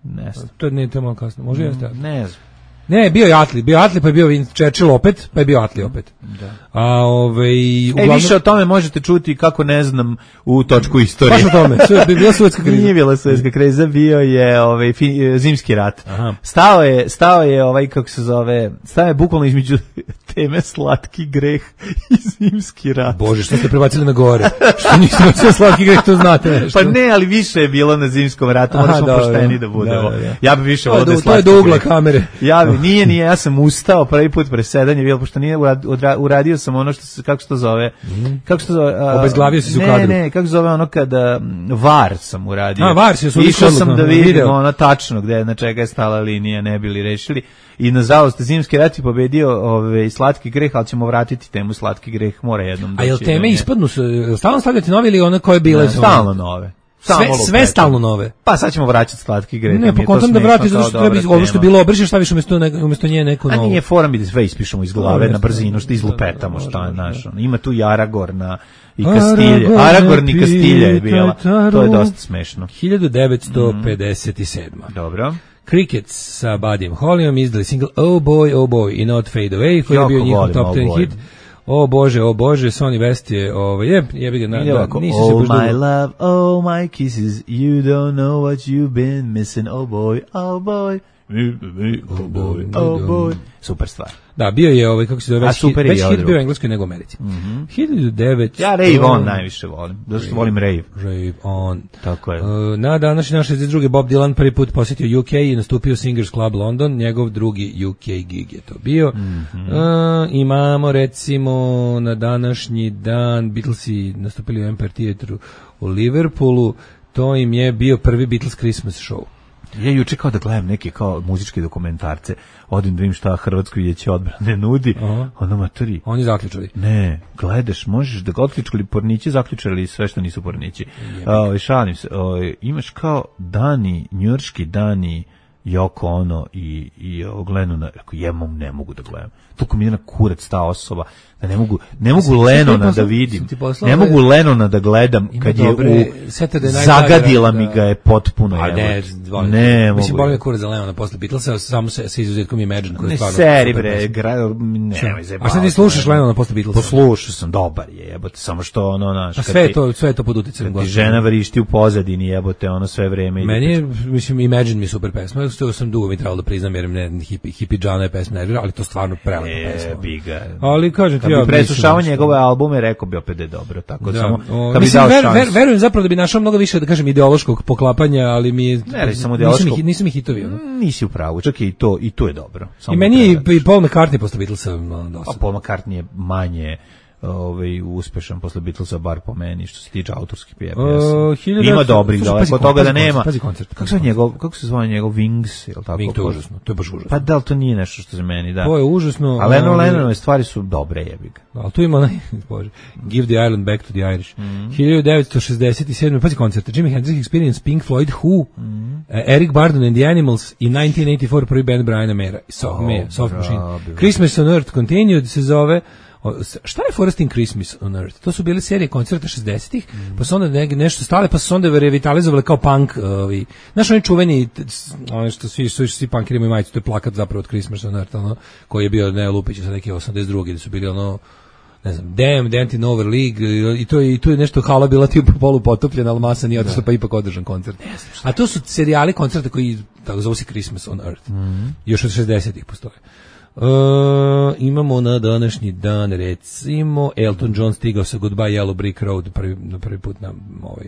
Ne znam. To nije to malo kasno. Može jeste. Ne znam. Ne, bio je Atli, bio je Atli, pa je bio Winston Churchill opet, pa je bio Atli opet. Da. A ovaj E, uglavnom više o tome možete čuti kako ne znam u točku istorije. baš o tome, sve bi bila Suetska kriza. Nije bila Suetska kriza, bio je ovaj fi, zimski rat. Aha. Stao je, stao je ovaj kako se zove, stao je bukvalno između teme slatki greh i zimski rat. Bože, što ste prebacili na gore? Što niste bacili slatki greh, to znate nešto. Pa ne, ali više je bilo na zimskom ratu, Aha, moraš dobro. pošteni da budemo. Da, da, da. Ja bih više To je volio da je do- to je slatki do ugla greh. kamere. Ja bi, nije, nije, ja sam ustao prvi put presedanje, bilo, pošto nije urad- odra- uradio sam ono što se, kako se to zove, kako se to zove, a, Obezglavio si se u ne, kadru. Ne, kako se zove ono kada, m, var sam uradio. A, var si, jesu Išao odlično sam da odluka, vidim video. ono tačno gde, na čega je stala linija, ne bili rešili. I nažalost, zimski rat je pobedio ove, slatki greh, ali ćemo vratiti temu slatki greh, mora jednom A jel doći do teme nje. ispadnu se, stalno stavljati nove ili one koje bile Ne, su? stalno nove. Samo sve, lupetamo. sve stalno nove. Pa sad ćemo vraćati slatki greh. Ne, pa kontam da vratiš zato što treba ovo što je bilo obrišeš, staviš umesto ne, umesto nje neko novo. A nije fora mi da sve ispišemo iz glave No, na brzinu, što izlupetamo, da, da, šta je može, naš. Ima tu i Aragorna i Kastilje. Aragorn, Aragorn i Kastilje je bila. Taru. To je dosta smešno. hiljadu devetsto pedeset sedma Dobro. Crickets sa Buddyjem Hollyom izdali single Oh Boy, Oh Boy i Not Fade Away, koji je Jako bio njihov volim top Oh ten Boy. hit. O Bože, o Bože, Sonny West je, ovaj, jeb, jebi ga, na, Ide da, ovako, nisi se oh baš my dugo. love, oh my kisses, you don't know what you've been missing, oh boy, oh boy, oh boy, oh boy. Super stvar. Da, bio je, ovaj, kako se zove, A već, super hit, je već i hit odrugo. bio u Engleskoj nego u Americi. Mm-hmm. hiljadu devetsto Ja Rave On najviše volim, došto volim Rave. Rave On. Tako je. Uh, na današnji naš šezdeset drugi Bob Dylan prvi put posjetio U K i nastupio u Singers Club London, njegov drugi U K gig je to bio. Mm-hmm. uh, imamo recimo na današnji dan Beatlesi nastupili u Empire Theatru u Liverpoolu, to im je bio prvi Beatles Christmas show. Ja juče kao da gledam neke kao muzičke dokumentarce, odim da vidim šta Hrvatsko vijeće odbrane nudi, Aha. ono maturi. Oni zaključali. Ne, gledaš, možeš da ga otključali pornići, zaključali sve što nisu pornići. O, šalim se, o, imaš kao dani, njujorški dani, Yoko Ono i, i o, Lennona, rekao, jemom ne mogu da gledam. Toliko mi je na kurac ta osoba, da ne mogu, ne mogu Lennona da vidim, ne mogu Lennona da gledam kad je u, zagadila mi ga je potpuno. A ne, volim. Ne mogu. Mislim, volim je kurac za Lennona posle Beatlesa, samo se, sa izuzetkom Imagine. Koji je Ne stvarno seri super bre, pesma. gra, nemoj zajebavati. A šta ti slušaš Lennona posle Beatlesa? Poslušao sam, dobar je, jebote, samo što ono, naš, A sve je to, sve je to pod uticajem. ti žena vrišti u pozadini, jebote, ono sve vreme. ide Meni je, mislim, Imagine mi je super pesma, što sam dugo mi trebalo da priznam, jer ne, hipi, hipi Džana je pesma nervira, ali to stvarno prelepa pesma. E, biga. Ali kažem ti, Kad ja bi preslušao mislim, njegove albume, rekao bi opet da je dobro, tako Da, samo, o, kad bi mislim, dao ver, šansu. ver, verujem zapravo da bi našao mnogo više, da kažem, ideološkog poklapanja, ali mi je, Ne, reći samo nisu, ideološkog. mi, nisu mi hitovi. Ono. Nisi u pravu, čak i to, i to je dobro. Samo I meni je treba. i i Paul McCartney posle Beatlesa ono, A dosta. Paul McCartney je manje ovaj uspešan posle Beatlesa, bar po meni, što se tiče autorskih pjesama. Uh, hiljadu Ima devetsto dobrih, Slušaj, daleko pazi od toga da koncert, nema. pazi koncert, Kako pazi se koncert. njegov, kako se zove njegov Wings, je li tako? Wing, to je užasno, to je baš užasno. Pa da li to nije nešto što se meni da? To je užasno. A Lennon ali- Lennonove stvari su dobre, jebi ga. Ali tu ima onaj, bože, Give the Island Back to the Irish. Mhm. hiljadu devetsto šezdeset sedme pazi koncerte, Jimi Hendrix Experience, Pink Floyd, Who, Mhm. uh, Eric Burdon and the Animals i nineteen eighty-four prvi band Briana Mera, Soft, Oh, Mea, Soft Machine. bravi. Christmas on Earth Continued se zove. O, s- šta je Forest in Christmas on Earth? To su bile serije koncerta šezdesetih, Mhm. pa su onda ne, nešto stale, pa su se onda revitalizovali kao punk. Ovi. Znaš, oni čuveni, t- s- ono što svi, svi, svi punkeri imaju majicu, to je plakat zapravo od Christmas on Earth, ono, koji je bio Neo Lupić sa neke osamdeset druge, gde su bili ono, ne znam, Damn, The Anti-Nover League, i to, je- i tu je nešto hala bila tipa polu potopljena, ali masa nije otišla, pa ipak održan koncert. A to su serijali koncerta koji, tako zove se Christmas on Earth. Još od šezdesetih postoje. Uh, imamo na današnji dan recimo Elton John stigao sa Goodbye Yellow Brick Road prvi, na prvi put na ovaj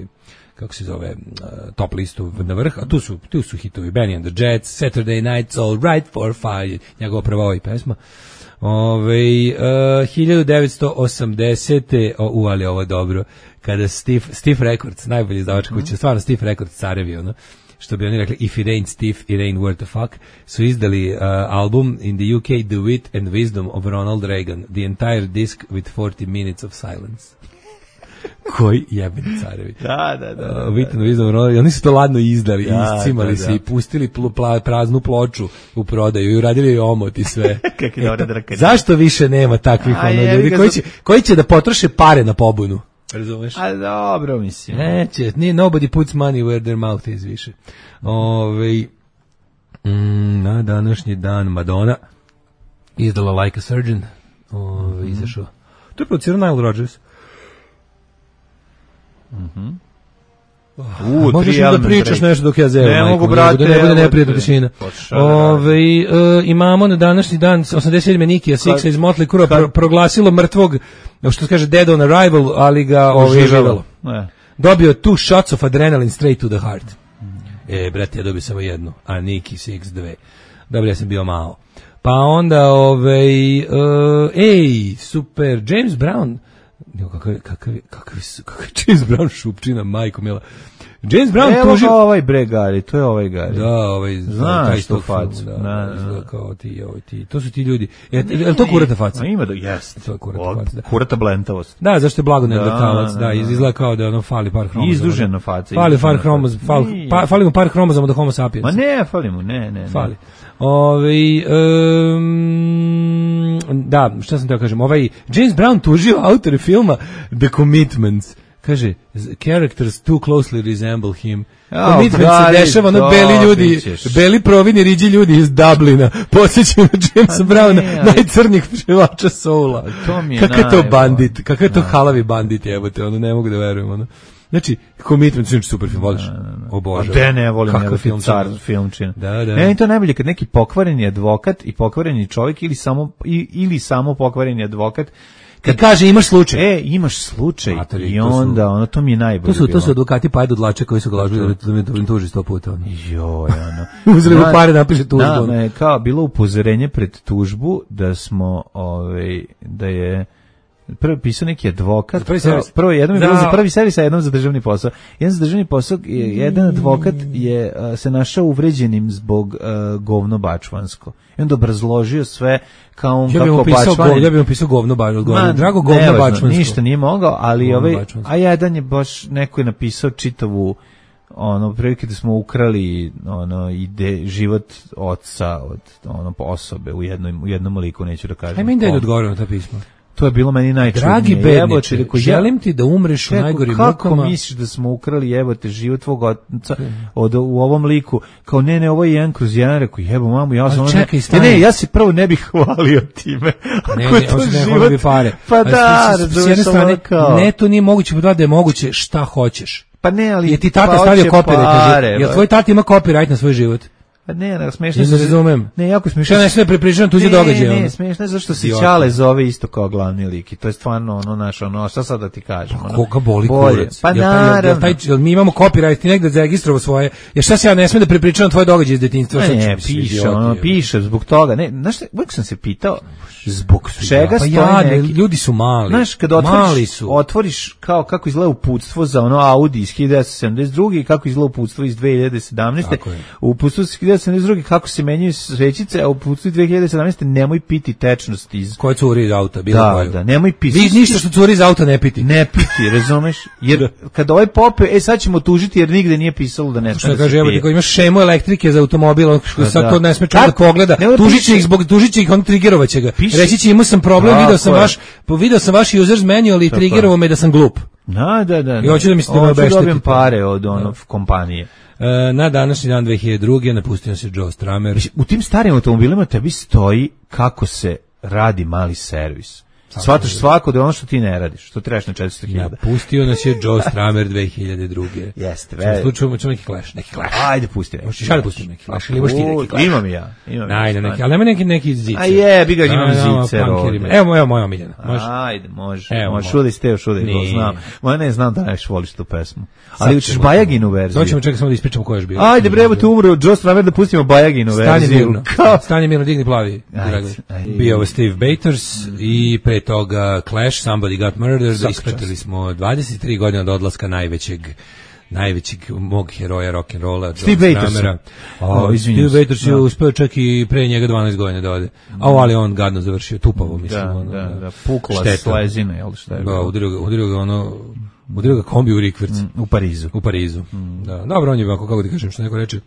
kako se zove uh, top listu na vrh, a tu su tu su hitovi Benny and the Jets, Saturday Night's All Right for Five, njegova prva ovaj pesma. Ove, uh, hiljadu devetsto osamdesete o, u, ali ovo je dobro, kada Steve, Steve Records, najbolji izdavač kuće, stvarno Steve Records carevi, ono, što bi oni rekli, if it ain't Steve, it ain't worth a fuck, su izdali uh, album in the U K, The Wit and Wisdom of Ronald Reagan, the entire disc with forty minutes of silence. Koji jebeni carevi. Da, da, da. Uh, Wit and Wisdom of Ronald, oni su to ladno izdali, Da, iscimali da, se da. i pustili plu, pla, praznu ploču u prodaju i uradili omot i sve. Kakvi dobra drkanja. Zašto više nema takvih A, ono, jebi ljudi ga, koji za- će, koji će da potroše pare na pobunu? Razumeš? A dobro, mislim. Neće, nije nobody puts money where their mouth is više. Ove, mm, na današnji dan Madonna izdala Like a Surgeon. Ove, Mhm. izašao. To je producirao Nile Rodgers. U, Možeš tri da Element pričaš Break. nešto dok ja zevam. Ne majko mogu, mi, brate, da ne bude evo neprijatna te. tišina. Pa šta da Ove, e, imamo na današnji dan osamdeset sedme Nikija Sixa iz Motley Crue pro, proglasilo mrtvog, što se kaže dead on arrival, ali ga ovaj živelo. Ne. Dobio two shots of adrenaline straight to the heart. E, brate, ja dobio samo jednu, a Niki Six dve. Dobro, ja sam bio malo. Pa onda, ovaj, uh, ej, super, James Brown, jo, kakav, kakav, kakav, kakav James Brown šupčina, majko mila. James Brown Evo tužio... ga ovaj bre Gari, to je ovaj Gari. Da, ovaj... Znaš taj tu tog filma, facu. Da, Da, da, izgleda da. kao ti, ovaj, ti. To su ti ljudi. Je, je li to kurata faca? A ima da, jeste. To je kurata O, faca, da. Kurata blentavost. Da, zašto je blago Da, neandertalac, da, da, da. izgleda kao da ono fali par hromozoma. Izdužena faca. Fali par izdužena hromozoma, faca. fal, Nije. pa, fali mu par hromozoma do homo sapiens. Ma ne, fali mu, ne, ne. ne. Fali. Ovaj um, da, šta sam teo kažem, ovaj James Brown tužio autore filma The Commitments. Kaže, characters too closely resemble him. Jao, Commitment se Gari, dešava, ono, to beli ljudi, ćeš. beli providni riđi ljudi iz Dublina. Posjećaju na Jamesa A Browna, ne, ali- najcrnjih pševača soula. to mi je Kakav je to najbolje. bandit, kakav je to Da. halavi bandit, jebote, ono, ne mogu da verujem, ono. Znači, Commitment, znači super film, voliš? O Bože. A de ne volim, Kakav kakav film, car filmčina. Da, da. Ne, to je najbolje kad neki pokvareni advokat i pokvareni čovjek ili samo i, ili samo pokvareni advokat Kad kaže imaš slučaj. E, imaš slučaj Matori, i to su- onda, ono, to mi je najbolje To su, to bilo. su advokati pa dlače koji su ga lažili da, da, me- da me tuži sto puta. Ono. Joj, ono. Uzeli mu Na- pare, napiše tužbu. Na, ono. me je kao bilo upozorenje pred tužbu da smo, ovaj, da je prvo pisao neki advokat. Za prvi prvo, servis. prvo jednom je bilo Da. za prvi servis, a jednom za državni posao. Jedan za državni posao, je- jedan advokat je a, se našao uvređenim zbog a, govno bačvansko. I onda obrazložio sve kao on Ja bih kako mu pisao, bačvanin- go, ja bih mu pisao govno baš, govno. Ma, Drago govno nevažno, bačvansko. ništa nije mogao, ali Govno ovaj, bačvansko. a jedan je baš, neko je napisao čitavu, ono, prilike da smo ukrali, ono, ide, život oca od, ono, osobe u jednom, u jednom liku, neću da kažem. Ajme im da je kom. odgovorio na ta pisma. To je bilo meni najčudnije. Dragi Jebote, bedniče, rekao, ja- želim ti da umreš u Čekaj, najgorim kako mukama. misliš da smo ukrali, jebote, život tvog oca od, u ovom liku? Kao, ne, ne, ovo je jedan kroz jedan, rekao, jebo mamu, ja sam... Ali ono- čekaj, ne, stani. ne, ja se prvo ne bih hvalio time. Ne, Ako je ne, to on se ne život- hvali bi pare. Pa Ali da, s- s- s razumeš, jedne strane, ono kao- ne, to nije moguće, pa da je moguće, šta hoćeš. Pa ne, ali... Je ti tata pa stavio hoće copyright, pare, jel ba. tvoj tata ima copyright na svoj život? Pa ne, ne, smešno Ja ne razumem. Ne, jako smešno. Šta ne sve prepričavam tuđe događaje? Ne, ono? ne, smešno je zašto se Idiota. Ćale zove isto kao glavni lik i to je stvarno ono naš, ono, šta sad da ti kažem? ono, Koga boli bolje. kurac? Pa Jel taj- jel- jel naravno. taj- jel mi imamo copyright, ti negde zaregistrovao svoje. Jer šta se ja ne smem da prepričavam tvoje događaje iz detinjstva? Ma Sad ću ne, mi se piše, idioti, ono, jebote. piše zbog toga. Ne, znaš šta, uvijek sam se pitao zbog čega Pa stoji jadni, neki... ljudi su mali. Znaš, kad Mali otvoriš, su. otvoriš kao kako izgleda uputstvo za ono Audi iz hiljadu devetsto sedamdeset druge i kako izgleda uputstvo iz dve hiljade sedamnaeste. Tako je. U uputstvu iz hiljadu devetsto sedamdeset druge kako se menjaju svećice, a u uputstvu iz dve hiljade sedamnaeste nemoj piti tečnost iz... Koje curi iz auta, bilo Da, koju. da, nemoj piti. Vi ništa što curi iz auta ne piti. Ne piti, razumeš? Jer kad ovaj pope, e sad ćemo tužiti jer nigde nije pisalo da ne Što sme da kaže, se evo ti pije. ko imaš šemu elektrike za automobil, on Da, sad da. to ne sme čovjek da Kako? pogleda. Nego Tužit piše- će ih zbog tužit će ih, on trigerovaće ga. Piše- Reći će imao sam problem, Tako video sam je. vaš, po- video sam vaš users manual i Tako trigerovao me da sam glup. Da, da, da. I hoće da mi se da me Hoću obeštetite. dobijem pare od ono kompanije. E, na današnji dan dve hiljade druge napustio se Joe Stramer. U tim starim automobilima tebi stoji kako se radi mali servis. Shvataš svako da je ono što ti ne radiš, što trebaš na četiristo hiljada. Napustio nas je Joe Stramer dve hiljade druge. Jeste, U ve- slučaju ćemo neki clash, neki clash. Ajde, pusti neki. Hoćeš ja da pustim neki clash ili imaš ti neki clash? Imam i ja. Imam ja. Ajde, neki, ali nema neki, neki zicer. A jebi ga, imam Da, da, zicer punkerima. ovde. Evo, evo moja omiljena. Može? Ajde, može. Evo, može. može. Šudi ste, šudi, Nije. znam. Ma ne, znam da najviše voliš tu pesmu. Sad Ali učiš ćemo- Bajaginu verziju. Doćemo čekaj samo da ispričamo ko je još bio. Ajde, bre, evo te umro Joe Stramer da pustimo Bajaginu Stanje verziju. mirno. Kao... Stanje mirno, digni plavi. Ajde, Dragan. ajde. Bio je Steve Bators i pre toga Clash, Somebody Got Murdered. Svaka Ispratili smo dvadeset tri godine od odlaska najvećeg najvećeg mog heroja rock'n'rolla, Steve John Bators. Stramera. O, A, izvinjam Steve se. Bators je Da. uspeo čak i pre njega dvanaest godina da ode. A ovo, ali on gadno završio, tupavo, mislim. Da, ono, da, da, pukla šteta. slezina, jel šta je Da, bilo? udario ga, udario ga ono, udario ga kombi u rikverc. U Parizu. U Parizu. Da. Dobro, on je ovako, kako ti kažem, što neko reče,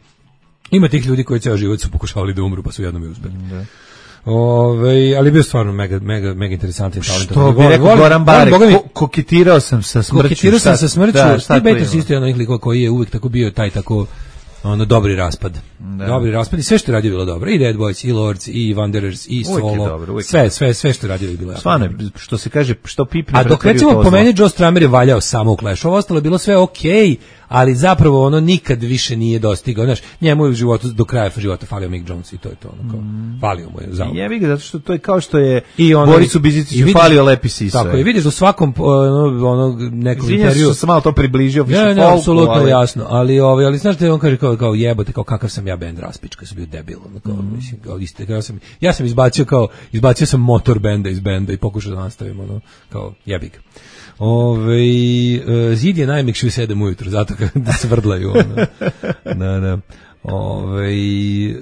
ima tih ljudi koji ceo život su pokušavali da umru, pa su jednom i uspeli. Da. Ove, ali je bio stvarno mega, mega, mega interesantan talent. Što bi rekao Goran Barek, ko, koketirao sam sa smrću. Koketirao sam šta- sa smrću. da, šta Steve to Bators ima? isto je onih likova koji je uvijek tako bio taj tako ono dobri raspad. Dobri raspad i sve što je radio bilo dobro. I Dead Boys, i Lords, i Wanderers, i Uvijek je Solo. dobro, uvijek je sve, sve, sve što je radio je bilo jako Stvarno, dobro. je, što se kaže, što pipne... A dok pretvori u recimo to po zlo. meni Joe Stramer je valjao samo u Clash. Ovo ostalo je bilo sve okej, ali zapravo ono nikad više nije dostigao. Znaš, njemu je u životu, do kraja života falio Mick Jones i to je to. Ono, kao, falio mu je za Jebi ga, zato što to je kao što je I ono- Borisu i Biziciću vidiš- falio Lepi Sisa. Tako je, vidiš u svakom ono, ono nekom Izvinjam se intervju. što sam malo to približio. više Ne, ne, folku, apsolutno ali- jasno, ali ovaj ali znaš da on kaže kao kao jebote kao kakav sam ja bend raspička, sam bio debil, ono, kao Mhm. mislim kao iste, ja sam ja sam izbacio kao izbacio sam motor benda iz benda i pokušao da nastavim ono kao jebi ga. Ove, e, zid je najmekši u sedam ujutru, zato da svrdlaju. Ono. Da, da. Ove, e,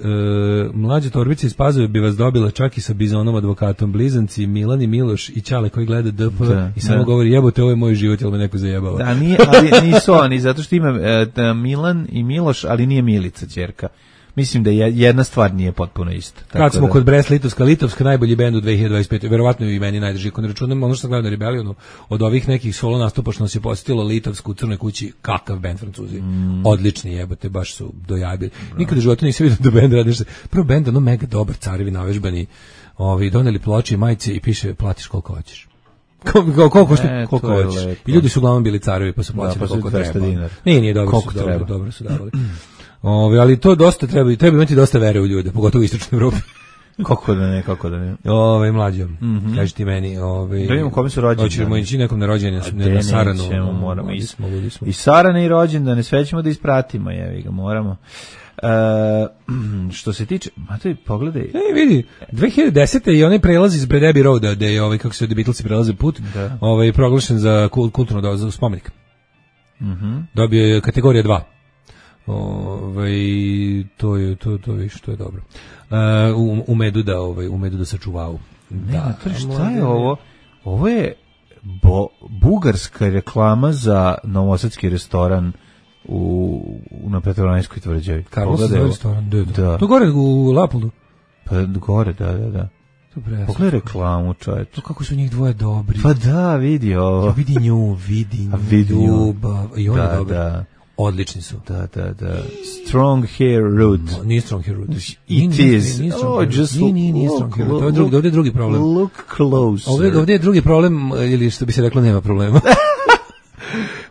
mlađe torbice iz Pazove bi vas dobila čak i sa Bizonom advokatom, blizanci Milan i Miloš i Ćale koji gleda D P da, i samo da. govori jebote ovo je moj život, jel me neko zajebava. Da, nije, ali nisu oni, zato što ima e, da, Milan i Miloš, ali nije Milica ćerka. Mislim da je, jedna stvar nije potpuno ista. Kad smo da. kod Brest Litovska, Litovska najbolji bend u dve hiljade dvadeset pete. Verovatno i meni najdrži. Kod računam ono što sam gledao na Rebellionu, od ovih nekih solo nastupa što nas je posjetilo Litovsku u Crnoj kući, kakav bend Francuzi. Mm. Odlični jebote, baš su dojabili. No. Nikada u životu nisam vidio da bend radi nešto. Prvo bend, ono mega dobar, carevi navežbani, ovi, doneli ploče i majice i piše platiš koliko hoćeš. Koliko koliko e, koliko hoćeš. I ljudi su uglavnom bili carevi pa su plaćali da, pa koliko treba. Dinar. Nije, nije dobro, su, dobro, dobro su davali. Ove, ali to dosta treba, treba imati dosta vere u ljude, pogotovo u istočnoj Evropi. Kako da ne, kako da ne. Ove, mlađo, mm-hmm. kaži ti meni. Ove, da vidimo kome su rođeni. Hoćemo ići nekom na rođenje, na Saranu. Ćemo, moramo i, smo, i Sarane i rođendane, sve ćemo da ispratimo, jevi ga, moramo. E, što se tiče, ma to je, pogledaj. E, vidi, dve hiljade desete i onaj prelaz iz Bred Abbey Roada, gde je, ovaj, kako se The Beatlesi prelaze put, da. Ovaj, proglašen za kulturno do, za spomenik. Mm-hmm. Dobio je kategorija dva. Ovaj to je to to je što je dobro. Uh, u, u medu da ovaj u medu da sačuvao. Da, ne, šta je ovo? Ovo je bo, bugarska reklama za novosadski restoran u, u na Petrovaradinskoj tvrđavi. Karlovski restoran, da, da. da. To gore u Lapoldu. Pa gore, da, da, da. Pogledaj reklamu, čovječ. To kako su njih dvoje dobri. Pa da, vidi ovo. Vidi nju, vidi nju, vidi nju. I on da, je dobar. Da. Odlični su. Da, da, da. Strong hair root. No, nije strong hair root. It is. Oh, just nije, nije, nije strong hair root. Ovdje, ovdje je drugi problem. Look close. Ovdje, ovdje je drugi problem, ili što bi se reklo, nema problema.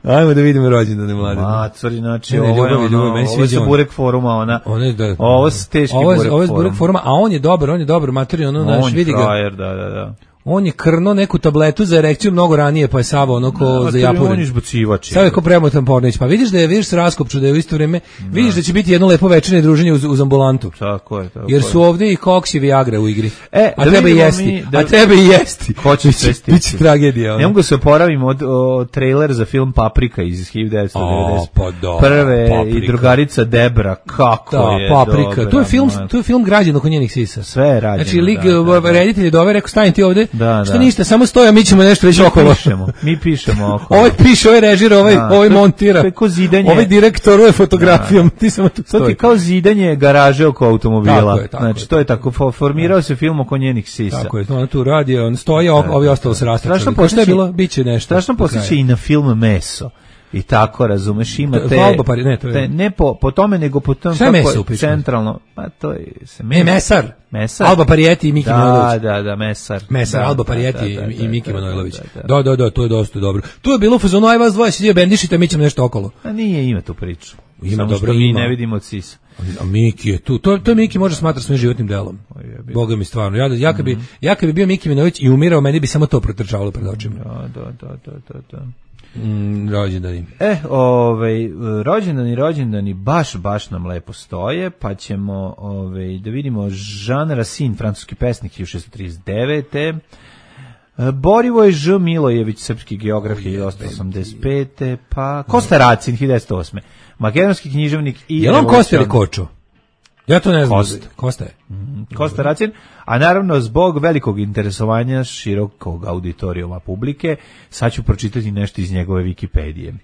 Ajmo da vidimo rođendane mlade. Macori, znači, ovo je ono, ovo je Burek foruma, ona, one, da, ovo je teški ovo je, Burek ovo je Burek foruma, a on je dobar, on je dobar, matori, ono, naš, vidi ga. On je frajer, da, da, da. On je krno neku tabletu za erekciju mnogo ranije, pa je Savo ono ko no, za japuren. On je izbacivač. Savo je ko premotan Pornić. Pa vidiš da je, vidiš se raskopču, da je u isto vrijeme, no. Vidiš da će biti jedno lepo večernje druženje uz, uz ambulantu. Tako je, tako jer su ovdje i Koks i Viagra u igri. E, a treba i jesti. Mi, da, a treba i jesti. Ko će svesti? Biće tragedija. Ono. Ne mogu se oporavimo od o, trailer za film Paprika iz hiljadu devetsto devedeset. O, pa da. Prve Paprika. I drugarica Debra, kako da, je Paprika. Dobra, to je film, to je film građen oko njenih sisa. Sve je rađeno. Znači, lik, da, da, da. reditelj je dove, rekao, stani ti ovde. Da, što da. ništa, samo stoja, mi ćemo nešto reći okolo. Pišemo, mi pišemo okolo. Ovaj piše, ovaj režira, ovaj, da, ovaj montira. To je kao zidanje. Ovaj direktor, ovaj fotografijom. Da. Ti samo tu stoji. To je kao zidanje garaže oko automobila. Tako je, tako znači, je. to je tako, formirao se film oko njenih sisa. Tako je, ona tu radi, on stoji, ovi ostalo se rastačali. Strašno je bilo, bit će nešto. Strašno posjeća i na film Meso. I tako, razumeš, ima te... Valba, pari, ne, to je... Te, ne po, po tome, nego po tom... Šta je Meso upično? Centralno, pa to je... Se me, Mesar. Mesar. Alba Parijeti i Miki da, Manojlović. Da, da, Mesar. Mesar, da, Alba Parijeti da, da, i, i Miki da, Manojlović. Da, da, da, da, da, to je dosta dobro. Tu je bilo u fazonu, aj vas dvoje se dio bendišite, mi ćemo nešto okolo. A nije, ima tu priču. Ima, samo dobro, što mi ima. ne vidimo od sisa. A Miki je tu. To, to Miki može smatrati svojim životnim delom. Boga mi stvarno. Ja, ja, kad bi, mm-hmm. ja kad bi bio Miki Manojlović i umirao, meni bi samo to protrčavalo pred očima. Da, da, da, da, da, da. Mm, rođendani. E, ovaj, rođendani, rođendani baš, baš nam lepo stoje, pa ćemo ovaj, da vidimo Jean Racine, francuski pesnik, hiljadu šessto trideset devete. Borivoj Ž. Milojević, srpski geograf, hiljadu osamsto osamdeset pete. Pa Kosta Racin, hiljadu devetsto osme. Makedonski književnik i... Je li on Kosta ili Kočo? Ja to ne znam. Kosta. Kosta je. Mm, Kosta Racin, a naravno zbog velikog interesovanja širokog auditorijuma publike, sad ću pročitati nešto iz njegove Wikipedije.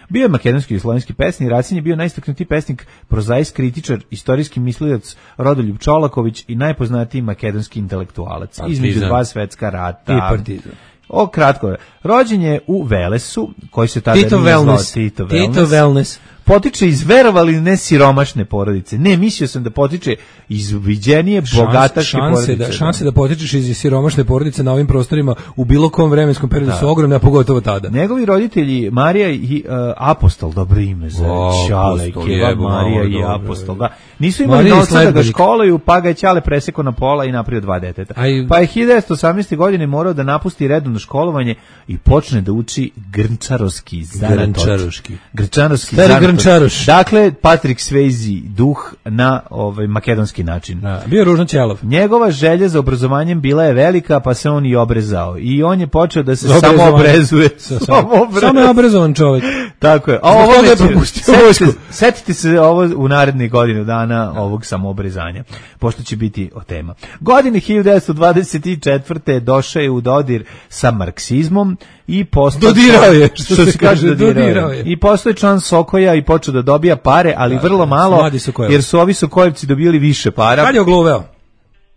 Bio je makedonski i slovenski pesnik, Racin je bio najistaknutiji pesnik, prozaist, kritičar, istorijski mislilac Rodoljub Čolaković i najpoznatiji makedonski intelektualac. Partizan. Između dva svetska rata. I partizan. O, kratko je. Rođen je u Velesu, koji se tada Tito nije zvao Wellness. Tito Wellness. Tito Wellness. Potiče iz, verovali ne, siromašne porodice. Ne, mislio sam da potiče iz viđenije, bogataške porodice. Da, šanse da potičeš iz siromašne porodice na ovim prostorima u bilo kom vremenskom periodu da. Su ogromne, a pogotovo tada. Njegovi roditelji, Marija i uh, Apostol, dobro ime za Čale, Keva, Marija i dobro, Apostol. Da. Nisu imali novca da ga školaju, pa ga je Ćale presekao na pola i napravio dva deteta. Aj, pa je hiljadu devetsto osamnaeste. godine morao da napusti redovno školovanje i počne da uči grnčarovski zanatot. Grnčaroški. Grnčarovski zanatot. Čaroš. Dakle, Patrick Swayze, duh na ovaj makedonski način. Da, bio ružno ćelav. Njegova želja za obrazovanjem bila je velika, pa se on i obrezao. I on je počeo da se samo obrezuje. Samo, samo je obrazovan čovjek. Tako je. A Zbog ovo toga je neće- propustio setite- vojsku. Setite se ovo u narednih godinu dana ovog samoobrezanja, pošto će biti o tema. Godine hiljadu devetsto dvadeset četvrte došao je u dodir sa marksizmom i postao... Dodirao je, što što se se kaže, kaže, dodirao dodirao je. je. I postao je član Sokoja i počeo da dobija pare, ali Da, vrlo da, malo, mladi Sokojev. jer su ovi Sokojevci dobili više para. Kad je ogluveo?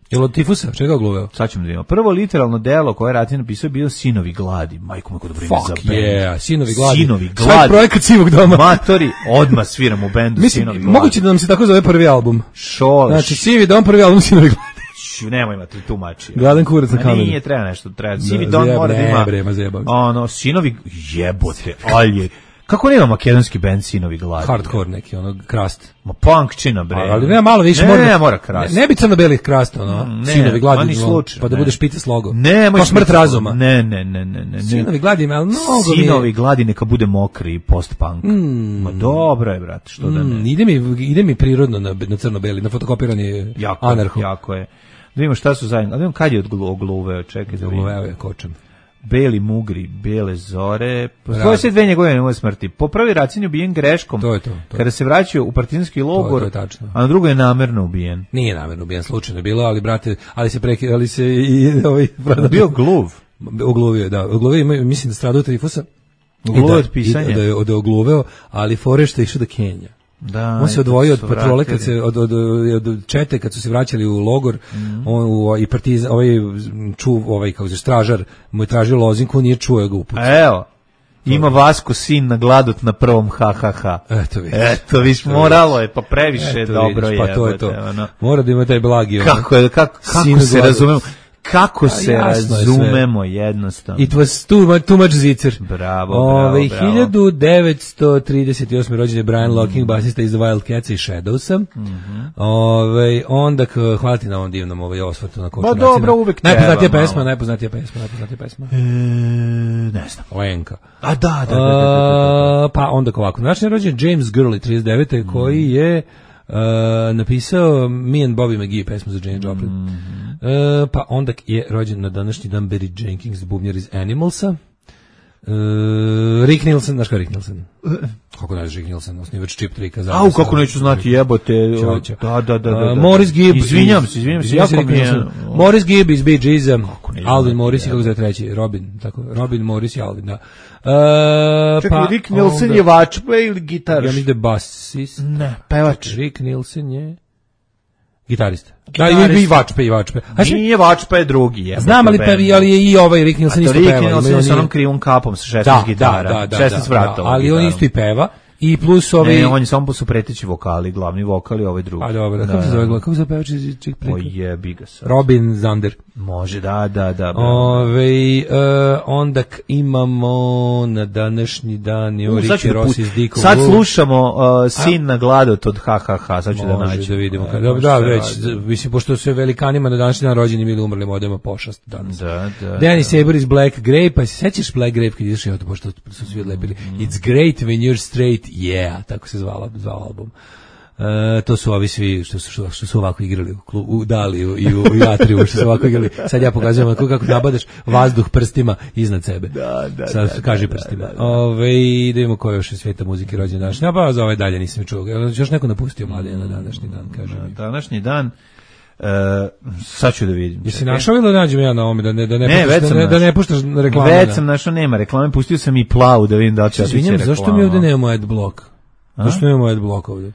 Je li od tifusa? Čega je ogluveo? Sad ćemo da vidimo. Prvo literalno delo koje je Ratin napisao je bio Sinovi gladi. Majko, kako dobro ime za Fuck bend. yeah, Sinovi gladi. Sinovi Svoj gladi. projekat Sivog doma. Matori, odmah sviram u bendu Mislim, Sinovi gladi. moguće da nam se tako zove prvi album. Šole. Znači, Sivi dom, prvi album Sinovi gladi. Š, nemoj imati tumači. Gladan kurac na Ma kamenu. nije, treba nešto, treba. Da, Sivi Don zjeb- mora da ne, ima... bre, ma zjebam se. Ono, Sinovi, jebote, alje. Kako nema makedonski bend Sinovi gladi? Hardcore neki, ono, krast. Ma punkčina, bre. Ali nema malo više. Ne, mora, ne, mora krast. Ne, ne bi crno-belih krasta, ono, Ne, Sinovi gladi. ma ni ono, slučajno, Pa da ne. budeš pite s logo. Ne, Pa smrt razuma. Ne, ne, ne, ne, ne. Sinovi gladi, ali mnogo mi je- Sinovi gladi neka bude mokri i post-punk. Ma dobro je, brate, što da ne. Mm, ide, mi, ide mi prirodno na, na crno-beli, na fotokopiranje Jako, anarho. jako je. Da vidimo šta su zajedno. Da vidimo kad je odglu- ogluveo, čekaj da vidimo. Evo je kočem. Beli mugri, bele zore. Rad. Svoje se dve njegove njegove smrti. Po prvi racin je ubijen greškom. To je to, to. Kada se vraćao u partizanski logor, to je tačno. a na drugo je namerno ubijen. Nije namerno ubijen, slučajno je bilo, ali brate, ali se preki, ali se i ovaj Bio gluv. ogluvio, da. Ogluvio, ima- mislim da strada od tifusa. Ogluvio I od pisanja. i Da je od ogluveo, ali fore što je išao do Kenja. Da, On se i odvojio od kad su patrole kad vratili. se od, od, od čete kad su se vraćali u logor, Mhm. on u, i partizan ovaj čuv ovaj kako se stražar mu je tražio lozinku, nije čuo ga uput. Evo, ima Vasko sin na gladot na prvom ha ha ha. Eto vidiš. Eto, viš, moralo je, pa previše Eto dobro vidiš, je. pa to je to. jebote, ono. Mora da ima taj blagi. ono. Kako je, kako, kako Sinu se gladot. razumemo? Kako se jasno je sve. razumemo jednostavno. It was too much, too much zicer. Bravo, Ove, bravo, bravo. hiljadu devetsto trideset osme rođen je Brian Locking, basista iz The Wildcats i Shadowsa. Ove, onda, k- hvala ti na ovom divnom ovaj osvrtu na koču Pa dobro, uvek treba Najpoznatija malo. pesma, najpoznatija pesma, najpoznatija pesma. E, ne znam. Lenka. A da, da, da, da, da, da. A, pa onda ovako. Znači je rođen James Gurley trideset devete koji je uh, napisao Me and Bobby McGee pesmu za Jane Joplin. Uh, pa onda je rođen na današnji dan Barry Jenkins, bubnjar iz Animalsa. Uh, Rick Nielsen, znaš kao Rick Nielsen? Kako znaš Rick Nielsen, osnivač Chip Tricka. Au, kako neću znati, jebote. Ćao, ćao. Da, da, da, da, da. Uh, Morris Gibb. Izvinjam se, izvinjam se, Izvinjam se, jako Rick mi je... Nielsen. Morris Gibb iz Bee Geesa, neću Alvin znati, Morris i kako jebote. zove treći, Robin, tako, Robin, Morris i Alvin, da. Uh, Čekaj, pa Rick Nielsen onda- je vačpa ili gitaraš? Ja mislim da je basist. Ne, pevač. Rick Nielsen je gitarista. Da, Gitarista. i, i vačpe, i vačpe. A še, Nije vačpa, je drugi. Jebote, znam, ali, bend. pevi, ali je i ovaj Rick A Nielsen to isto Rick peva. Nielsen Ima sa on onom i- krivom kapom sa šesnaest Da, gitara. da, da, da, šesnaest da, vratova. ali on gitarom. isto i peva. I plus ovaj... Ne, on je samo su preteći vokali, glavni vokal i ovaj drugi. A dobro, kako se zove, kako se zove pevač iz Chick O Tricka? jebi ga sad. Robin Zander. Može, da, da, da. Ove, uh, onda k- imamo na današnji dan je U, sad ću Ricky da Ross pust- iz Dick Sad Wolf. slušamo uh, Sin na gladot od ha ha ha, sad ću da Može nađem. da vidimo. E, Kad, da, baš da, se već, radi. mislim, pošto su velikanima na današnji dan rođeni ili umrli modema pošast danas. Da, da. Danny Saber iz Black Grape, pa se sećaš Black Grape kad izašao to pošto su svi odlepili. It's great when you're straight, yeah, tako se zvala, zvao album. E, to su ovi svi što su, što, što su ovako igrali u, klu, u Daliju i u, u Jatriju, što su ovako igrali. Sad ja pokazujem kako, kako nabadaš vazduh prstima iznad sebe. Da, da, Sad da, kaži da, prstima. da, da. Ove, da vidimo ko je još iz svijeta muzike rođen danas. Ja pa za ovaj dalje nisam čuo. Jel još neko napustio mladen na današnji dan, kaže mi. Današnji dan, uh, sad ću da vidim. Jesi čekaj. našao ili da nađem ja na ovome, da ne, da ne, Ne, puštaš, već da sam ne, da našao. ne puštaš reklame? Već da. sam našao, nema reklame, pustio sam i plavu da vidim da li će otići Izvinjam, reklama. zašto mi ovde nemamo adblock? A? Zašto nemamo adblock ovde?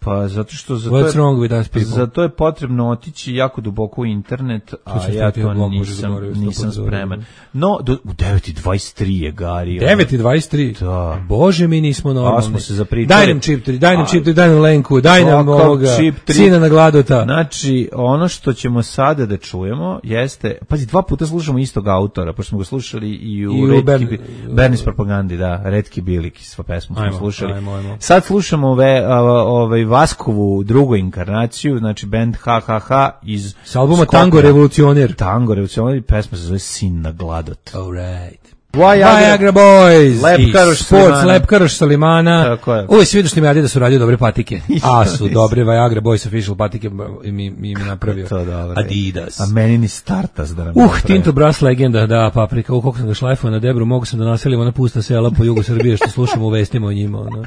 Pa zato što za to, What's je, wrong with us people? za to je potrebno otići jako duboko u internet, a sam ja stavio to blog, možda nisam, zaboravio, sto nisam puta zaboravio. spreman. No, do, u devet i dvadeset tri je Gari. ono. devet i dvadeset tri. Da. Bože, mi nismo normalni. smo se zapričali. Daj nam čip tri, daj nam A, čip tri, daj nam Lenku, daj nam kakav ovoga, čip tri? sina na gladota. Znači, ono što ćemo sada da čujemo jeste, pazi, dva puta slušamo istog autora, pošto smo ga slušali i u, I u Retki, Bern- Bi- Bernis propagandi, da, Retki Biliki, sva pesmu smo Ajmo, slušali. ajmo, ajmo. Sad slušamo ove, ovaj Vaskovu drugu inkarnaciju, znači band ha ha ha iz S albuma Skoplja. Tango revolucioner. Tango revolucioner, pesma se zove Sin na gladot. All right. Viagra Boys Lepkaroš i Sports Salimana. Lepkaroš Salimana. Tako je. Uvijek svi došli mi radi da su radio dobre patike. A su dobre Viagra Boys official patike i mi, mi, mi napravio. To dobro. Adidas. A meni ni Startas da nam Uh, napravi. Tinto Brass legenda, da, paprika, u koliko sam ga šlajfao na debru, mogu sam da naselim ona pusta sela po jugu Srbije, što slušamo u vestima o njima, ono.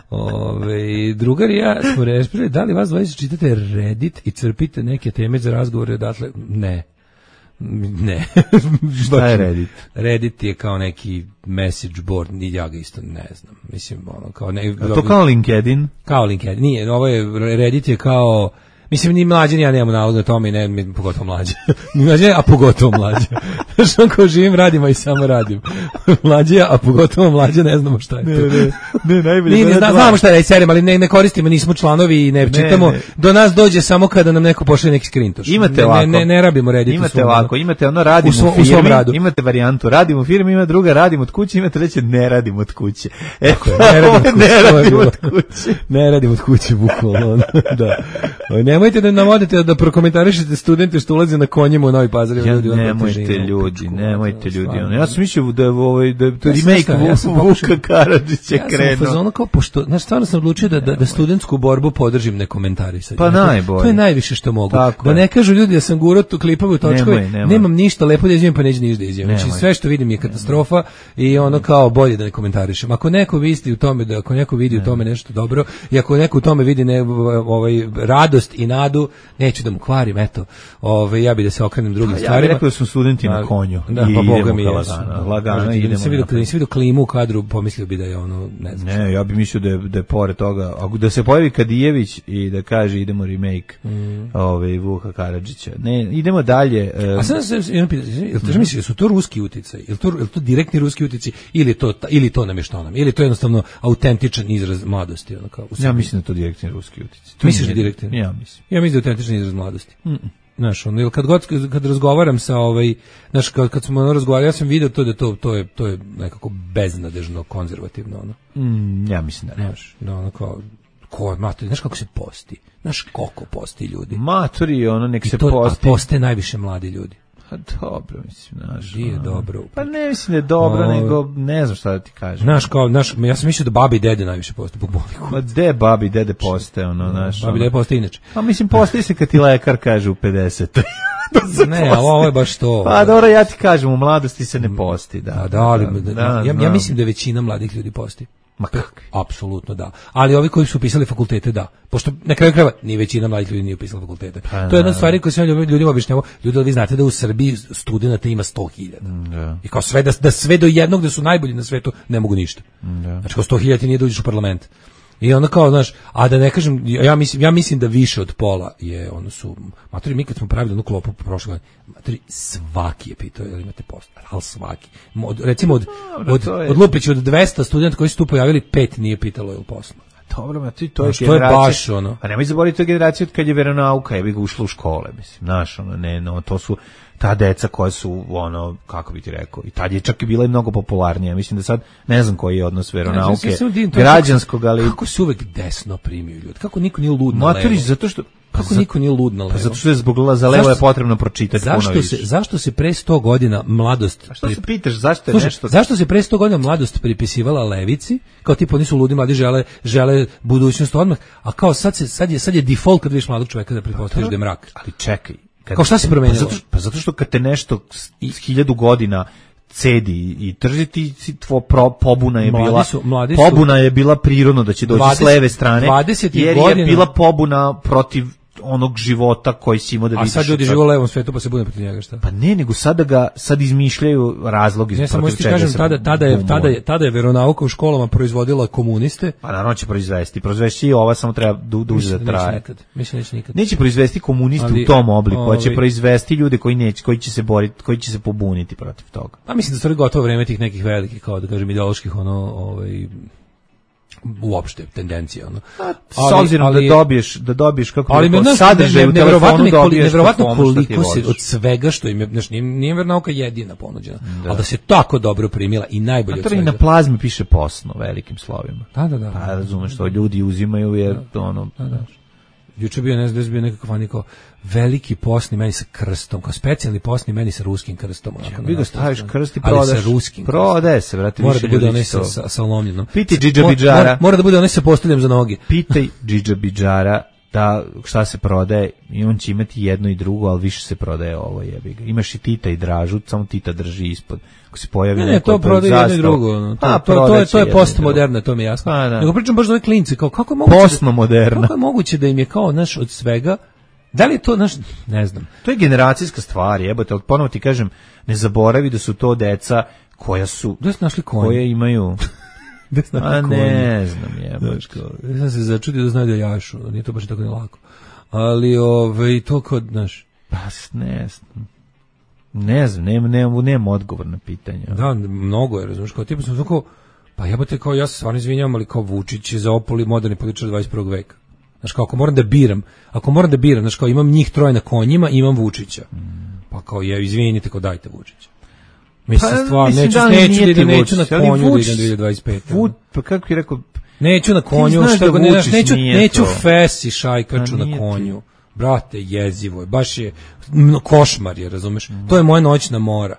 Ove, drugar i ja smo rešpili, da li vas dvojice čitate Reddit i crpite neke teme za razgovore odatle? Ne. Ne. Šta je Reddit? Reddit je kao neki message board, i ja ga isto ne znam. Mislim, ono, kao ne... A to kao LinkedIn? Kao LinkedIn. Nije, ovo je, Reddit je kao... Mislim, ni mlađe, ni ja nemamo nalog na tome i ne, mi, pogotovo mlađe. Ni mlađe, a pogotovo mlađe. Znaš, on kao živim, radimo i samo radim. Mlađe, a pogotovo mlađe, ne znamo šta je to. Ne, ne, ne, najbolje. Mi ne zna, znamo šta je serija, ali ne, ne koristimo, nismo članovi i ne, ne čitamo. Ne. Do nas dođe samo kada nam neko pošalje neki skrintoš. Imate ne, ovako. Ne, ne, ne rabimo Reddit. Imate ovako, imate ono radimo u, u firmi, imate varijantu radimo u firmi, ima druga radimo od kuće, imate treće ne radimo od kuće. E, ne radimo ne radimo od kuće. Ne radimo od kuće, bukvalno. Da. Nemojte da nam odete da prokomentarišete studente što ulaze na konjima u Novi Pazar. Ja, ljudi, nemojte težinu, ljudi, pičku, nemojte to, ljudi. stvarno, Ja sam mislio da je ovaj da to ja remake ja Vuka Karadžića ja krenuo. Ja sam u fazonu kao pošto, znaš, stvarno sam odlučio da, da, da studentsku borbu podržim ne komentarisanje. Pa najbolje. To je najviše što mogu. Tako da ne je. kažu ljudi da sam gurao tu klipove u točkove, nemoj, nemoj. nemam ništa lepo da izvijem pa neću ništa da izvijem. Znači sve što vidim je katastrofa i ono kao bolje da ne komentarišem. Ako neko vidi u tome da ako neko vidi ne. u tome nešto dobro i ako neko u tome vidi ne, ovaj radost i nadu, neću da mu kvarim, eto. Ovaj ja bih da se okrenem drugim ja stvarima. Ja bih rekao da su studenti na konju. Da, pa boga mi je. Lagano, lagano idemo. idemo. Nisi vidio, nisi vidio klimu u kadru, pomislio bi da je ono, ne znam. Ne, ja bih mislio da je, da je pored toga, ako da se pojavi Kadijević i da kaže idemo remake mm. ovaj Vuka Karadžića. Ne, idemo dalje. Um, A sad se jedno pitanje, jel te misliš da su to ruski uticaj? Jel to jel to direktni ruski uticaj ili to ili to namještanom? Ili to je jednostavno autentičan izraz mladosti, ono kao. Ja mislim da to direktni ruski uticaj. Misliš da direktni? Ja mislim. Ja mislim da je autentičan izraz mladosti. Mm. Znaš, ono, kad god kad razgovaram sa ovaj, znaš, kad, kad smo ono razgovarali, ja sam vidio to da to to je to je nekako beznadežno konzervativno ono. Mm, ja mislim da ne. Znaš, da ono kao ko matori, znaš kako se posti. Znaš koliko posti ljudi. Matori, ono nek I se to, posti. A poste najviše mladi ljudi. Pa dobro, mislim, znaš. Nije dobro. Pa ne mislim da je dobro, o, nego ne znam šta da ti kažem. Znaš, kao, znaš, ja sam mislio da babi i dede najviše poste po boliku. Ma de babi i dede poste, ono, znaš. Babi i dede poste inače. Pa mislim, postoji se kad ti lekar kaže u pedeset. Ne, ali ovo je baš to. Pa dobro, ja ti kažem, u mladosti se ne posti, da. A da, ali, da, da, ja, ja mislim da većina mladih ljudi posti. Ma kakvi? Apsolutno da. Ali ovi koji su upisali fakultete, da. Pošto na kraju krajeva ni većina mladih ljudi nije upisala fakultete. Pa, to je jedna stvar koju sam ljudima objašnjavao. Ljudi, vi znate da u Srbiji studenata ima sto hiljada. Da. I kao sve da, da sve do jednog da su najbolji na svetu ne mogu ništa. Da. Znači kao sto hiljada ti nije da uđeš u parlament. I onda kao, znaš, a da ne kažem, ja mislim, ja mislim da više od pola je, ono su, matori, mi kad smo pravili onu klopu prošle godine, matori, svaki je pitao, jel imate post, ali svaki. Od, recimo, od, od, od Lupića, od dvesta studenta koji su tu pojavili, pet nije pitalo jel posla. Dobro, ma ti to je znaš, generacija. To je baš ono. A nemoj zaboraviti, to je generacija od kad je veronauka, je bi ga ušla u škole, mislim, znaš, ono, ne, no, to su ta deca koja su, ono, kako bi ti rekao, i tad je čak i bila i mnogo popularnija. Mislim da sad, ne znam koji je odnos veronauke, ja, ja građanskog, ali... Kako se uvek desno primiju ljudi? Kako niko nije lud na Matorić, levo? zato što... Kako za, niko nije lud na levo? Pa zato što je zbog za levo je potrebno pročitati zašto puno se, više. Zašto se pre sto godina mladost... A što se pitaš, zašto je Slušaj, nešto... Zašto se pre sto godina mladost pripisivala levici? Kao tipa oni su ludi, mladi žele, žele budućnost odmah, a kao sad, se, sad, je, sad je default kad vidiš mladog čoveka da pretpostaviš da je mrak. Ali čekaj. Kad, kao šta se promenilo? Pa zato, pa zato što kad te nešto s hiljadu godina cedi i trži ti tvo pro, pobuna je mladi bila su, mladi pobuna je bila prirodno da će doći dvadeset, s leve strane jer godina, je bila pobuna protiv onog života koji si imao da vidiš. A sad ljudi žive u levom svetu pa se bude protiv njega, šta? Pa ne, nego sada ga sad izmišljaju razlog iz protiv čega. Ja kažem, tada, tada, je, tada, je, tada je veronauka u školama proizvodila komuniste. Pa naravno će proizvesti. Proizvesti i ova samo treba du, duže da traje. Nikad. Mislim neće nikad. Neće proizvesti komuniste ali, u tom obliku, ovaj, a će proizvesti ljude koji neće, koji će se boriti, koji će se pobuniti protiv toga. Pa mislim da su gotovo vreme tih nekih velikih, kao da kažem, ideoloških, ono, ovaj, uopšte tendencija ono. S obzirom da dobiješ da dobiješ kako ali neko sadržaj u telefonu dobiješ nevjerovatno koliko se od svega što im je, znači nije, nije veronauka jedina ponuđena, da. Ali da se tako dobro primila i najbolje od svega. Na plazmi piše posno velikim slovima. Da, da, da. Pa razumeš što ljudi uzimaju jer da, ono da, da. juče bio, ne znam, da je bio nekakav vani kao veliki posni meni sa krstom, kao specijalni posni meni sa ruskim krstom. Onako, Vi ga staviš krst i ali prodaš. sa ruskim Prodaje se, brate, mora više da bude ljudi onaj to. sa, sa, sa lomljenom. Pitaj Džidža Bidžara. Mora, mora da bude onaj sa postoljem za noge. Pitaj Džidža Bidžara da šta se prodaje i on će imati jedno i drugo, ali više se prodaje ovo, jebi ga. Imaš i Tita i Dražu, samo Tita drži ispod. Ako se pojavi Ne, ne, neko to prodaje jedno i drugo. No. To, A, to, to, to je, to je jedno i postmoderna, to mi je jasno. A, da. Nego pričam baš za ove klince, kao kako je moguće, Postmoderna. kako je moguće da im je kao, naš, od svega, da li je to, naš, ne znam. To je generacijska stvar, jebote, ali ponovo ti kažem, ne zaboravi da su to deca koja su, Gde ste našli konje? koje imaju, Gde ste našli a konje? ne znam, jebote. Znaš, kao, ja sam se začudio da znaju da jašu, nije to baš i tako ne lako. Ali, ove, to kod, znaš, Pa, ne znam. Ne znam, nemam, nemam, nemam odgovor na pitanje. da, mnogo je, razumiješ, kao tipa sam tako, pa jebote, kao ja se stvarno izvinjam, ali kao Vučić je zaopoli moderni političar dvadeset prvog veka. Znaš, kao ako moram da biram, ako moram da biram, znaš, kao imam njih troje na konjima, imam Vučića. Pa kao je, izvinite, kao dajte Vučića. Mislim, Pa, stvarno, mislim, neću, da li neću, nije da idem, ti neću na Vučić, ali konju da Vučić- idem dvije hiljade dvadeset pete. Vud, pa kako bi rekao, Neću na konju, znaš što da ga ne, Vučić neću, nije neću to. fesi šajkaču Pa na nije ti. konju. Brate, jezivo je, baš je, no, košmar je, razumeš? To je moja noćna mora.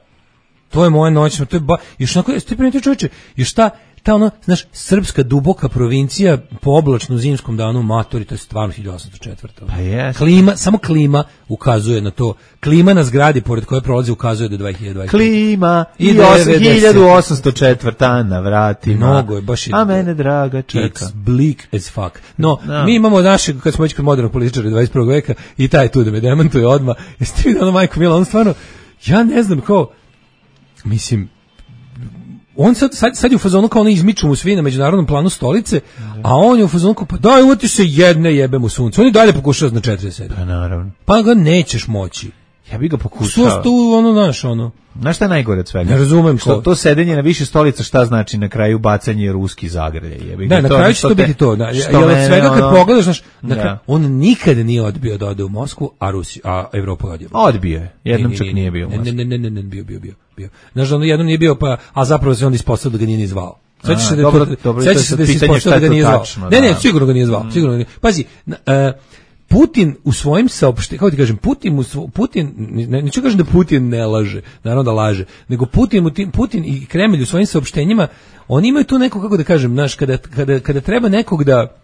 To je moja noćna, to je ba, još onako, ti primetio čovječe, još ta, ta ono, znaš, srpska duboka provincija po oblačnom zimskom danu matori, to je stvarno hiljadu osamsto četvrta. Pa jes. Klima, samo klima ukazuje na to. Klima na zgradi pored koje prolazi ukazuje da je dve hiljade dvadeset. klima I i devedeset. hiljadu osamsto četvrta na vratima. Mnogo je, baš je- A mene draga čeka. It's bleak as fuck. No, Da. mi imamo našeg, kad smo već kod modernog političara dvadeset prvog veka, i taj tu da me demantuje odmah. Jeste vidio ono, majko Mila, on stvarno, ja ne znam, kao, mislim, on sad, sad, sad je u fazonu kao ono izmiču mu svi na međunarodnom planu stolice, a on je u fazonu kao, pa daj, uvati se jedne jebem u sunce. On i dalje pokušava na četrdeset sedam. Pa naravno. Pa ga nećeš moći. Ja bih ga Što pokušao. tu, ono, naš, ono. Znaš šta je najgore od svega? Ne razumem što ko. to sedenje na više stolica šta znači na kraju bacanje ruski zagrlje. Jebi ga, Da, na to kraju što će to te- biti to. Da, što jer od mene, svega kad ono- pogledaš, znaš, na Da. kraju, on nikad nije odbio da ode u Moskvu, a Rusi, a Evropa je odbio. Odbio je. Jednom Ne, čak ne, nije bio. u Ne, Moskvi. ne, ne, ne, ne, bio, bio, bio, bio. Znaš, ono jednom nije bio, pa, a zapravo se on ispostavio da ga nije ni zvao. Sećaš A, se da je dobro, to, dobro, sećaš to je se sad da se pitanje ispostavio šta da je ga nije to zvao. tačno, Ne, ne, da. sigurno ga nije zvao, sigurno ga nije. Pazi, na- e, Putin u svojim saopštenjima, kako ti kažem, Putin, u svo, Putin ne, neću kažem da Putin ne laže, naravno da laže, nego Putin, u tim- Putin i Kremlj u svojim saopštenjima, oni imaju tu neko, kako da kažem, znaš, kada, kada, kada treba nekog da,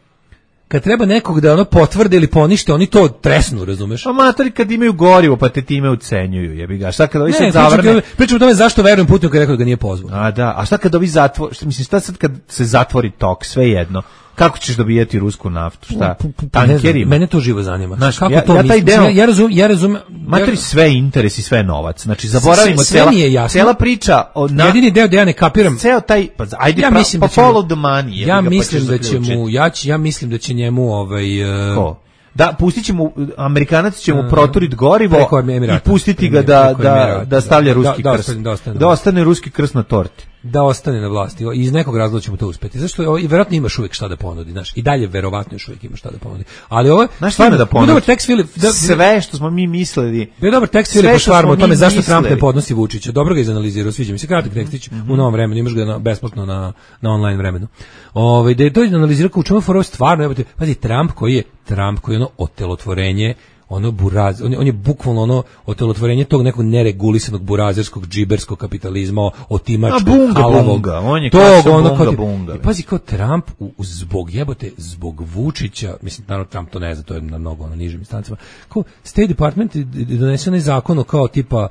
kad treba nekog da ono potvrde ili ponište, oni to tresnu, razumeš? Amatori kad imaju gorivo pa te time ucenjuju, jebi ga. Šta kad ovi Ne, sad pričam, zavrne? pričam o tome zašto verujem Putinu kad je rekao da ga nije pozvao. A da, a šta kad ovi zatvor, šta mislim, šta sad kad se zatvori tok, sve jedno? Kako ćeš dobijati rusku naftu? Šta? Ne znam, Tankerima? mene to živo zanima. Znaš, kako ja- to ja taj misliš? deo- ja, ja razumem, ja razumem. Matori ja- sve interes i sve novac. Znači zaboravimo sve- sve cela, mi je jasno. cela priča o na, jedini deo da ja ne kapiram. ceo taj pa ajde Ja pra, mislim pa da će mu- follow the money. jebi Ja ga, pa mislim ćeš da će zaključiti. mu ja, će, ja mislim da će njemu ovaj uh, Ko? Da, pustit će mu, Amerikanac će mu proturiti gorivo preko Emirata. i pustiti ga Preko da, Emirata, da, da stavlja da. ruski Da, da krst. ostane- da ostane na Da vlasti. ostane ruski krst na torti. da ostane na vlasti. I iz nekog razloga ćemo to uspeti. Zašto je ovo, i verovatno imaš uvijek šta da ponudi, znaš. I dalje verovatno još uvijek imaš šta da ponudi. Ali ovo, Znaš šta ima da ponudi? dobar tekst Filip, da, Sve što smo mi mislili. bio dobar tekst Sve Filipa što Švarma smo o tome mi zašto mislili. Trump ne podnosi Vučića. Dobro ga izanalizirao, sviđa mi se kratak tekstić u novom vremenu, imaš ga na, besplatno na, na online vremenu. Ovaj da je to izanalizirao kao u čemu je fora stvarno, evo te, pazi, Trump koji je Trump koji je ono otelotvorenje, ono buraz, on je, on je bukvalno ono otelotvorenje tog nekog neregulisanog burazerskog džiberskog kapitalizma, otimačkog, A bunga, halavog, bunga, on je tog, klasičan ono, bunga, kao ti- bunga. I pazi, kao Trump u, u- zbog jebote, zbog Vučića, mislim, naravno Trump to ne zna, to je na mnogo na nižim instancama, kao State Department je donese onaj zakon o kao tipa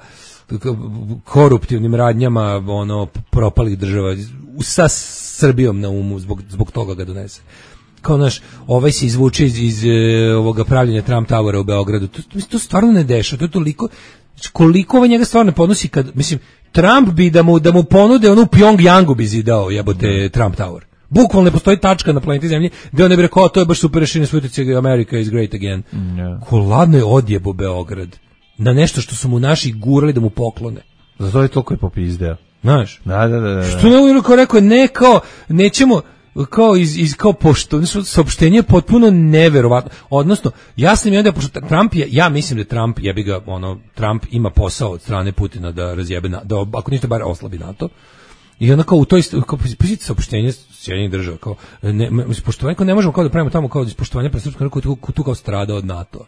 koruptivnim radnjama ono propalih država sa Srbijom na umu, zbog, zbog toga ga donese. Kao naš, ovaj se izvuče iz, iz e, ovoga pravljenja Trump Towera u Beogradu. To, to, to stvarno ne dešava. To je toliko, koliko ovaj njega stvarno ne podnosi kad, mislim, Trump bi da mu, da mu ponude ono u Pyongyangu bi zidao jebote Trump Tower. Bukvalno ne postoji tačka na planeti Zemlji gde on ne bi rekao, to je baš super rešenje svutice, America is great again. Yeah. Ko ladno je odjebo Beograd na nešto što su mu naši gurali da mu poklone. Zato je toliko je popizdeo. Znaš? Da, da, da. da. Što ne uvijek kao rekao, ne kao, nećemo, kao iz, iz kao pošto, saopštenje je potpuno neverovatno. Odnosno, jasno mi je da pošto Trump je, ja mislim da Trump, ja bi ga, ono, Trump ima posao od strane Putina da razjebe, na, da ako ništa bar oslabi NATO. I onda kao u toj kao poziciji saopštenja Sjedinjenih država kao ne poštovanje ne možemo kao da pravimo tamo kao ispoštovanje pre srpskog naroda koji tu, tu kao strada od NATO.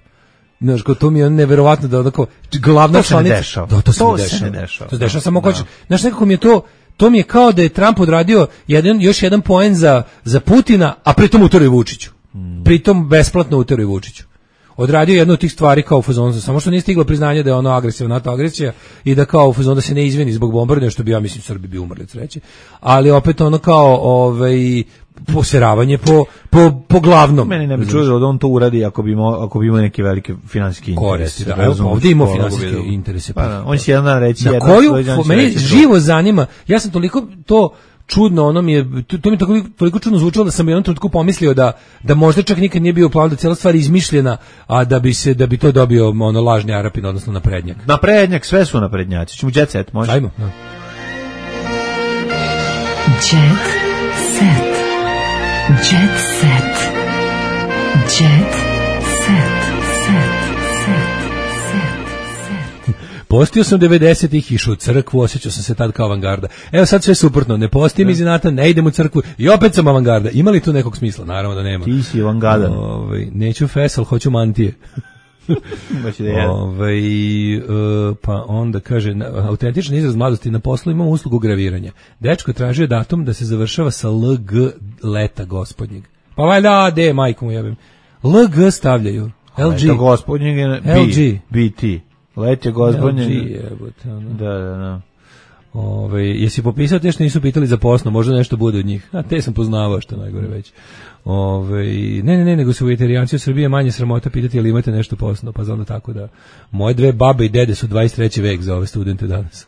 Znaš, kao to mi je neverovatno da onako glavna članica. Da, to se ne dešava. Ne dešava. To se dešava samo kao, znaš, nekako mi je to to mi je kao da je Trump odradio jedan još jedan poen za za Putina, a pritom uteruje Vučiću. Mm. Pritom besplatno uteruje Vučiću. Odradio jednu od tih stvari kao u fazonu, samo što nije stiglo priznanje da je ono agresivna NATO agresija i da kao u fazonu da se ne izvini zbog bombardovanja, što bi ja mislim Srbi bi umrli od sreće, ali opet ono kao ovaj poseravanje po po po glavnom. Meni ne bi čudo da on to uradi ako bi imao ako bi imao neke velike finansijske interese. Da, evo, ovdje ima finansijske interese. Pa, da, on će jedan dan reći na koju meni živo zanima. Ja sam toliko to čudno, ono mi je, to, to mi je toliko, toliko čudno zvučalo da sam u jednom trenutku pomislio da, da možda čak nikad nije bio plan, da cijela stvar izmišljena, a da bi se da bi to dobio ono lažni Arapin, odnosno naprednjak. Naprednjak, sve su naprednjaci. Ćemo jet set, može? Ajmo. Da. Jet set. Jet set. Jet set. Postio sam devedesetih, išao u crkvu, osjećao sam se tad kao avangarda. Evo sad sve suprotno, ne postijem iz inata, ne idem u crkvu i opet sam avangarda. Ima li tu nekog smisla? Naravno da nema. Ti si avangardan. Ovaj, neću fesal, hoću mantije. Ovaj, uh, pa onda kaže, autentičan izraz mladosti, na poslu imamo uslugu graviranja. Dečko tražio datum da se završava sa L G leta gospodnjeg. Pa valjda, de, majku mu jebim. L G stavljaju. L G. Leta gospodnjeg je L G. B T. Let je gospodnje. Jebote, ono. Da, da, da. Ove, jesi popisao te što nisu pitali za posno, možda nešto bude od njih. A te sam poznavao, što najgore već. Ove, ne, ne, ne, nego su vegetarijanci u Srbiji manje sramota pitati ali imate nešto posno, pa onda tako da moje dve babe i dede su dvadeset treći vek za ove studente danas.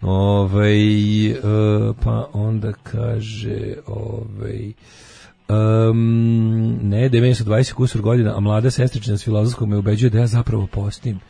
Ove, e, pa onda kaže ovaj Um, ne, da meni su dvadeset kusur godina, a mlada sestrična s filozofskog me ubeđuje da ja zapravo postim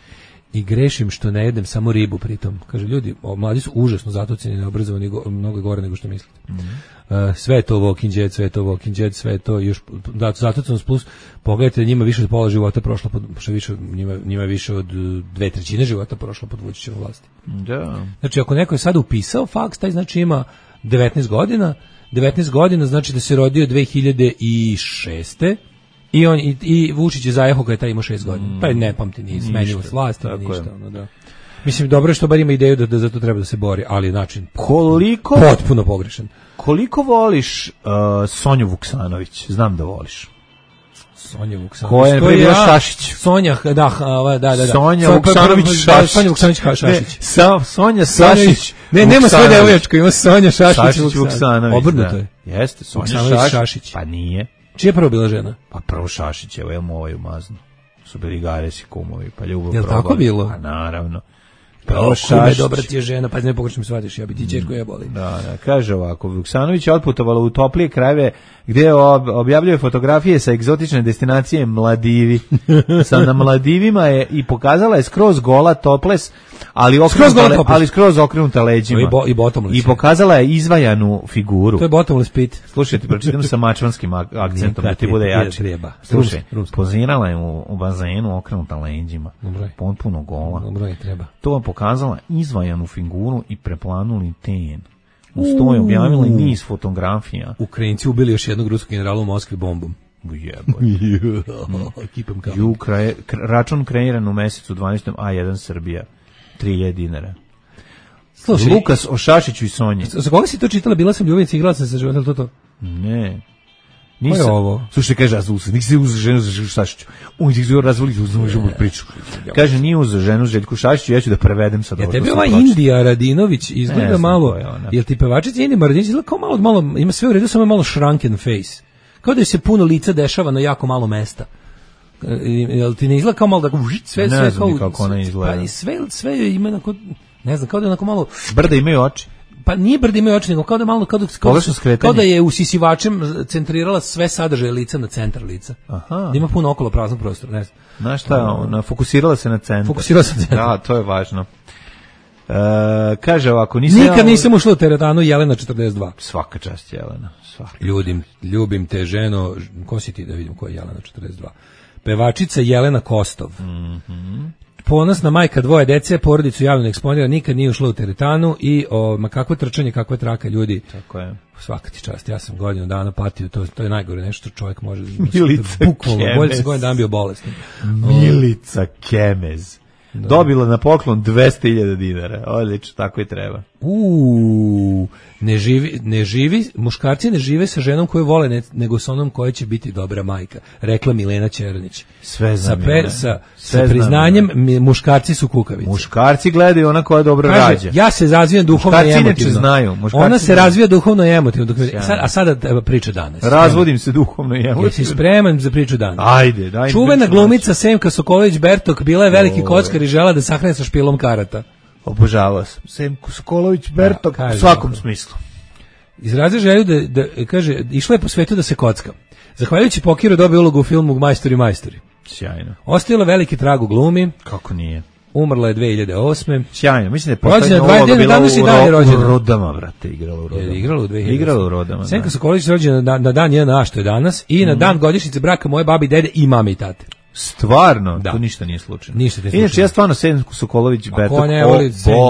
i grešim što ne jedem samo ribu pritom. Kaže, ljudi, o, mladi su užasno zatuceni, neobrazovani, go, mnogo gore nego što mislite. Mm-hmm. Uh, sve je to walking jet, sve je to walking jet, sve je to još, da, zatucanost plus, pogledajte, njima više od pola života prošlo, pod, što više, njima, njima više od dve trećine života prošlo pod Vučićevom vlasti. Da. Znači, ako neko je sada upisao faks, taj znači ima devetnaest godina, devetnaest godina znači da se rodio dve hiljade šeste i on i, i Vučić je zajehao kada je taj imao šest godina. Mm. Pa ne pamti ni smenjivost vlasti, ništa, ono, da. Mislim, dobro je što bar ima ideju da, da za to treba da se bori, ali način koliko potpuno pogrešan. Koliko voliš uh, Sonju Vuksanović? Znam da voliš. Sonja Vuksanović. Ko je prije ja, Šašić? Sonja, da, da, da, da. Sonja Vuksanović Šašić. Sonja Vuksanović Šašić. Sa Sonja Sašić. Ne, nema svoje devoječke, ima Sonja Šašić, Šašić Vuksanović. Obrnuto je. Jeste, Sonja Šašić. Pa nije. Čija je prvo bila žena? Pa prvo Šašić, evo imamo ovaj umazno. Su bili Gares i kumovi, pa ljubav. Jel tako bilo? Pa naravno. Prvo Šašić. Dobra ti je žena, pa ne pogrešno mi shvatiš, ja bi ti ćerku jebali. Da, da, kaže ovako, Vuksanović je otputovala u toplije krajeve gdje ob, objavljuje fotografije sa egzotične destinacije Mladivi. Sa na Mladivima je i pokazala je skroz gola toples, ali okrenuta, le, ali skroz okrenuta leđima. I, bo, i, bottomless, I pokazala je izvajanu figuru. To je bottomless pit. Slušajte, pročitam sa mačvanskim akcentom da ti bude jače. Slušaj, pozirala je u, u bazenu okrenuta leđima. Potpuno gola. Dobro je, treba. To je pokazala izvajanu figuru i preplanuli ten. Uz to je objavila niz fotografija. Ukrajinci ubili još jednog ruskog generala u Moskvi bombom. Jeboj. Ju, kraje, račun kreiran u mesecu dvanaestom A jedan Srbija. tri hiljade dinara. Slušaj, Lukas o Šašiću i Sonji. Za koga si to čitala? Bila sam ljubavnica, igrala sam se životom, to to? Ne. Nisam. Ko je ovo? Slušaj, kaže, nisi se uzeo ženu za Šašiću. On ti se razvoli, uzeo ženu priču. Kaže, nije uzeo ženu Željku Šašiću, ja ću da prevedem sad. Ja tebi ova Indija Radinović izgleda malo, jel ti pevačica Indija Radinović izgleda kao malo, malo, ima sve u redu, samo je malo shrunken face. Kao da se puno lica dešava na jako malo mesta. Jel ti ne izgleda kao malo da sve, sve, ne znam kao, kako ona izgleda. Pa sve, sve ima onako, ne znam, kao da je onako malo... Brda imaju oči. Pa nije brda imaju oči, nego kao da malo, kao da, kao, kao da je usisivačem centrirala sve sadržaje lica na centar lica. Aha. Da ima puno okolo praznog prostora, ne znam. Znaš šta, ona fokusirala se na centar. Fokusirala se na centar. Da, to je važno. E, kaže ovako, nisam nikad ja... nisam ušla u teretanu Jelena četrdeset dva. Svaka čast Jelena. Svaka. Ljudim, ljubim te ženo, ko si ti da vidim ko je Jelena četrdeset dva? Pevačica Jelena Kostov. Mhm. ponosna majka dvoje dece, porodicu javno eksponira, nikad nije ušla u teretanu i o, ma kakvo trčanje, kakva traka ljudi. Tako je. Svaka ti čast, ja sam godinu dana patio, to, to je najgore nešto što čovjek može. Milica bukvalno, bolje se godinu dana bio bolestan. Milica Kemez. Da. Dobila na poklon dvesta hiljada dinara. Odlično, tako i treba. Uuu, ne živi, ne živi, muškarci ne žive sa ženom koju vole, ne, nego sa onom koja će biti dobra majka, rekla Milena Černić. Sve znam. Sa, pe, sa, sa priznanjem mi, muškarci su kukavice. Muškarci gledaju ona koja dobro Kaže, rađa. Ja se razvijam duhovno muškarci i emotivno. Znaju, Ona se znaju. razvija duhovno i emotivno. Dok, sad, a sada priča danas. Razvodim se duhovno i emotivno. Jesi spreman za priču danas? Ajde, daj. Čuvena glumica Semka Sokolović-Bertok bila je veliki kockar i žela da sahrane sa špilom karata. Obožavao sam. Semko Sokolović-Bertok da, u svakom smislu. Izrazio želju da, da, kaže, išla je po svetu da se kocka. Zahvaljujući pokiru dobio ulogu u filmu Majstori majstori. Sjajno. Ostavila veliki trag u glumi. Kako nije? Umrla je dve hiljade osme. Sjajno, mislim da je poslednja uloga bila u, u Rodama, vrate, igrala u Rodama. Je igrala u dve hiljade osme. Igrala u Rodama, Senka Sokolović rođena na, na dan jedan a što je danas i mm. na dan godišnjice braka moje babi, dede i mame i tate. Stvarno, da. To ništa nije slučajno. Ništa nije slučajno. Inače, ja stvarno Senku Sokolović-Bertok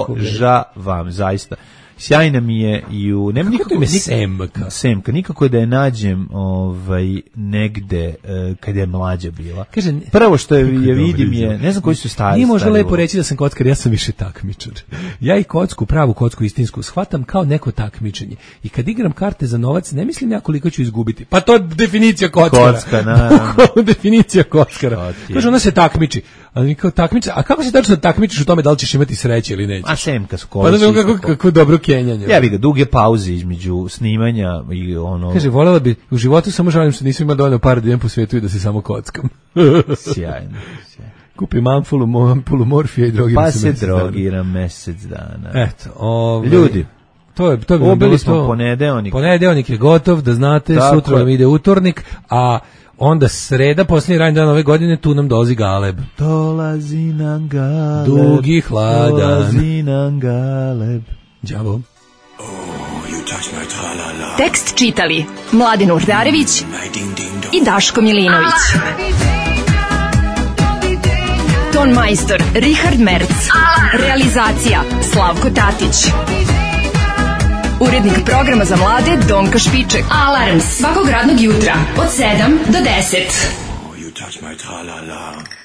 obožavam, zaista. Sjajna mi je i u... Nema nikako ime Semka? Semka, nikako da je nađem ovaj, negde uh, kad je mlađa bila. Kaže, prvo što je, je vidim je, ne znam koji su stari. Nije možda lepo ovo. reći da sam kockar, ja sam više takmičar. Ja i kocku, pravu kocku istinsku, shvatam kao neko takmičenje. I kad igram karte za novac, ne mislim ja koliko ću izgubiti. Pa to je definicija kockara. Kocka, na. definicija kockara. Kaže, ona se takmiči. Ali kao takmičar, a kako se tačno takmičiš u tome da li ćeš imati sreće ili nećeš? A Semka Sokolović. Pa da kako, kako dobro kenjanje. Ja bih ga duge pauze između snimanja i ono. Kaže, volela bi u životu samo žalim što nisam imao dovoljno para da idem po svijetu i da se samo kockam. Sjajno. Sjajno. Kupim ampulu, ampulu morfija i drogiram pa se mesec dana. Pa se drogiram mesec dana. Eto, ovaj, ljudi. To je, to bi ubili smo to. Ponedeonik. Ponedeonik je gotov, da znate, tako sutra nam ide utornik, a onda sreda, posljednji radnji dan ove godine, tu nam dolazi Galeb. Dolazi nam Galeb. Dugi hladan. Dolazi nam Galeb. Đavo. Tekst čitali Mladin Urdarević i Daško Milinović. Ton majstor Richard Merc. Realizacija Slavko Tatić. Urednik programa za mlade Donka Špiček. Alarms svakog radnog jutra od sedam do deset. Oh, you touch my tra-la-la.